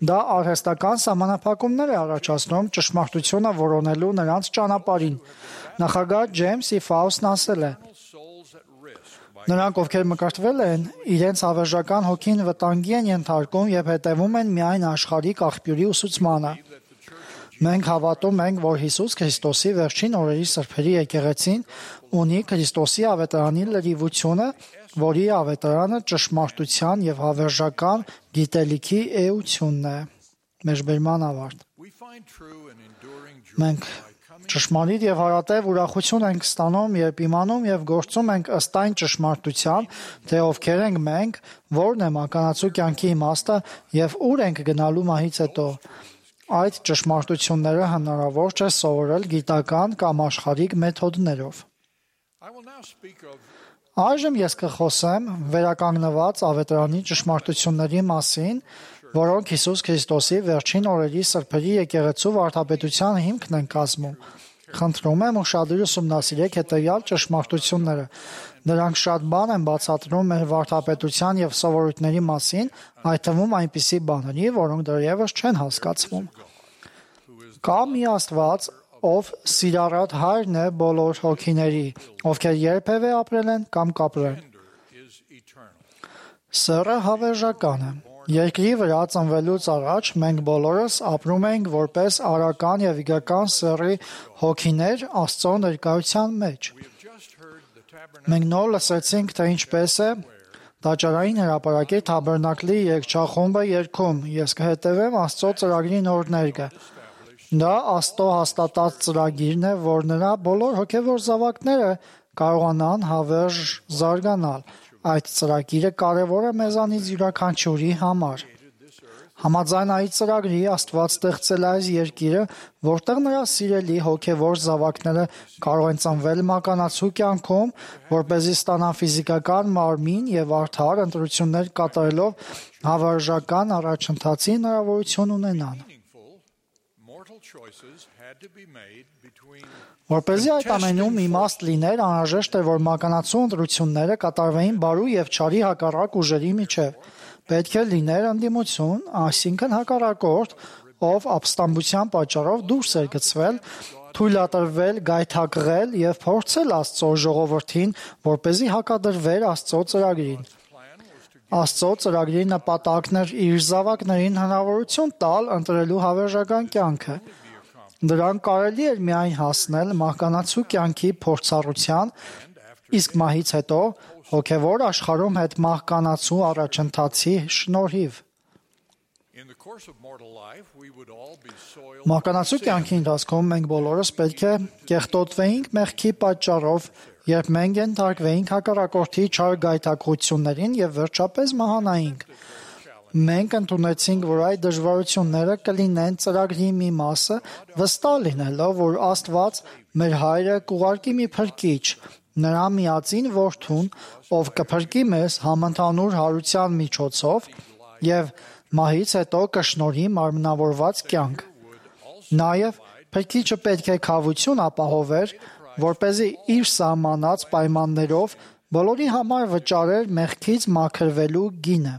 Դա արհեստական սահմանափակումներ է առաջացնում ճշմարտությունը որոնելու նրանց ճանապարհին։ Նախագահ Ջեյմս E. Ֆաուստն ասել է. Նրանք, ովքեր մկրտվել են, իրենց հավերժական հոգին վտանգի են ենթարկում եւ հետևում են միայն աշխարհիկ աղբյուրի ուսուցմանը։ Մենք հավատում ենք, որ Հիսուս Քրիստոսի վերջին օրերի սրբերի եկեղեցին ունի Քրիստոսի ավետարանի լրիվությունը, որի ավետարանը ճշմարտության եւ հավերժական գիտելիքի էությունն է։ Մեջբերման ավարտ։ Մենք ճշմարիտ եւ հարատև ուրախություն ենք ստանում, երբ իմանում եւ գործում ենք ըստ այն ճշմարտության, թե ովքեր ենք մենք, որն է մականացու կյանքի իմաստը եւ ուր ենք գնալու մահից հետո։ Այդ ճշմարտությունները հնարավոր չէ սովորել գիտական կամ աշխարհիկ մեթոդներով։ Այժմ ես կխոսեմ վերականգնված ավետարանի ճշմարտությունների մասին, որոնք Հիսուս Քրիստոսի վերջին օրերի սրբերի եկեղեցու վարդապետության հիմքն են կազմում։ Խնդրում եմ ուշադիր ուսումնասիրեք հետևյալ ճշմարտությունները։ Նրանք շատ բան են բացատրում մեր վարդապետության եւ սովորույթների մասին, այդ թվում այնպիսի բաների, որոնք դեռևս չեն հասկացվում։ Կա մի Աստված, ով սիրառատ հայրն է բոլոր հոգիների, ովքեր երբևէ ապրել են կամ կապրեն։ Սեռը հավերժական է։ Երկրի վրա ծնվելուց առաջ մենք բոլորս ապրում ենք որպես արական եւ իգական սեռի հոգիներ Աստծո ներկայության մեջ։ Մենք նոր լսեցինք, թե ինչպես է Տաճարային հրապարակի Թաբերնակլի երգչախումբը երգում. Ես կհետևեմ Աստծո ծրագրի նոր ներկը։ Դա Աստծո հաստատած ծրագիրն է, որ նրա բոլոր հոգևոր զավակները կարողանան հավերժ զարգանալ։ Այդ ծրագիրը կարևոր է մեզանից յուրաքանչյուրի համար։ Համաձայն այդ ծրագրի Աստված ստեղծել է այս երկիրը, որտեղ նրա սիրելի հոգևոր զավակները կարող են ծնվել մականացու կյանքում, որպեսզի ստանան ֆիզիկական մարմին եւ արդար ընտրություններ կատարելով հավերժական առաջընթացի հնարավորություն ունենան։ Որպեսզի այդ ամենում իմաստ լիներ, անհրաժեշտ է, որ մականացու ընտրությունները կատարվեին բարու եւ չարի հակառակ ուժերի միջև։ Պետք է լիներ ընդդիմություն, այսինքն հակառակորդ, ով ապստամբության պատճառով դուրս էր գցվել, թույլատրվել, գայթակղել եւ փորձել Աստծո ժողովրդին, որպեսզի հակադրվեր Աստծո ծրագրին։ Աստծո ծրագրի նպատակն էր իր զավակներին հնարավորություն տալ ընտրելու հավերժական կյանքը։ Դրան կարելի էր միայն հասնել մահկանացու կյանքի փորձառության, իսկ մահից հետո հոգևոր աշխարհում հետ մահկանացու առաջընթացի շնորհիվ։ Մահկանացու կյանքի ընթացքում մենք բոլորս պետք է կեղտոտվեինք մեղքի պատճառով, երբ մենք ենթարկվեինք հակառակորդի չար գայթակղություններին եւ վերջապես մահանայինք։ Մենք ընդունեցինք, որ այդ դժվարությունները կլինեն ծրագրի մի մասը, վստահ լինելով, որ Աստված մեր հայրը կուղարկի մի փրկիչ, նրա միածին որդուն, ով կփրկի մեզ համընդհանուր հարության միջոցով եւ մահից հետո կշնորհի մարմնավորված կյանք։ Նաեւ փրկիչը պետք է քավություն ապահովեր, որպեսզի իր սահմանած պայմաններով բոլորի համար վճարեր մեղքից մաքրվելու գինը։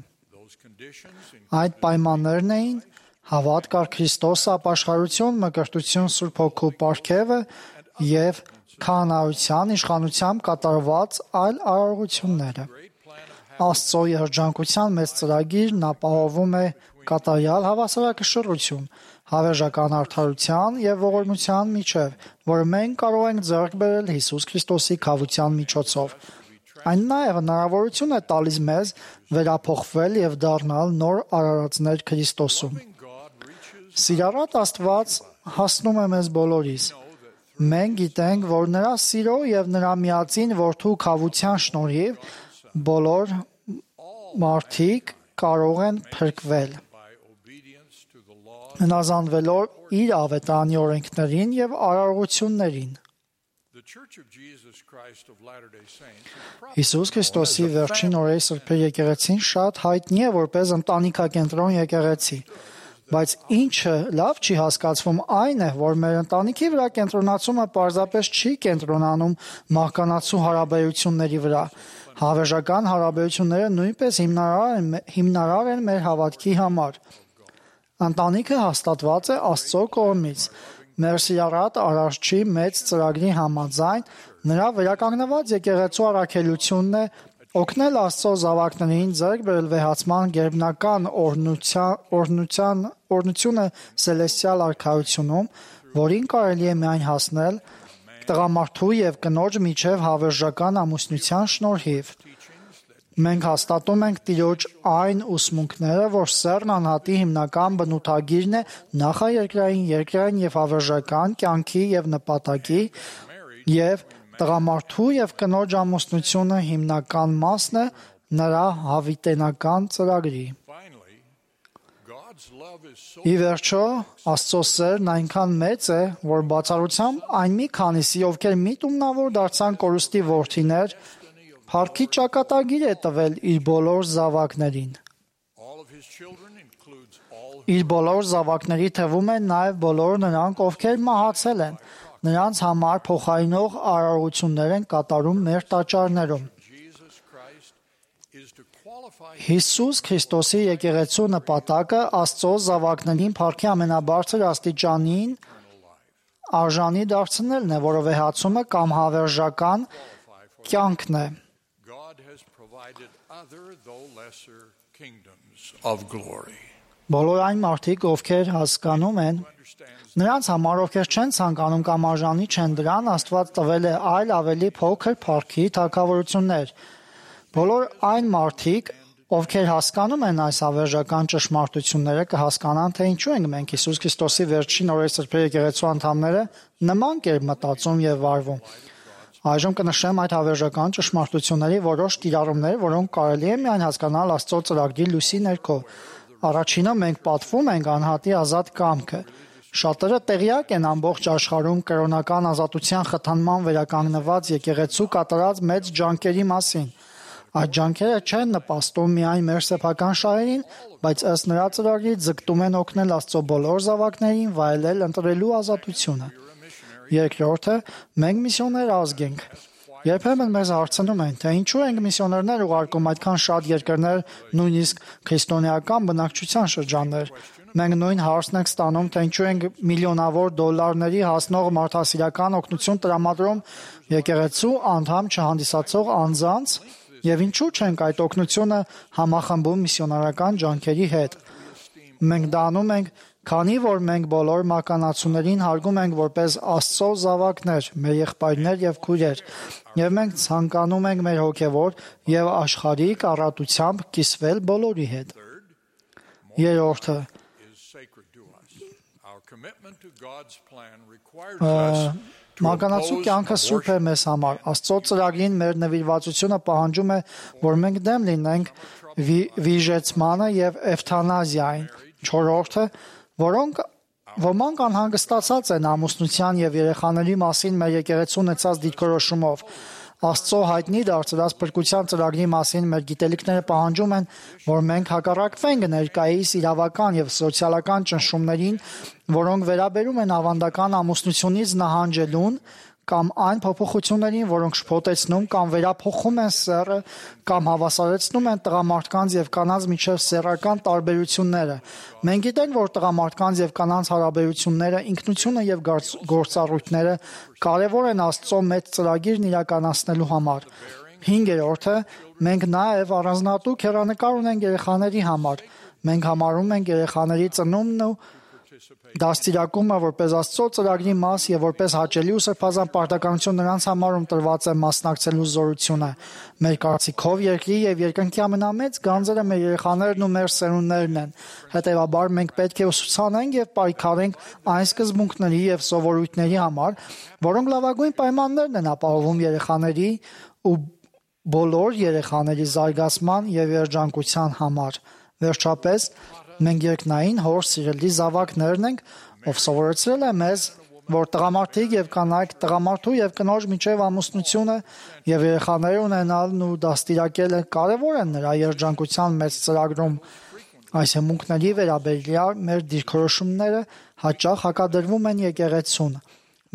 Այդ պայմաններն էին հավատք առ Քրիստոս, ապաշխարություն, մկրտություն, Սուրբ Հոգու պարգևը եւ քահանայության իշխանությամբ կատարված այլ արարողությունները։ Աստծո երջանկության մեծ ծրագիրն ապահովում է կատարյալ հավասարակշռություն, հավերժական արդարության եւ ողորմության միջև, որը մենք կարող ենք ձեռք բերել Հիսուս Քրիստոսի քավության միջոցով։ Այն նաև հնարավորություն է տալիս մեզ վերափոխվել եւ դառնալ նոր արարածներ Քրիստոսում։ Սիրառատ Աստված հասնում է մեզ բոլորիս։ Մենք գիտենք, որ նրա սիրո եւ նրա միածին որդու քավության շնորհիվ բոլոր մարդիկ կարող են փրկվել, հնազանդվելով իր ավետարանի օրենքներին եւ արարողություններին։ Հիսուս Քրիստոսի վերջին օրերի սրբի եկեղեցին շատ հայտնի է որպես ընտանիքակենտրոն եկեղեցի, բայց ինչը լավ չի հասկացվում այն է, որ մեր ընտանիքի վրա կենտրոնացումը պարզապես չի կենտրոնանում մահկանացու հարաբերությունների վրա։ Հավերժական հարաբերությունները նույնպես հիմնարար են մեր հավատքի համար։ Ընտանիքը հաստատված է Աստծո կողմից։ Մեր սիրառատ Արարչի մեծ ծրագրի համաձայն նրա վերականգնված եկեղեցու առաքելությունն է օգնել Աստծո զավակներին ձեռք բերել վեհացման գերբնական օրհնությունը Սելեստիալ արքայությունում, որին կարելի է միայն հասնել տղամարդու եւ կնոջ միջև հավերժական ամուսնության շնորհիվ։ Մենք հաստատում ենք Տիրոջ այն ուսմունքները, որ սեռն անհատի հիմնական բնութագիրն է նախաերկրային, երկրային եւ հավերժական կյանքի եւ նպատակի, եւ տղամարդու եւ կնոջ ամուսնությունը հիմնական մասն է նրա հավիտենական ծրագրի։ Ի վերջո, Աստծո սերն այնքան մեծ է, որ բացառությամբ այն մի քանիսի, ովքեր միտումնավոր դարձան կորուստի որդիներ, Փառքի ճակատագիր է տվել իր բոլոր զավակներին։ Իր բոլոր զավակների թվում են նաև բոլոր նրանք, ովքեր մահացել են, նրանց համար փոխարինող արարողություններ են կատարում մեր տաճարներում։ Հիսուս Քրիստոսի եկեղեցու նպատակը Աստծո զավակներին փառքի ամենաբարձր աստիճանին արժանի դարձնելն է, որը վեհացումը կամ հավերժական կյանքն է։ Բոլոր այն մարդիկ, ովքեր հասկանում են, նրանց համար, ովքեր չեն ցանկանում կամ արժանի չեն դրան, Աստված տվել է այլ ավելի փոքր փառքի թագավորություններ։ Բոլոր այն մարդիկ, ովքեր հասկանում են այս հավերժական ճշմարտությունները, կհասկանան, թե ինչու ենք մենք Հիսուս Քրիստոսի վերջին օրերի սրբի եկեղեցու անդամները նման կերպ մտածում եւ վարվում։ Այժմ կնշեմ այդ հավերժական ճշմարտությունների որոշ կիրառումներ, որոնք կարելի է միայն հասկանալ Աստծո ծրագրի լույսի ներքո։ Առաջինը մենք պատվում ենք անհատի ազատ կամքը։ Շատերը տեղյակ են ամբողջ աշխարհում կրոնական ազատության խթանման վերականգնված եկեղեցու կատարած մեծ ջանքերի մասին։ Այդ ջանքերը չեն նպաստում միայն մեր սեփական շահերին, բայց ըստ նրա ծրագրի ձգտում են օգնել Աստծո բոլոր զավակներին վայելել ընտրելու ազատությունը։ Երկրորդը, մենք միսիոներ ազգ ենք։ Երբեմն մեզ հարցնում են, թե ինչու ենք միսիոներներ ուղարկում այդքան շատ երկրներ, նույնիսկ քրիստոնեական բնակչության շրջաններ։ Մենք նույն հարցն ենք ստանում, թե ինչու ենք միլիոնավոր դոլարների հասնող մարդասիրական օգնություն տրամադրում եկեղեցու անդամ չհանդիսացող անձանց եւ ինչու չենք այդ օգնությունը համախմբում միսիոնարական ջանքերի հետ։ Մենք դա անում ենք, քանի որ մենք բոլոր մականացուներին հարգում ենք որպես Աստծո զավակներ, մեր եղբայրներ եւ քույրեր, եւ մենք ցանկանում ենք մեր հոգեվոր եւ աշխարհիկ առատությամբ կիսվել բոլորի հետ։ Երրորդը, մականացու կյանքը սուրբ է մեզ համար։ Աստծո ծրագրին մեր նվիրվածությունը պահանջում է, որ մենք դեմ լինենք վիժեցմանը եւ էվթանազիային։ Չորրորդը, ոմանք անհանգստացած են ամուսնության եւ երեխաների մասին մեր եկեղեցու ունեցած դիրքորոշումով։ Աստծո հայտնի դարձած փրկության ծրագրի մասին մեր գիտելիքները պահանջում են, որ մենք հակառակվենք ներկայիս իրավական եւ սոցիալական ճնշումներին, որոնք վերաբերում են ավանդական ամուսնությունից նահանջելուն կամ այն փոփոխություններին, որոնք շփոթեցնում կամ վերափոխում են սեռը կամ հավասարեցնում են տղամարդկանց եւ կանանց միջև սեռական տարբերությունները։ Մենք գիտենք, որ տղամարդկանց եւ կանանց հարաբերությունները, ինքնությունը եւ գործառույթները կարեւոր են Աստծո մեծ ծրագիրն իրականացնելու համար։ 5-րդը մենք նաև առանձնատու քերանեկար ունենք երեխաների համար։ Մենք համարում ենք երեխաների ծնունդն ու դաստիարակումը որպես Աստծո ծրագրի մաս եւ որպես հաճելի ու սրբազան պարտականություն նրանց համար ում տրված է մասնակցելու զորությունը։ Մեր կարծիքով երկրի եւ երկնքի ամենամեծ գանձերը մեր երեխաներն ու մեր սերունդներն են։ Հետևաբար մենք պետք է ուսուցանենք եւ պայքարենք այն սկզբունքների եւ սովորույթների համար, որոնք լավագույն պայմաններն են ապահովում երեխաների ու բոլոր երեխաների զարգացման եւ երջանկության համար։ Վերջապես, մենք երկնային հոր սիրելի զավակներն ենք, ով սովորեցրել է մեզ, որ տղամարդիկ եւ կանայք տղամարդու եւ կնոջ միջև ամուսնությունը եւ երեխաներ ունենալն ու դաստիարակելը կարեւոր են նրա երջանկության մեծ ծրագրում։ Այս հմունքների վերաբերյալ մեր դիրքորոշումները հաճախ հակադրվում են եկեղեցուն։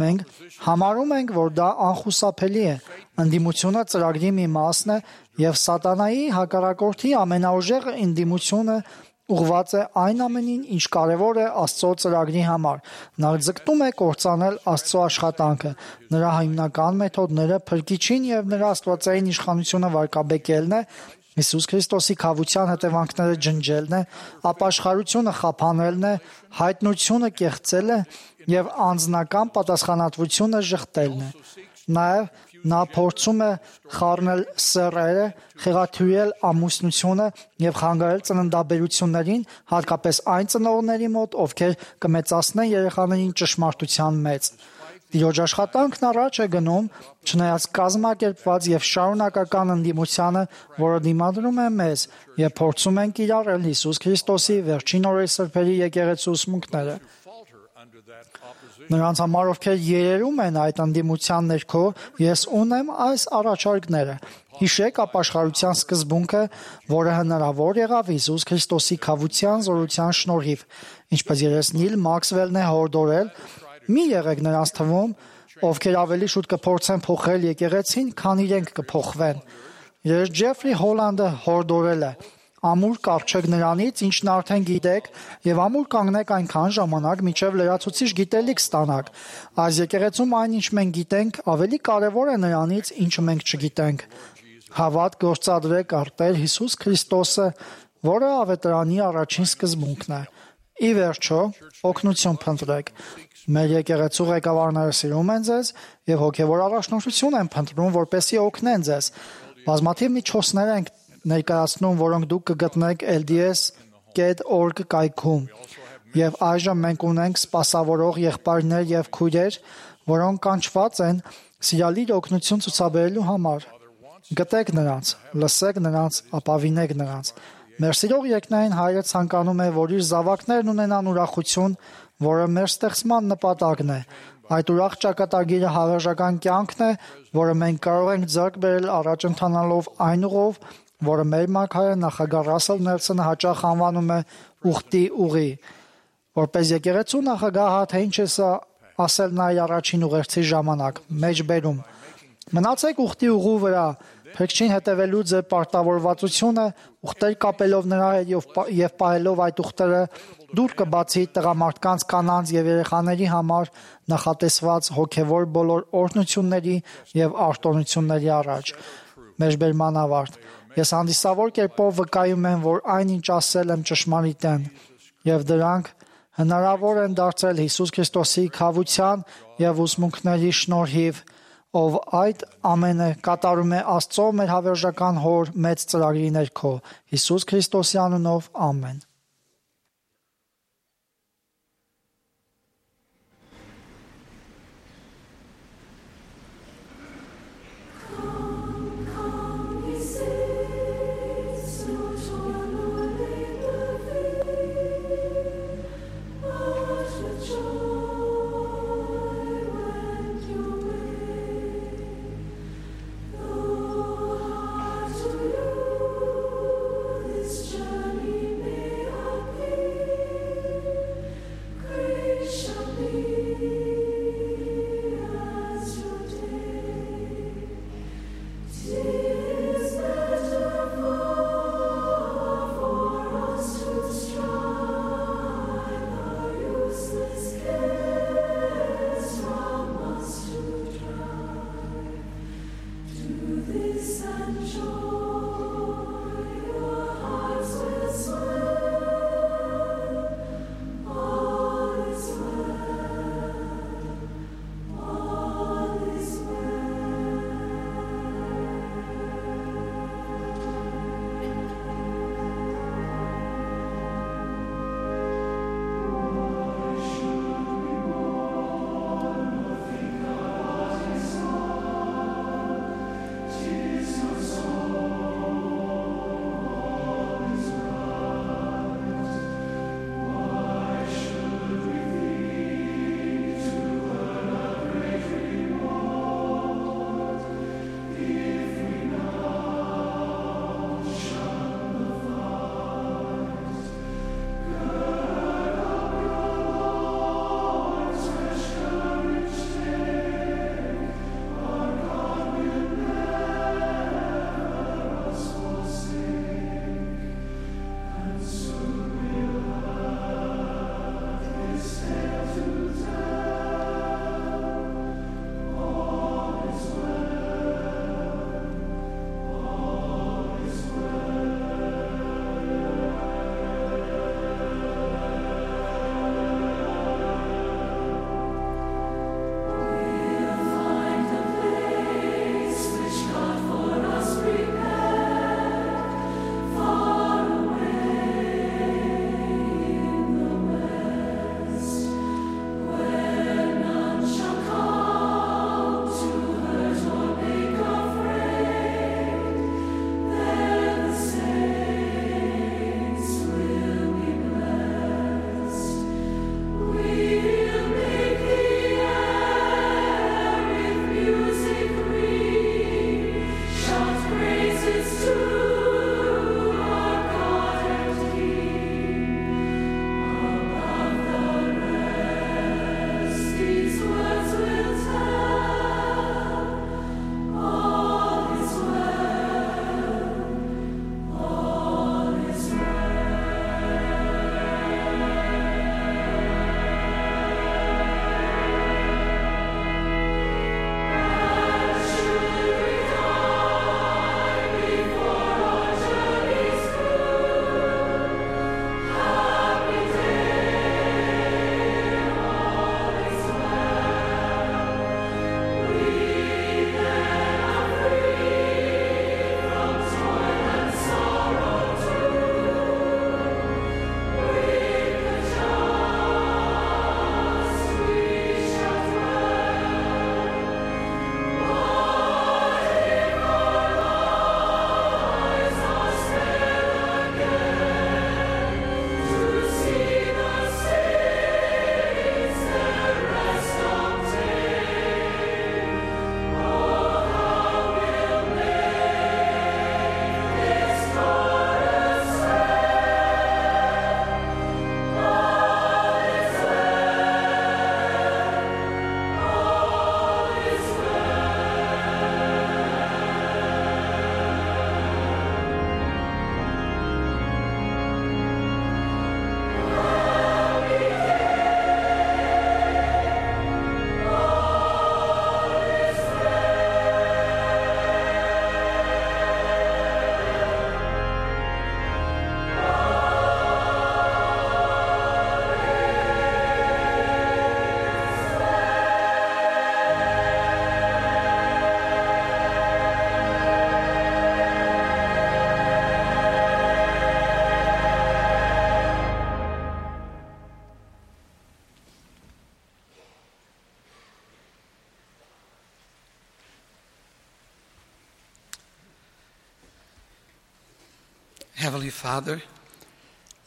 Մենք համարում ենք, որ դա անխուսափելի է, ընդդիմությունը ծրագրի մի մասն է եւ սատանայի հակառակորդի ամենաուժեղ ընդդիմությունը ուղղված է այն ամենին, ինչ կարևոր է Աստծո ծրագրի համար։ Նա ձգտում է կործանել Աստծո աշխատանքը, նրա հիմնական մեթոդները փրկիչին եւ նրա աստվածային իշխանությունը վարկաբեկելն է, Հիսուս Քրիստոսի քավության հետևանքները ջնջելն է, ապաշխարությունը խափանելն է, հայտնությունը կեղծելը եւ անձնական պատասխանատվությունը ժխտելն է։ Նաեւ նա փորձում է խառնել սեռերը, խեղաթյուրել ամուսնությունը եւ խանգարել ծննդաբերություններին, հատկապես այն ծնողների մոտ, ովքեր կմեծացնեն երեխաներին ճշմարտության մեջ։ Տիրոջ աշխատանքն առաջ է գնում, չնայած կազմակերպված եւ շարունակական ընդդիմությանը, որը դիմադրում է մեզ եւ փորձում են կիրառել Հիսուս Քրիստոսի վերջին օրերի սրբերի եկեղեցու ուսմունքները։ Նրանց համար, ովքեր երերում են այդ ընդդիմության ներքո, ես ունեմ այս առաջարկները։ Հիշեք ապաշխարության սկզբունքը, որը հնարավոր եղավ Հիսուս Քրիստոսի քավության զորության շնորհիվ, ինչպես Նիլ Մաքսվելն է հորդորել, մի եղեք նրանց թվում, ովքեր ավելի շուտ կփորձեն փոխել եկեղեցին, քան իրենք կփոխվեն։ Ջեֆրի Հոլանդը հորդորել է. Ամուր կառչեք նրանից, ինչն արդեն գիտեք, եւ ամուր կանգնեք այնքան ժամանակ, մինչեւ լրացուցիչ գիտելիք ստանաք։ Այս եկեղեցում այն, ինչ մենք գիտենք, ավելի կարեւոր է նրանից, ինչը մենք չգիտենք։ Հավատ գործադրեք արտեր Հիսուս Քրիստոսը, որը ավետարանի առաջին սկզբունքն է։ Ի վերջո, օգնություն փնտրեք։ Մեր եկեղեցու ղեկավարները սիրում են ձեզ եւ հոգեվոր առաջնորդություն են փնտրում, որպեսզի օգնեն ձեզ։ Բազմաթիվ միջոցներ են ներկայացնում, որոնք դուք կգտնեք LDS.org կայքում։ Եվ այժմ մենք ունենք սպասավորող եղբայրներ եւ քույրեր, որոնք կանչված են սիրալիր օգնություն ցուցաբերելու համար։ Գտեք նրանց, լսեք նրանց, ապավինեք նրանց։ Մեր սիրող երկնային Հայրը ցանկանում է, որ իր զավակներն ունենան ուրախություն, որը մեր ստեղծման նպատակն է։ Այդ ուրախ ճակատագիրը հավերժական կյանքն է, որը մենք կարող ենք ձեռք բերել առաջ ընթանալով այն ուղով, որը մեր մարգարե նախագահ Ռասել Նելսոնը հաճախ անվանում է ուխտի ուղի։ Որպես եկեղեցու նախագահ թե ինչ է սա ասել նա առաջին ուղերձի ժամանակ, մեջբերում։ Մնացեք ուխտի ուղու վրա, փրկչին հետևելու ձեր պարտավորվածությունը, ուխտեր կապելով նրա հետ եւ պահելով այդ ուխտերը դուր կբացի տղամարդկանց, կանանց եւ երեխաների համար նախատեսված հոգեվոր բոլոր օրհնությունների եւ արտոնությունների առաջ։ Մեջբերման ավարտ։ Ես հանդիսավոր կերպով վկայում եմ, որ այնինչ ասել եմ ճշմարիտ են, եւ դրանք հնարավոր են դարձել Հիսուս Քրիստոսի քավության եւ ուսմունքների շնորհիվ, ով այդ ամենը կատարում է Աստծո մեր հավերժական Հոր մեծ ծրագրի ներքո, Հիսուս Քրիստոսի անունով, ամեն։ Journey may Heavenly Father,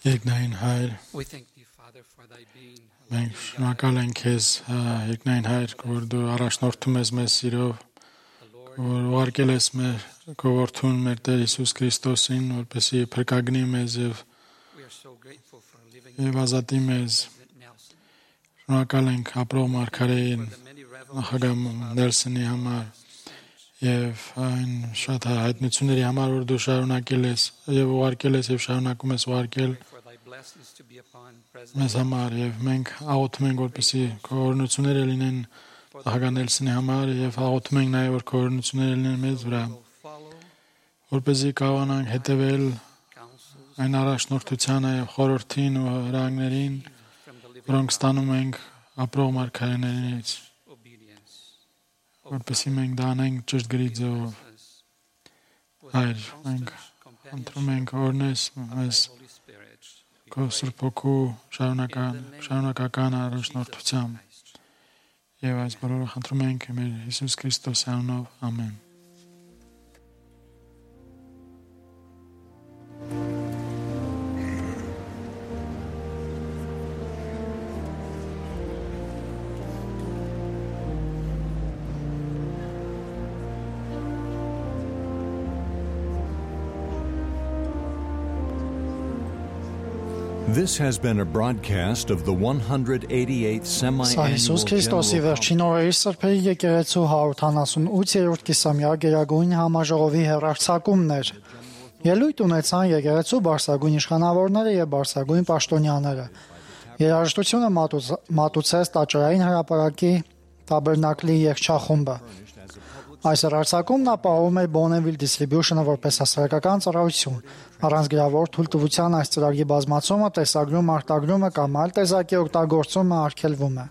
Երկնային Հայր, we thank thee, Father, for thy being. մենք շնորհակալ ենք քեզ, Երկնային Հայր, որ դու առաջնորդում ես մեզ սիրով, որ ուղարկել ես մեր քո որդուն, մեր Տեր Հիսուս Քրիստոսին, որպեսզի փրկագնի մեզ եւ ազատի մեզ։ Շնորհակալ ենք ապրող մարգարեին, նախագահ Նելսոնի համար եւ այն շատ հայտնությունների համար, որ դու շարունակել ես եւ ուղարկել ես եւ շարունակում ես ուղարկել մեզ համար, եւ մենք աղոթում ենք, որպեսզի քո օրհնությունները լինեն նախագահ Նելսոնի համար եւ աղոթում ենք նաեւ, որ քո օրհնությունները լինեն մեզ վրա, որպեսզի կարողանանք հետևել այն առաջնորդությանը եւ խորհրդին ու հրահանգներին, որոնք ստանում ենք ապրող մարգարեներից, որպեսզի մենք դա անենք ճշգրիտ ձևով։ Հայր, մենք ընտրում ենք օրնես մեզ քո Սուրբ Հոգու շարունակական առաջնորդությամբ եւ այս բոլորը խնդրում ենք մեր Հիսուս Քրիստոսի անունով, ամեն։ This has been a broadcast of the 188th semi-annual Հիսուս Քրիստոսի վերջին օրերի սրբերի եկեղեցու 178-րդ կիսամյա գերագույն համաժողովի հեռարձակումն էր։ Ելույթ ունեցան եկեղեցու բարձրագույն իշխանավորները եւ բարձրագույն պաշտոնյաները։ Երաժշտությունը մատուցեց տաճարային հրապարակի տաբերնակլի երգչախումբը։ Այս հեռարձակումն ապահովում է Bonneville Distribution-ը որպես հասարակական ծառայություն։ Առանց գրավոր թույլտվության այս ծրագրի բազմացումը, տեսագրումը, արտագրումը կամ այլ տեսակի օգտագործումը արգելվում է։